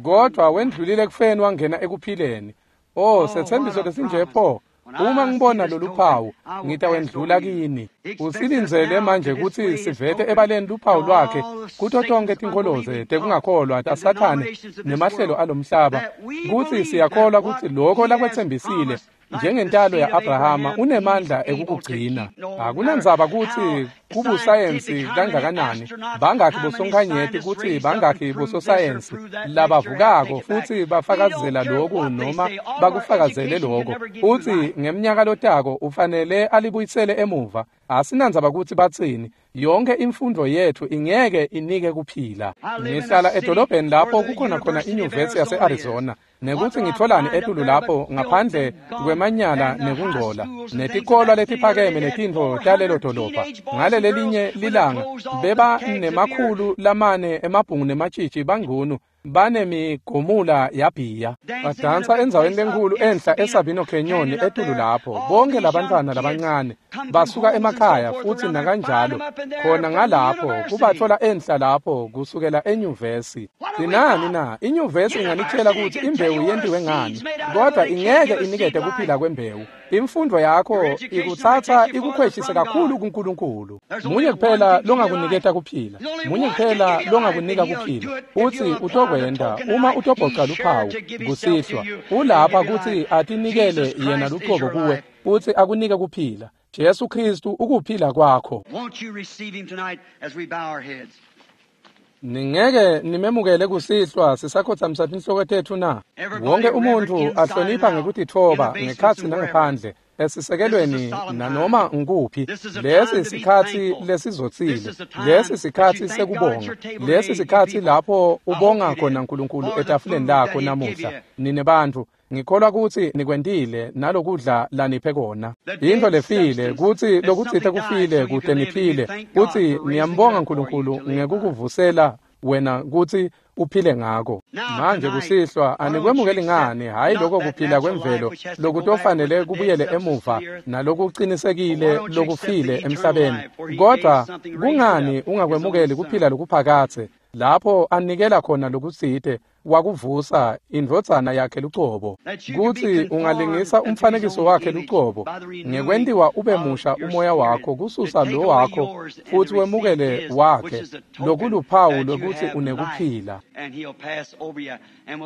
S1: kodwa wendlulile ekufeni wangena ekuphileni. Oh, setsembiso lesinje pho! Uma ngibona lolu phawu ngitawendlula kini. Usilindzele manje kutsi sivete ebaleni luphawu lwakhe kuto tonke tinkholoze tekungakholwa taSathane nemahlelo alomhlaba, kutsi siyakholwa kutsi lokho lakwetsembisile njengentalo ya-Abrahama unemandla ekukugcina. Akunandzaba kutsi kubusayensi kangakanani, bangakhi bosonkhanyeti kutsi bangakhi bososayensi labavukako futhi bafakazela loku noma bakufakazele loko, futsi ngemnyaka lotako ufanele alibuyisele emuva. Asinandzaba kutsi batsini, yonke imfundo yethu ingeke inike kuphila. Ngihlala edolobheni lapho kukhona khona inyuvesi yase-Arizona, nekutsi ngitholani etulu lapho ngaphandle kwemanyala nekungcola netikolwa letiphakeme netintfo talelo dolobha. Ngalelelinye lilanga beba nemakhulu lamane emabhungu nematshitshi bangcunu banemigomula yabhiya, badansa endzaweni lenkhulu enhla eSabino Canyon etulu lapho. Bonke labantwana labancane basuka emakhaya futhi nakanjalo khona ngalapho kubathola enhla lapho kusukela enyuvesi. Sinani na? Inyuvesi inganitshela kutsi imbewu yentiwe ngani, kodwa ingeke inikete kuphila kwembewu. Imfundo yakho ikutsatsa ikukhweshise kakhulu kuNkulunkulu. Munye kuphela longakuniketa kuphila, munye kuphela longakunika kuphila, utsi utokwenta uma utobhoca luphawu kusihlwa. Ulapha kutsi atinikele yena luqobo kuwe futsi akunike kuphila. Jesu Kristu ukuphila kwakho. Ningeke nimemukele kusihlwa sisakhotsamisa tinhloko tetfu na? Wonke umuntfu ahlonipha ngekutitfoba ngekhatsi nangephandle, esisekelweni nanoma ngukuphi. Lesi sikhatsi lesizotsile, lesi sikhatsi sekubonga, lesi sikhatsi lapho ubonga khona Nkulunkulu etafuleni lakho namuhla. Nine bantfu, Ngikholwa kutsi nikwentile nalokudla laniphe kona. Into lefile kutsi lokutsite kufile kute niphile, kutsi niyambonga uNkulunkulu ngekukuvusela wena kutsi uphile ngako. Manje kusihlwa anikwemukeli ngani, hayi lokho kuphila kwemvelo lokutofanele kubuyele emuva nalokuqinisekile lokufile emhlabeni, kodwa kungani ungakwemukeli kuphila lokuphakatse lapho anikela khona lokutsite wakuvusa indvodzana yakhe lucobo, kutsi ungalingisa umfanekiso wakhe lucobo ngekwentiwa ube musha umoya wakho kususa lo wakho futhi wemukele wakhe, lokuluphawu lokuthi unekuphila.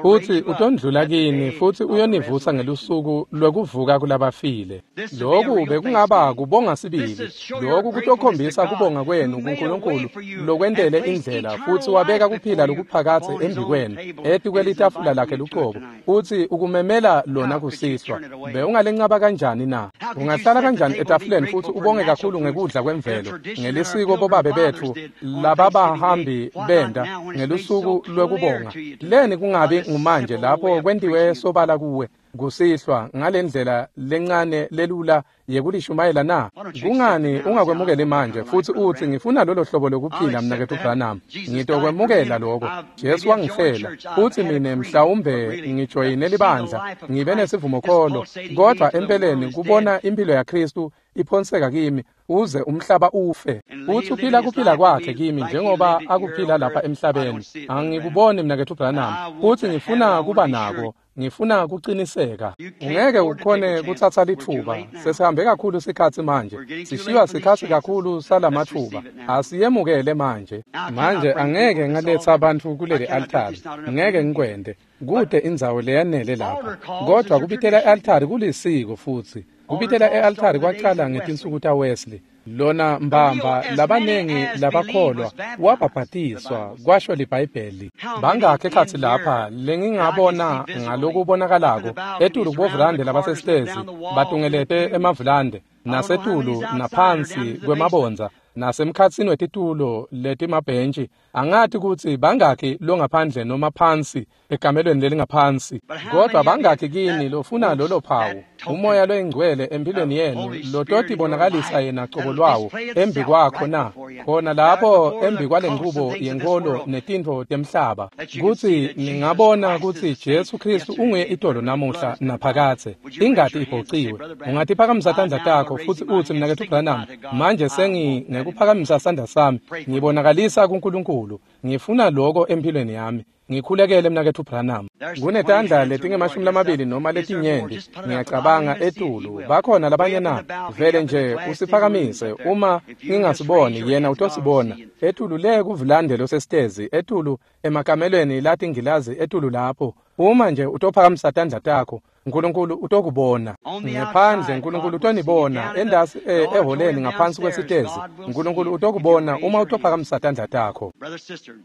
S1: Futhi utondlula kini futhi uyonivusa ngelusuku lwekuvuka kulabafile. Lokhu bekungaba kubonga sibili. Lokhu kutokhombisa kubonga kwenu kuNkulunkulu lokwentele indlela futhi wabeka kuphila lokuphakatse embikwenu etikwelitafula lakhe lucobo, futhi ukumemela lona kusihlwa. Bewungalencaba kanjani na? Ungahlala kanjani etafuleni futhi ubonge kakhulu ngekudla kwemvelo ngelisiko bobabe bethu lababahambi benda ngelusuku lwekubonga? Leni kungabi ngumanje lapho kwentiwe sobala kuwe kusihlwa ngalendlela lencane lelula yekulishumayela na? Kungani ungakwemukeli manje futhi uthi ngifuna lolo hlobo lokuphila mnaketfu Branham, ngitokwemukela lokho. Jesu wangifela futhi mina mhlawumbe ngijoyine libandla ngibe nesivumokholo, kodwa empeleni kubona impilo yaKristu iphonseka kimi uze umhlaba ufe, futhi uphila kuphila kwakhe kimi njengoba akuphila lapha emhlabeni. Angikuboni mnaketfu Branham, futhi ngifuna kuba nako, ngifuna kuqiniseka. Ungeke ukhone kuthatha lithuba, sesihambe kakhulu sikhatsi manje, sishiywa sikhatsi kakhulu salamathuba, asiyemukele manje. Manje angeke ngaletha abantu kuleli altari, ngeke ngikwente, kude indzawo leyanele lapha, kodwa kubitela i-altari kulisiko futhi. Kubitela e-altari kwacala ngetinsuku taWesley. Lona mbamba labanengi labakholwa wabhabhatiswa, kwasho liBhayibheli. Bangakhi ekhatsi lapha lengingabona ngalokubonakalako etulu kubovulande labasesitezi batungelete emavulande nasetulu naphansi kwemabondza nasemkhatsini wetitulo letimabhentshi. Angati kutsi bangakhi longaphandle noma phansi ekamelweni lelingaphansi, kodwa bangakhi kini lofuna lolo phawu umoya loyingcwele empilweni yenu lototibonakalisa yena cobo lwawo embi kwakho na? Khona lapho embi kwale nqubo yenkolo netintfo temhlaba, kutsi ningabona kutsi Jesu Kristu unguye itolo namuhla naphakatse, ingati ibhociwe. Ungatiphakamisa tandla takho futhi utsi mnaketfu Branham, manje sengingekuphakamisa sandla sami ngibonakalisa kuNkulunkulu, ngifuna lokho empilweni yami, ngikhulekele mnaketfu Branham. Kunetandla letingemashumi lamabili noma letinyenti ngiyacabanga etulu. Bakhona labanye na? Vele nje usiphakamise, uma ngingasiboni yena utosibona. Etulu le kuvulande losesitezi, etulu emakamelweni latingilazi etulu lapho. Uma nje utophakamisa tandla takho, uNkulunkulu utokubona. Ngephandle uNkulunkulu utonibona, endasi eholeni ngaphansi kwesitezi uNkulunkulu utokubona uma utophakamisa tandla takho.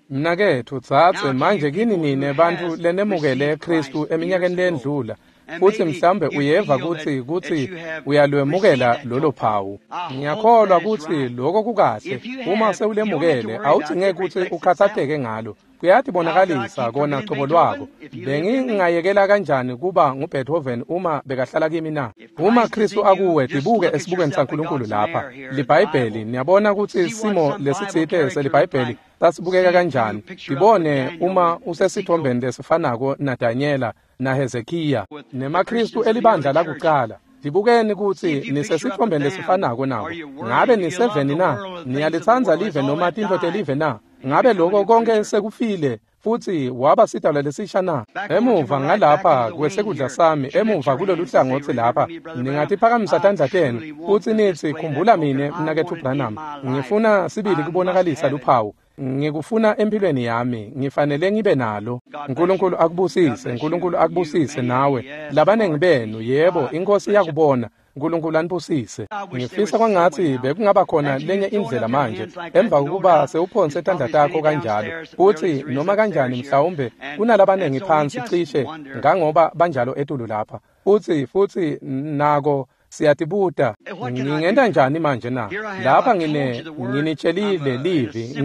S1: Mnaketfu dzadze, manje kini nine bantfu lenemukele Kristu eminyakeni lendlula, futhi mhlawumbe uyeva kutsi uyalwemukela lolo phawu. Ngiyakholwa kutsi lokho kukahle. Uma sewulemukele awudzingeki kutsi ukhatsateke ngalo, kuyatibonakalisa kona cobo lwako. Bengingayekela kanjani kuba nguBeethoven uma bekahlala kimi na? Uma Kristu akuwe, tibuke esibukweni saNkulunkulu lapha liBhayibheli. Niyabona kutsi simo lesitsite seliBhayibheli sasibukeka kanjani. Tibone uma usesitfombeni lesifanako naDanyela naHezekiya nemaKristu elibandla lakucala. Tibukeni kutsi nisesitfombeni lesifanako nabo. Ngabe niseveni na? Niyalitsandza live noma tintfo telive na? Ngabe lokho konke sekufile futhi waba sidalwa lesisha na? Emuva ngalapha kwesekudla sami, emuva kulolu hlangothi lapha, ningatiphakamisa tandla tenu futhi nithi, khumbula mine mnaketfu Branham, ngifuna sibili kubonakalisa luphawu, ngikufuna empilweni yami, ngifanele ngibe nalo. uNkulunkulu akubusise, uNkulunkulu akubusise nawe. Labanengi benu, yebo, iNkosi iyakubona. uNkulunkulu anibusise. Ngifisa kwangathi bekungaba khona lenye indlela manje, emva kokuba sewuphonse tandla takho kanjalo, futhi noma kanjani mhlawumbe kunalabanengi phansi cishe ngangoba banjalo etulu lapha, futhi nako Siyatibuta, ngingenta njani manje na? Lapha nginitshelile livi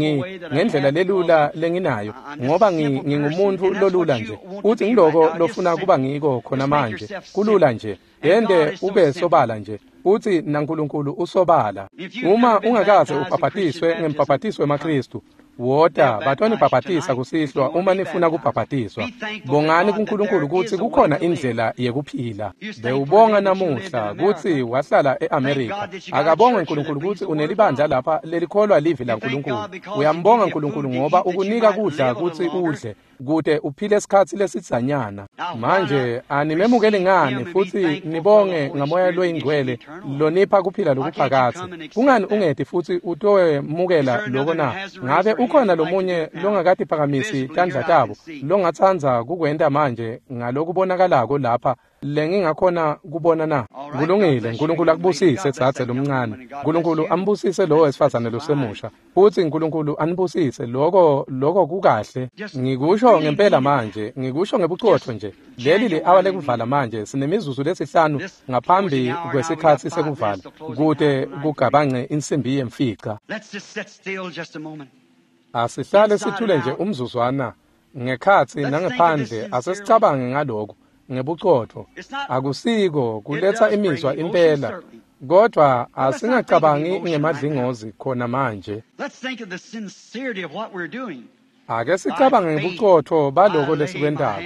S1: ngendlela lelula lenginayo, ngoba ngingumuntu lolula nje. Uthi ngiloko lofuna kuba ngiko khona manje, kulula nje. Yende ube sobala nje. Uthi naNkulunkulu usobala. Uma ungakaze ubhabhatiswe ngembhabhatiso wemaKristu, wota batonibhabhatisa kusihlwa uma nifuna kubhabhatiswa. Bongani kuNkulunkulu kutsi kukhona indlela yekuphila. Bewubonga namuhla kutsi wahlala eAmerica. Akabongwe uNkulunkulu kutsi unelibandla lapha lelikholwa livi laNkulunkulu. Uyambonga uNkulunkulu ngoba ukunika kudla kutsi udle, kute uphile isikhatsi lesidzanyana. Manje animemukeli ngani futsi nibonge ngamoya loyingcwele lonipha kuphila lokuphakadze? Kungani ungeti futsi utowemukela loko na? Ngabe ukhona lomunye longakatiphakamisi tandla tabo longatsandza kukwenta manje ngalokubonakalako lapha lengingakhona kubona na? Kulungile, uNkulunkulu akubusise dzadze lomncane. uNkulunkulu ambusise lowo wesifazane losemusha. Futsi uNkulunkulu anibusise lokho kukahle. Ngikusho ngempela manje, ngikusho ngebucotho nje. Leli li-awa lekuvala manje, sinemizuzu lesihlanu ngaphambi kwesikhatsi sekuvala, kute kugabange insimbi yemfica. Asihlale sithule nje umzuzwana, ngekhatsi nangephandle, asesicabange ngalokho ngebucotho. Akusiko kuletsa imizwa impela, kodwa asingacabangi ngemadlingozi khona manje. Ake sicabange ngebucotho baloko lesikwentako.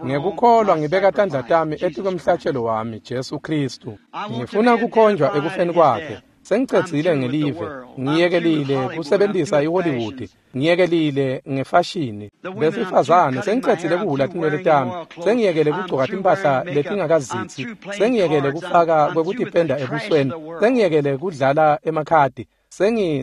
S1: Ngekukholwa ngibeka tandla tami etikwemhlatshelo wami, Jesu Kristu. Ngifuna kukhonjwa ekufeni kwakhe. Sengicedzile ngelive, ngiyekelile kusebentisa iHollywood, ngiyekelile ngefashini. Besifazane sengicedzile kuhhula tinwele tami, sengiyekele kugcoka timphahla letingakazitsi, sengiyekele kufaka kwekutipenda ebusweni, sengiyekele kudlala emakhadi,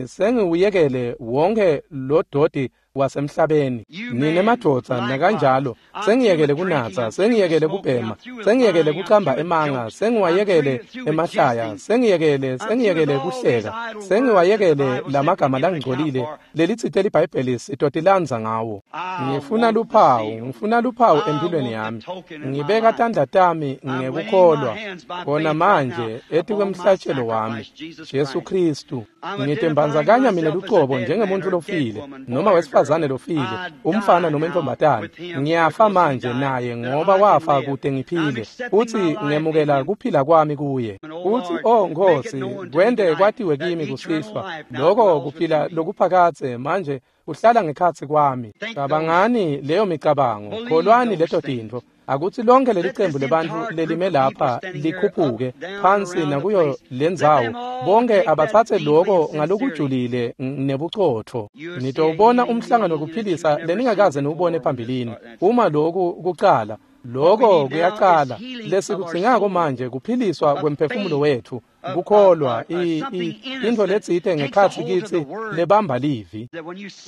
S1: sengiwuyekele wonke lododi wasemhlabeni. Nine madvodza nakanjalo, sengiyekele kunatsa, sengiyekele kubhema, sengiyekele kucamba emanga, sengiwayekele emahlaya, sengiyekele kuhleka, sengiwayekele lamagama langcolile lelitsite liBhayibheli sitotilandza ngawo. Ngifuna luphawu, ngifuna luphawu empilweni yami. Ngibeka tandla tami ngekukholwa khona manje etikwemhlatshelo wami, Jesu Kristu. Ngitembandzakanya mina lucobo njengemuntu lofile noma wesifazane lofile, umfana noma intombatane. Ngiyafa manje naye ngoba wafa kute ngiphile, futhi ngemukela kuphila kwami kuye. Uthi, oh Nkosi, kwente kwatiwe kimi kusihlwa lokho kuphila lokuphakadze manje uhlala ngekhatsi kwami. Cabangani leyo micabango, kholwani leto tintfo. Akuthi lonke leli cembu lebantfu lelime lapha likhuphuke phansi nakuyo lendzawo, bonke abatsatse loko ngalokujulile nebucotfo. Nitowubona umhlangano wekuphilisa leningakaze niwubone phambilini. Uma loku kucala, loko kuyacala. Lesikudzingako manje kuphiliswa kwemphefumulo wetfu, kukholwa intfo letsite ngekhatsi kitsi lebamba livi.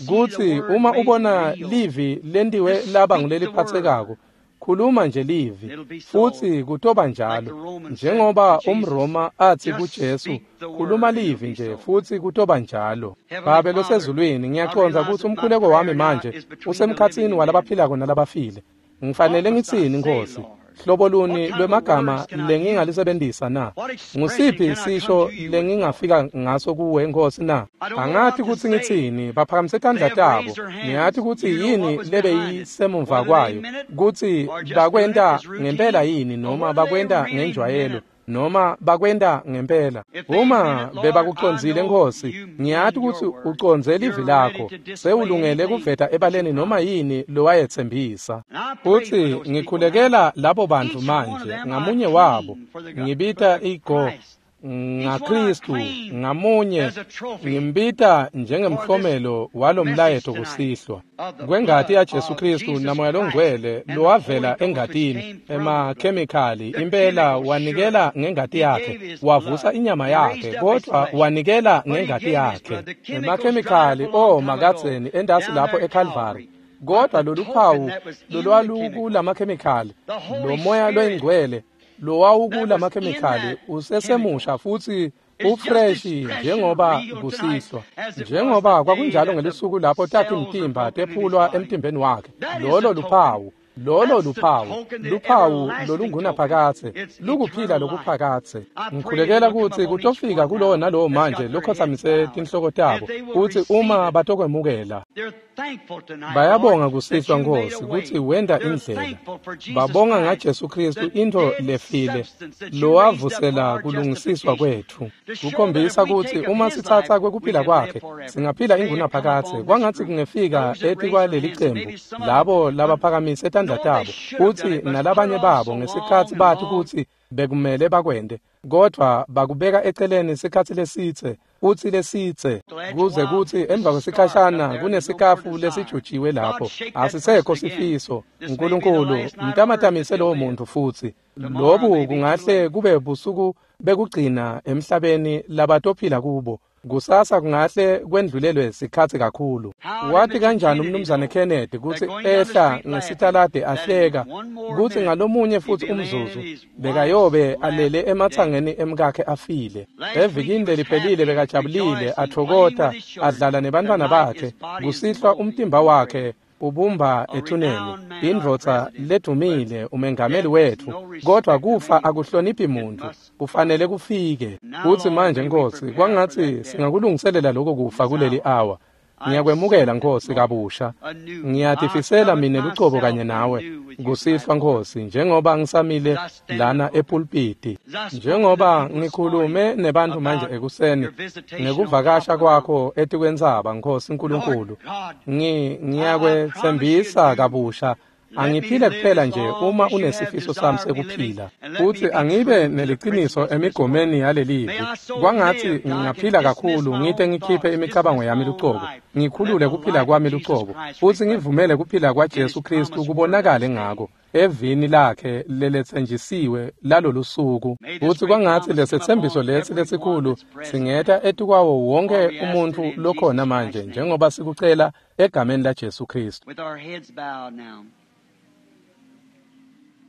S1: Kutsi uma ubona livi lentiwe laba nguleliphatsekako, khuluma nje livi, futsi kutoba njalo. Njengoba umRoma athi kuJesu, khuluma livi nje futsi kutoba njalo. Babe losezulwini, ngiyacondza kutsi umkhuleko wami manje usemkhatsini walabaphilako nalabafile. Ngifanele ngitsini, Nkosi? Hlobo luni lwemagama lengingalisebentisa na? Ngusiphi sisho lengingafika ngaso kuwe, Nkosi na? Angati kutsi ngitsini. Baphakamise tandla tabo. Ngiyati kutsi yini lebeyisemuva kwayo, kutsi bakwenta ngempela yini noma bakwenta ngenjwayelo, noma bakwenta ngempela. Uma bebakucondzile, Nkosi, ngiyati kutsi ucondze livi lakho, sewulungele kuveta ebaleni noma yini lowayetsembisa. Futsi ngikhulekela labo bantfu manje, ngamunye wabo, ngibita igo ngaKristu, ngamunye ngimbita njengemhlomelo walomlayeto kusihlwa kwengati yaJesu Kristu namoya longcwele lowavela engatini, emakhemikhali impela wanikela ngengati yakhe, wavusa inyama yakhe, kodwa wanikela ngengati yakhe. Emakhemikhali makadzeni endasi lapho eCalvary, kodwa lolu phawu lolwalukulamakhemikhali, lo moya loyingcwele lowawukulamakhemikhali usesemusha futhi ufreshi njengoba kusihlwa, njengoba kwakunjalo ngelisuku lapho takhi mtimba tephulwa emtimbeni wakhe. Lolo luphawu. Lolo luphawu, luphawu lolungunaphakadze, lukuphila lokuphakadze. Ngikhulekela kutsi kutofika kulowo nalowo manje lokhotsamise tinhloko tabo, kutsi uma batokwemukela. Bayabonga kusihlwa Nkhosi kutsi wenta indlela. Babonga ngaJesu Kristu intfo lefile lowavusela kulungisiswa kwetfu. Kukhombisa kutsi uma sitsatsa kwekuphila kwakhe singaphila ingunaphakadze. Kwangatsi kungefika etikwaleli cembu labo labaphakamise tandla tabo kutsi nalabanye babo ngesikhatsi bathi kutsi bekumele bakwente, kodvwa bakubeka eceleni sikhatsi lesitse futsi lesitse, kuze kutsi emva kwesikhashana kunesikafu lesijujiwe lapho asisekho sifiso. Nkulunkulu mtamatamise lowo muntfu futsi. Lobu kungahle kube busuku bekugcina emhlabeni labatophila kubo. Kusasa kungahle kwendlulelwe sikhatsi kakhulu. Wathi kanjani umnumzane Kennedy kutsi ehla ngesitalade ahleka kutsi ngalomunye futsi umzuzu bekayobe alele ematsangeni emkakhe afile. Evikini leliphelile bekajabulile athokota adlala nebantfwana bakhe. Kusihlwa umtimba wakhe ubumba ethuneni, indvodza ledumile, umengameli wetfu. Kodwa kufa akuhloniphi muntu, kufanele kufike. Kutsi manje Nkhosi, kwangatsi singakulungiselela lokho kufa kuleli awa. Ngiyakwemukela Nkhosi kabusha. Ngiyatifisela mine lucobo kanye nawe kusihlwa Nkhosi, njengoba ngisamile lana epulpiti, njengoba ngikhulume nebantu manje ekuseni ngekuvakasha kwakho etikwentsaba Nkhosi Nkulunkulu. Ngiyakwetsembisa kabusha, angiphile kuphela nje uma unesifiso sami sekuphila, futhi angibe neliciniso emigomeni yalelivi. Kwangatsi ngingaphila kakhulu ngite ngikhiphe imicabango yami lucobo, ngikhulule kuphila kwami lucobo, futhi ngivumele kuphila kwaJesu Kristu kubonakale ngako evini lakhe leletsenjisiwe lalolusuku. Futhi kwangatsi lesetsembiso lesi lesikhulu singeta etikwawo wonke umuntfu lokhona manje, njengoba sikucela egameni laJesu Kristu.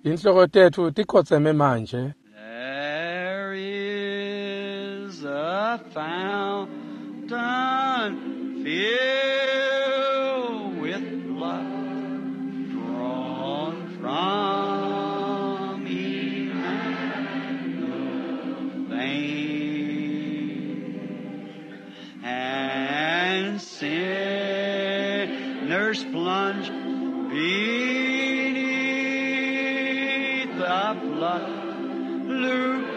S1: Inhloko tetfu tikhotseme manje.
S2: There is a fountain filled with blood drawn from Emmanuel's vein, and sinners plunge beneath the flood. Luke,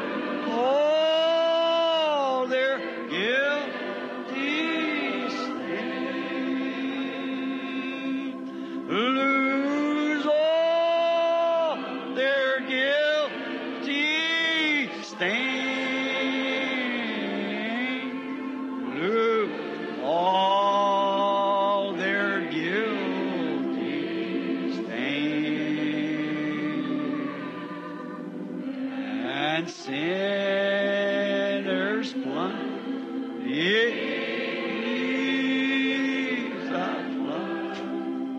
S2: all their guilty stain. Lose all their guilty stain. Lose all their guilty stain. And sinners plunge beneath the flood.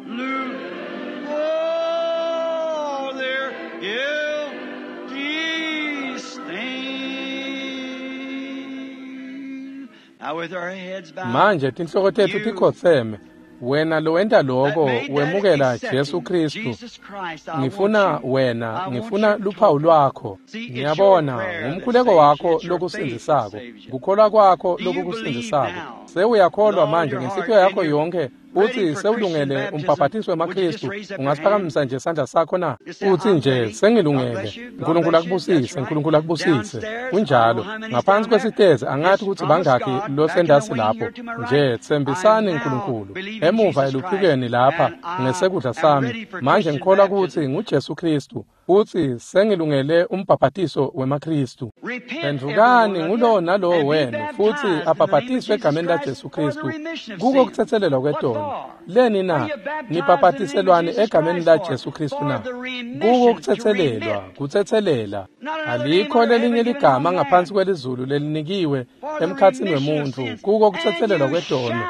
S2: Lose all their guilty stain. Now with our heads bowed,
S1: Manje tinhloko tetfu tikhotseme. Wena lowenta lokho wemukela Jesu Kristu. Ngifuna wena, ngifuna luphawu lwakho. Ngiyabona ngumkhuleko wakho lokusindisako, kukholwa kwakho lokukusindisako. Sewuyakholwa manje ngenhliziyo yakho yonke uthi sewulungele umbhabhatiso wemaKristu. Ungasiphakamisa nje isandla sakho na? Uthi nje sengilungele. Nkulunkulu akubusise, Nkulunkulu akubusise. Kunjalo. Ngaphansi kwesitezi angathi ukuthi bangakhi losendasi lapho. Nje tsembisani Nkulunkulu. Emuva eluphikweni lapha ngesekudla sami. Manje ngikholwa ukuthi nguJesu Kristu. Uthi sengilungele umbhabhatiso wemaKristu. Phendvukani ngulowo nalowo wenu futhi abhabhatiswe egameni laJesu Kristu kuko kuthethelelwa kwetono. Leni na? Nibhabhatiselwani egameni laJesu Kristu na? Kuko kuthethelelwa, kuthethelela. Alikho lelinye ligama ngaphansi kwelizulu lelinikiwe emkhatsini wemuntfu kuko kuthethelelwa kwetono.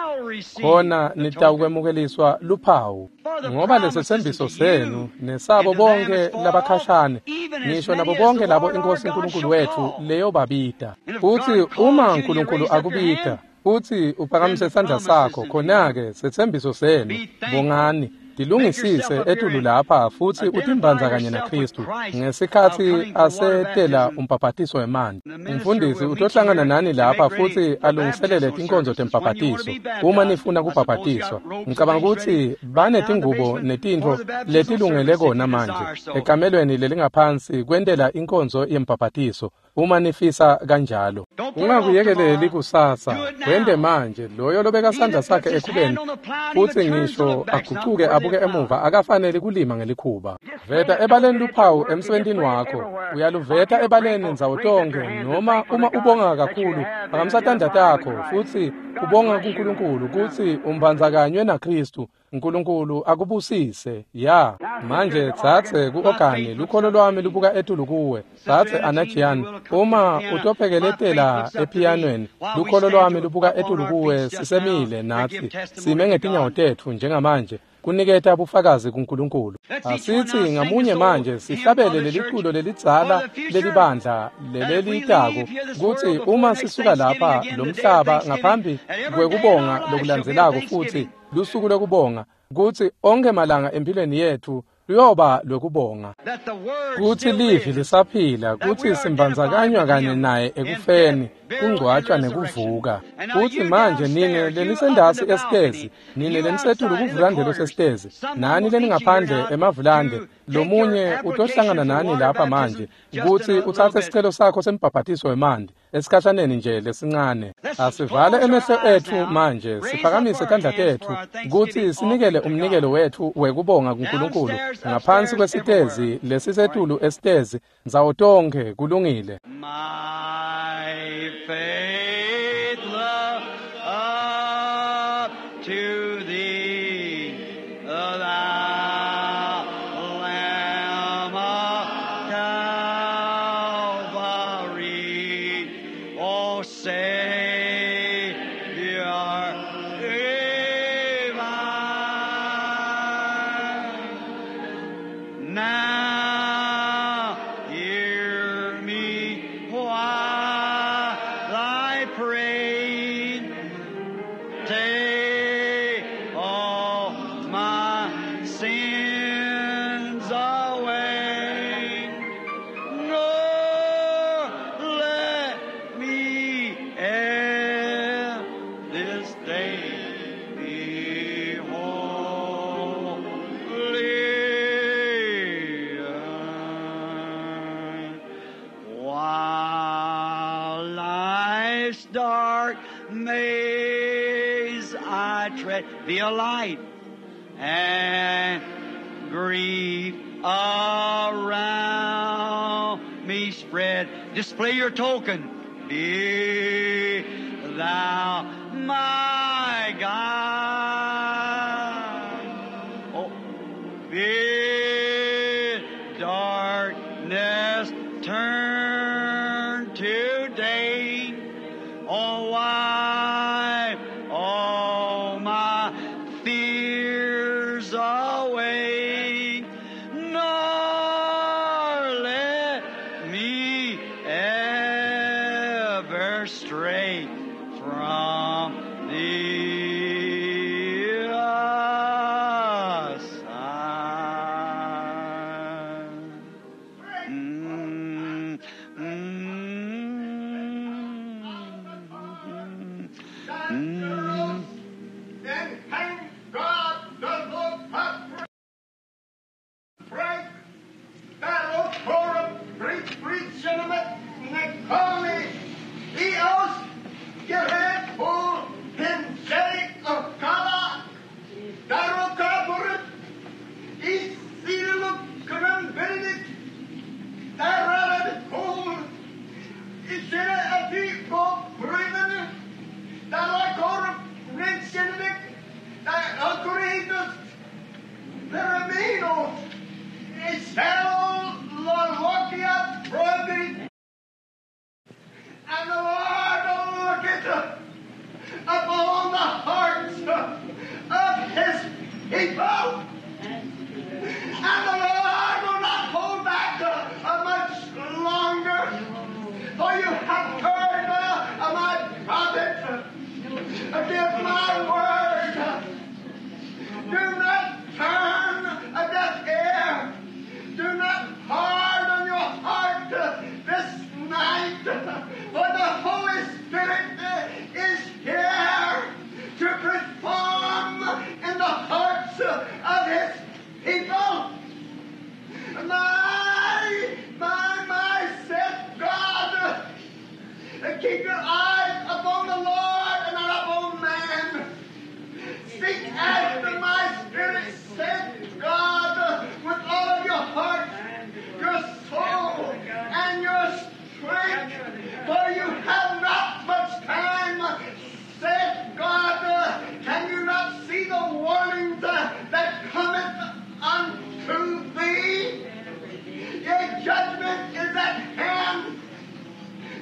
S1: Khona nitawukwemukeliswa luphawu, ngoba lesetsembiso senu nesabo bonke labakhashane, ngisho nabo bonke labo iNkosi uNkulunkulu wethu leyobabita. Futhi uma uNkulunkulu akubita, futhi uphakamise isandla sakho, khona-ke setsembiso senu. Bongani. Tilungisise etulu lapha futsi utimbanza kanye naKristu ngesikhatsi asetela umbhabhatiso wemanti. Umfundisi utohlangana nani lapha futsi alungiselele tinkonzo tembhabhatiso uma nifuna kubhabhatiswa. Ngicabanga kutsi banetingubo netintfo letilungele kona manje ekamelweni lelingaphansi kwentela inkonzo yembhabhatiso uma nifisa kanjalo. Ungakuyekeleli kusasa, wente manje. Loyo lobeka sandla sakhe ekhubeni futsi ngisho agucuke abuke emuva akafanele kulima ngelikhuba. Veta ebaleni luphawu emsebentini wakho, uyaluveta ebaleni ndzawo tonkhe, noma uma ubonga kakhulu phakamisa tandla takho futsi ubonga kuNkulunkulu kutsi umbandzakanywe naKristu. uNkulunkulu akubusise. Ya manje tsatse ku-ogani, lukholo lwami lubuka etulu kuwe. Tsatse Anajian, uma utophekeletela epiyanweni, lukholo lwami lubuka etulu kuwe. Sisemile natsi sime ngetinyawo tetfu njengamanje kuniketa bufakazi kuNkulunkulu. Asithi ngamunye manje sihlabele leliculo lelidzala lelibandla lelelitako kutsi uma sisuka lapha lomhlaba ngaphambi kwekubonga lokulandzelako futhi lusuku lokubonga, kutsi onke malanga empilweni yetfu luyoba lwekubonga, kutsi livi lisaphila, kutsi simbandzakanywa kanye naye ekufeni, kungcwatshwa nekuvuka. Kutsi manje nine lenisendasi esitezi, nine lenisetulu kuvulande losesitezi, nani leningaphandle emavulande, lomunye utohlangana nani lapha manje kutsi utsatse sicelo sakho sembhabhatiso wemanti esikhashaneni nje lesincane. Asivale emehlo etfu manje, siphakamise tandla tetfu kutsi sinikele umnikelo wetfu wekubonga kuNkulunkulu ngaphansi kwesitezi lesisetulu esitezi ndzawo tonkhe. Kulungile.
S2: My faith look up to thee, thou Lamb of Calvary, O Savior divine. Now hear me while I pray. Take all my sins away. Nor let me ere this day be wholly thine. While life's dark maze I tread, be a light and grief around me spread. Display your token. Be thou my guide. Oh, bid darkness turn to day. Oh, wipe all my fears away. Nor let me ever stray from thee aside. Mm, mm, mm.
S3: Then thank God the Lord hath break battle for a great regiment Nikoni Eos Gered for Himself of Kala Darokaburit Isiluk Benedict Darad Kol Isere Ati Bo Bremen Darakor Rinsenvik Alcoritus Peramino Isel Lolokia Brody. And the Lord looketh upon the hearts of his people. And the Lord will not hold back much longer, for you have Keep your eyes upon the Lord and not upon man. Seek after my spirit, said God, with all of your heart, your soul, and your strength, for you have not much time, said God. Can you not see the warnings that cometh unto thee? Your judgment is at hand.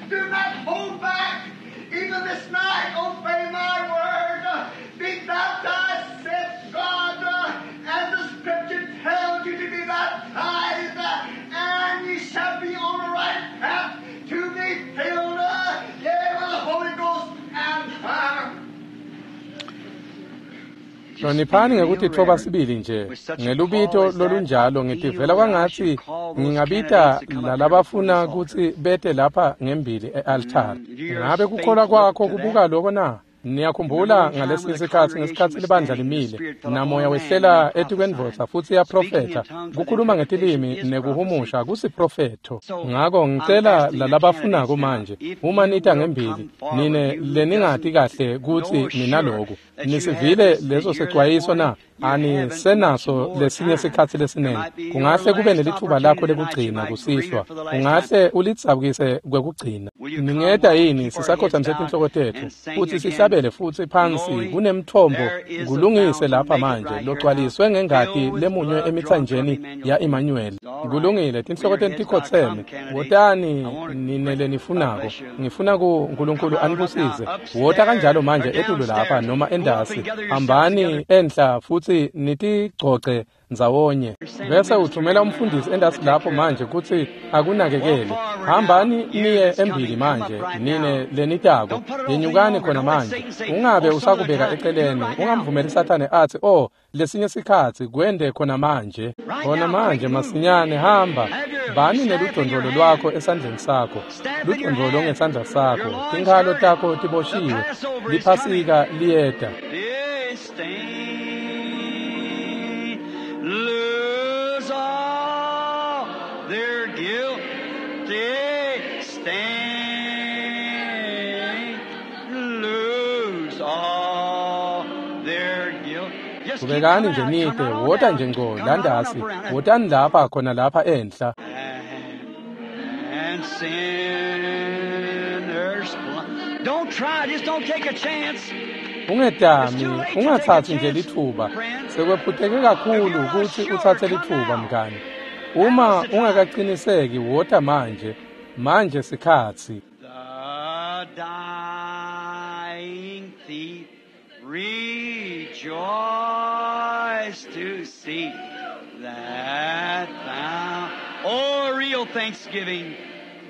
S3: Do not hold back. Even this night, obey my word. Be baptized, said God, as the scripture tells you to be baptized, and ye shall be on the right path to be filled, yea, with the Holy Ghost and fire.
S1: Hloniphani ngekutitfoba sibili nje ngelubito lolunjalo ngitivela kwangatsi ngingabita lalabafuna kutsi bete lapha ngembili e-altari. Ngabe kukholwa kwakho kubuka loko na? Niyakhumbula ngalesinye sikhatsi ngesikhatsi libandla limile namoya wehlela etikwendvodza futsi yaprofetha kukhuluma ngetilimi nekuhumusha kusiprofetho. Ngako ngicela lalabafunako manje uma nita ngembili nine leningati kahle kutsi ninaloku nisivile leso sexwayiso na? Anisenaso lesinye sikhatsi lesinengi. Kungahle kube nelithuba lakho lekugcina kusihlwa, ungahle ulidzabukise kwekugcina. Ningeta yini sisakhothamise tinhloko tetfu futsi sihlabele futsi phansi kunemthombo kulungise lapha manje logcwaliswe ngengati lemunywe emitsanjeni ya-Emmanuel. Kulungile, tinhloko tenu tikhotseme. Wotani nine lenifunako. Ngifuna ku Nkulunkulu anibusise. Wota kanjalo manje etulu lapha noma endasi. Hambani enhla futsi nitigcogce ndzawonye. Bese uthumela umfundisi endasi lapho manje kutsi akunakekele. Hambani niye embili manje nine lenitako. Yenyukani khona manje. Ungabe usakubeka eceleni. Ungamvumeli Sathane atsi, "Oh, lesinye sikhatsi kwende khona manje." Khona manje masinyane hamba. Bani neludondolo lwakho esandleni sakho. Ludondolo ngesandla sakho. Tinkhalo takho tiboshiwe. Liphasika liyeta.
S2: Lose all their guilty stain. Lose all their guilt. Just keep
S1: Qhubekani
S2: coming
S1: nje
S2: out. Come
S1: nite,
S2: right on
S1: wota
S2: down.
S1: nje ngco
S2: Come right on
S1: landasi.
S2: up around.
S1: Wotani lapha khona lapha enhla.
S2: And sinners. Don't try. Just don't take a chance.
S1: Ungetami, ungathathi nje lithuba. Sekwephuteke kakhulu ukuthi uthathe lithuba mngani. Uma ungakaqiniseki wota manje. Manje sikhatsi.
S2: The dying thief rejoiced to see that thou, oh, real thanksgiving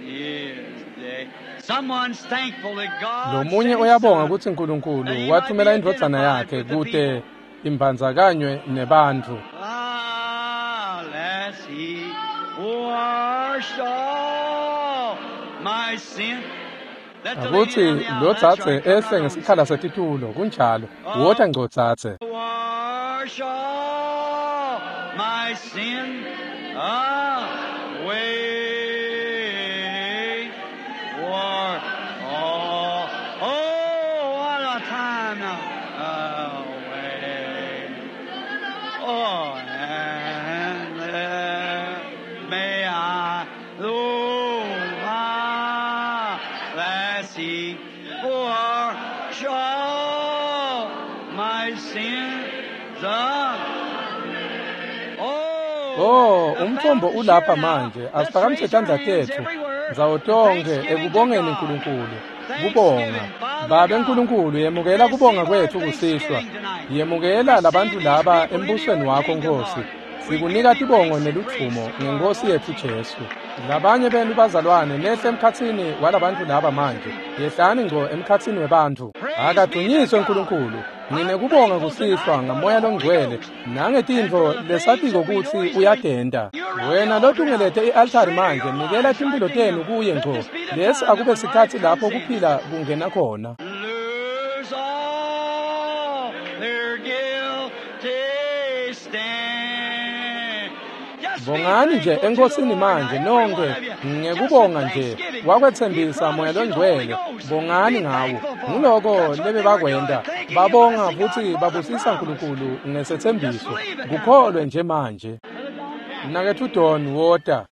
S2: is day. Someone's thankful that God
S1: Lomunye
S2: sent his
S1: uyabonga
S2: son
S1: kutsi Nkulunkulu
S2: that he might
S1: wathumela
S2: be
S1: indvodzana
S2: identified
S1: yakhe
S2: with the
S1: kute
S2: people.
S1: imbandzakanywe nebantfu.
S2: Ah, lest he washed all my sin. Let the lady
S1: Akutsi
S2: down the aisle,
S1: lo
S2: that's
S1: dzadze
S2: right, come
S1: ehle
S2: right on.
S1: ngesikhala setitulo kunjalo. Wota ngco dzadze.
S2: Wash all my sin away. War all, oh, what a time now. Away. Oh, and there may I, oh, my lassie, wash all my sins away.
S1: Oh,
S2: Oh, the
S1: umthombo
S2: fountain's
S1: ulapha
S2: here now.
S1: manje.
S2: Let's
S1: Asiphakamise
S2: raise our
S1: tandla
S2: hands
S1: tetfu
S2: everywhere.
S1: ndzawo tonkhe
S2: Thanksgiving to
S1: ekubongeni
S2: God.
S1: Nkulunkulu. Kubonga.
S2: Thanksgiving, Father
S1: Babe
S2: God.
S1: Nkulunkulu, yemukela kubonga
S2: Receive our
S1: kwetfu kusihlwa.
S2: thanksgiving tonight.
S1: Yemukela labantu
S2: Receive these
S1: laba
S2: people into
S1: embusweni
S2: your
S1: wakho
S2: kingdom,
S1: Nkosi.
S2: Lord. We give
S1: Sikunika
S2: thee
S1: tibongo
S2: thanks and praise
S1: neludvumo
S2: through our
S1: ngenkosi
S2: Lord
S1: yetfu
S2: Jesus.
S1: Jesu. Labanye benu bazalwane nehle emkhatsini walabantu laba manje. Yehlani ngco emkhatsini webantfu.
S2: Praise be to
S1: Akadunyiswe
S2: God.
S1: Nkulunkulu.
S2: I'm
S1: Nginekubonga
S2: thankful
S1: kusihlwa
S2: tonight for the
S1: ngamoya
S2: Holy
S1: longcwele
S2: Ghost and
S1: nangetintfo
S2: for the things
S1: lesatiko
S2: that we know
S1: kutsi
S2: He's doing.
S1: uyatenta.
S2: You're around the
S1: Wena
S2: altar now.
S1: lotungelete i-altari
S2: Surrender
S1: manje,
S2: your
S1: nikela
S2: lives right
S1: timphilo
S2: to
S1: tenu
S2: Him.
S1: kuye
S2: Let
S1: ngco.
S2: this be the
S1: Lesi
S2: time that
S1: akube
S2: when life
S1: sikhatsi lapho
S2: comes in.
S1: kuphila kungena khona.
S2: Lose all their guilty stain. Just
S1: Bongani nje eNkosini manje nonke ngekubonga nje. Wakwetsembisa Moya loNgcwele, bongani ngawo. Nguloko lebebakwenta, babonga futsi babusisa Nkulunkulu ngesetsembiso. Kukholwe nje manje. Mnaketfu Don, wota.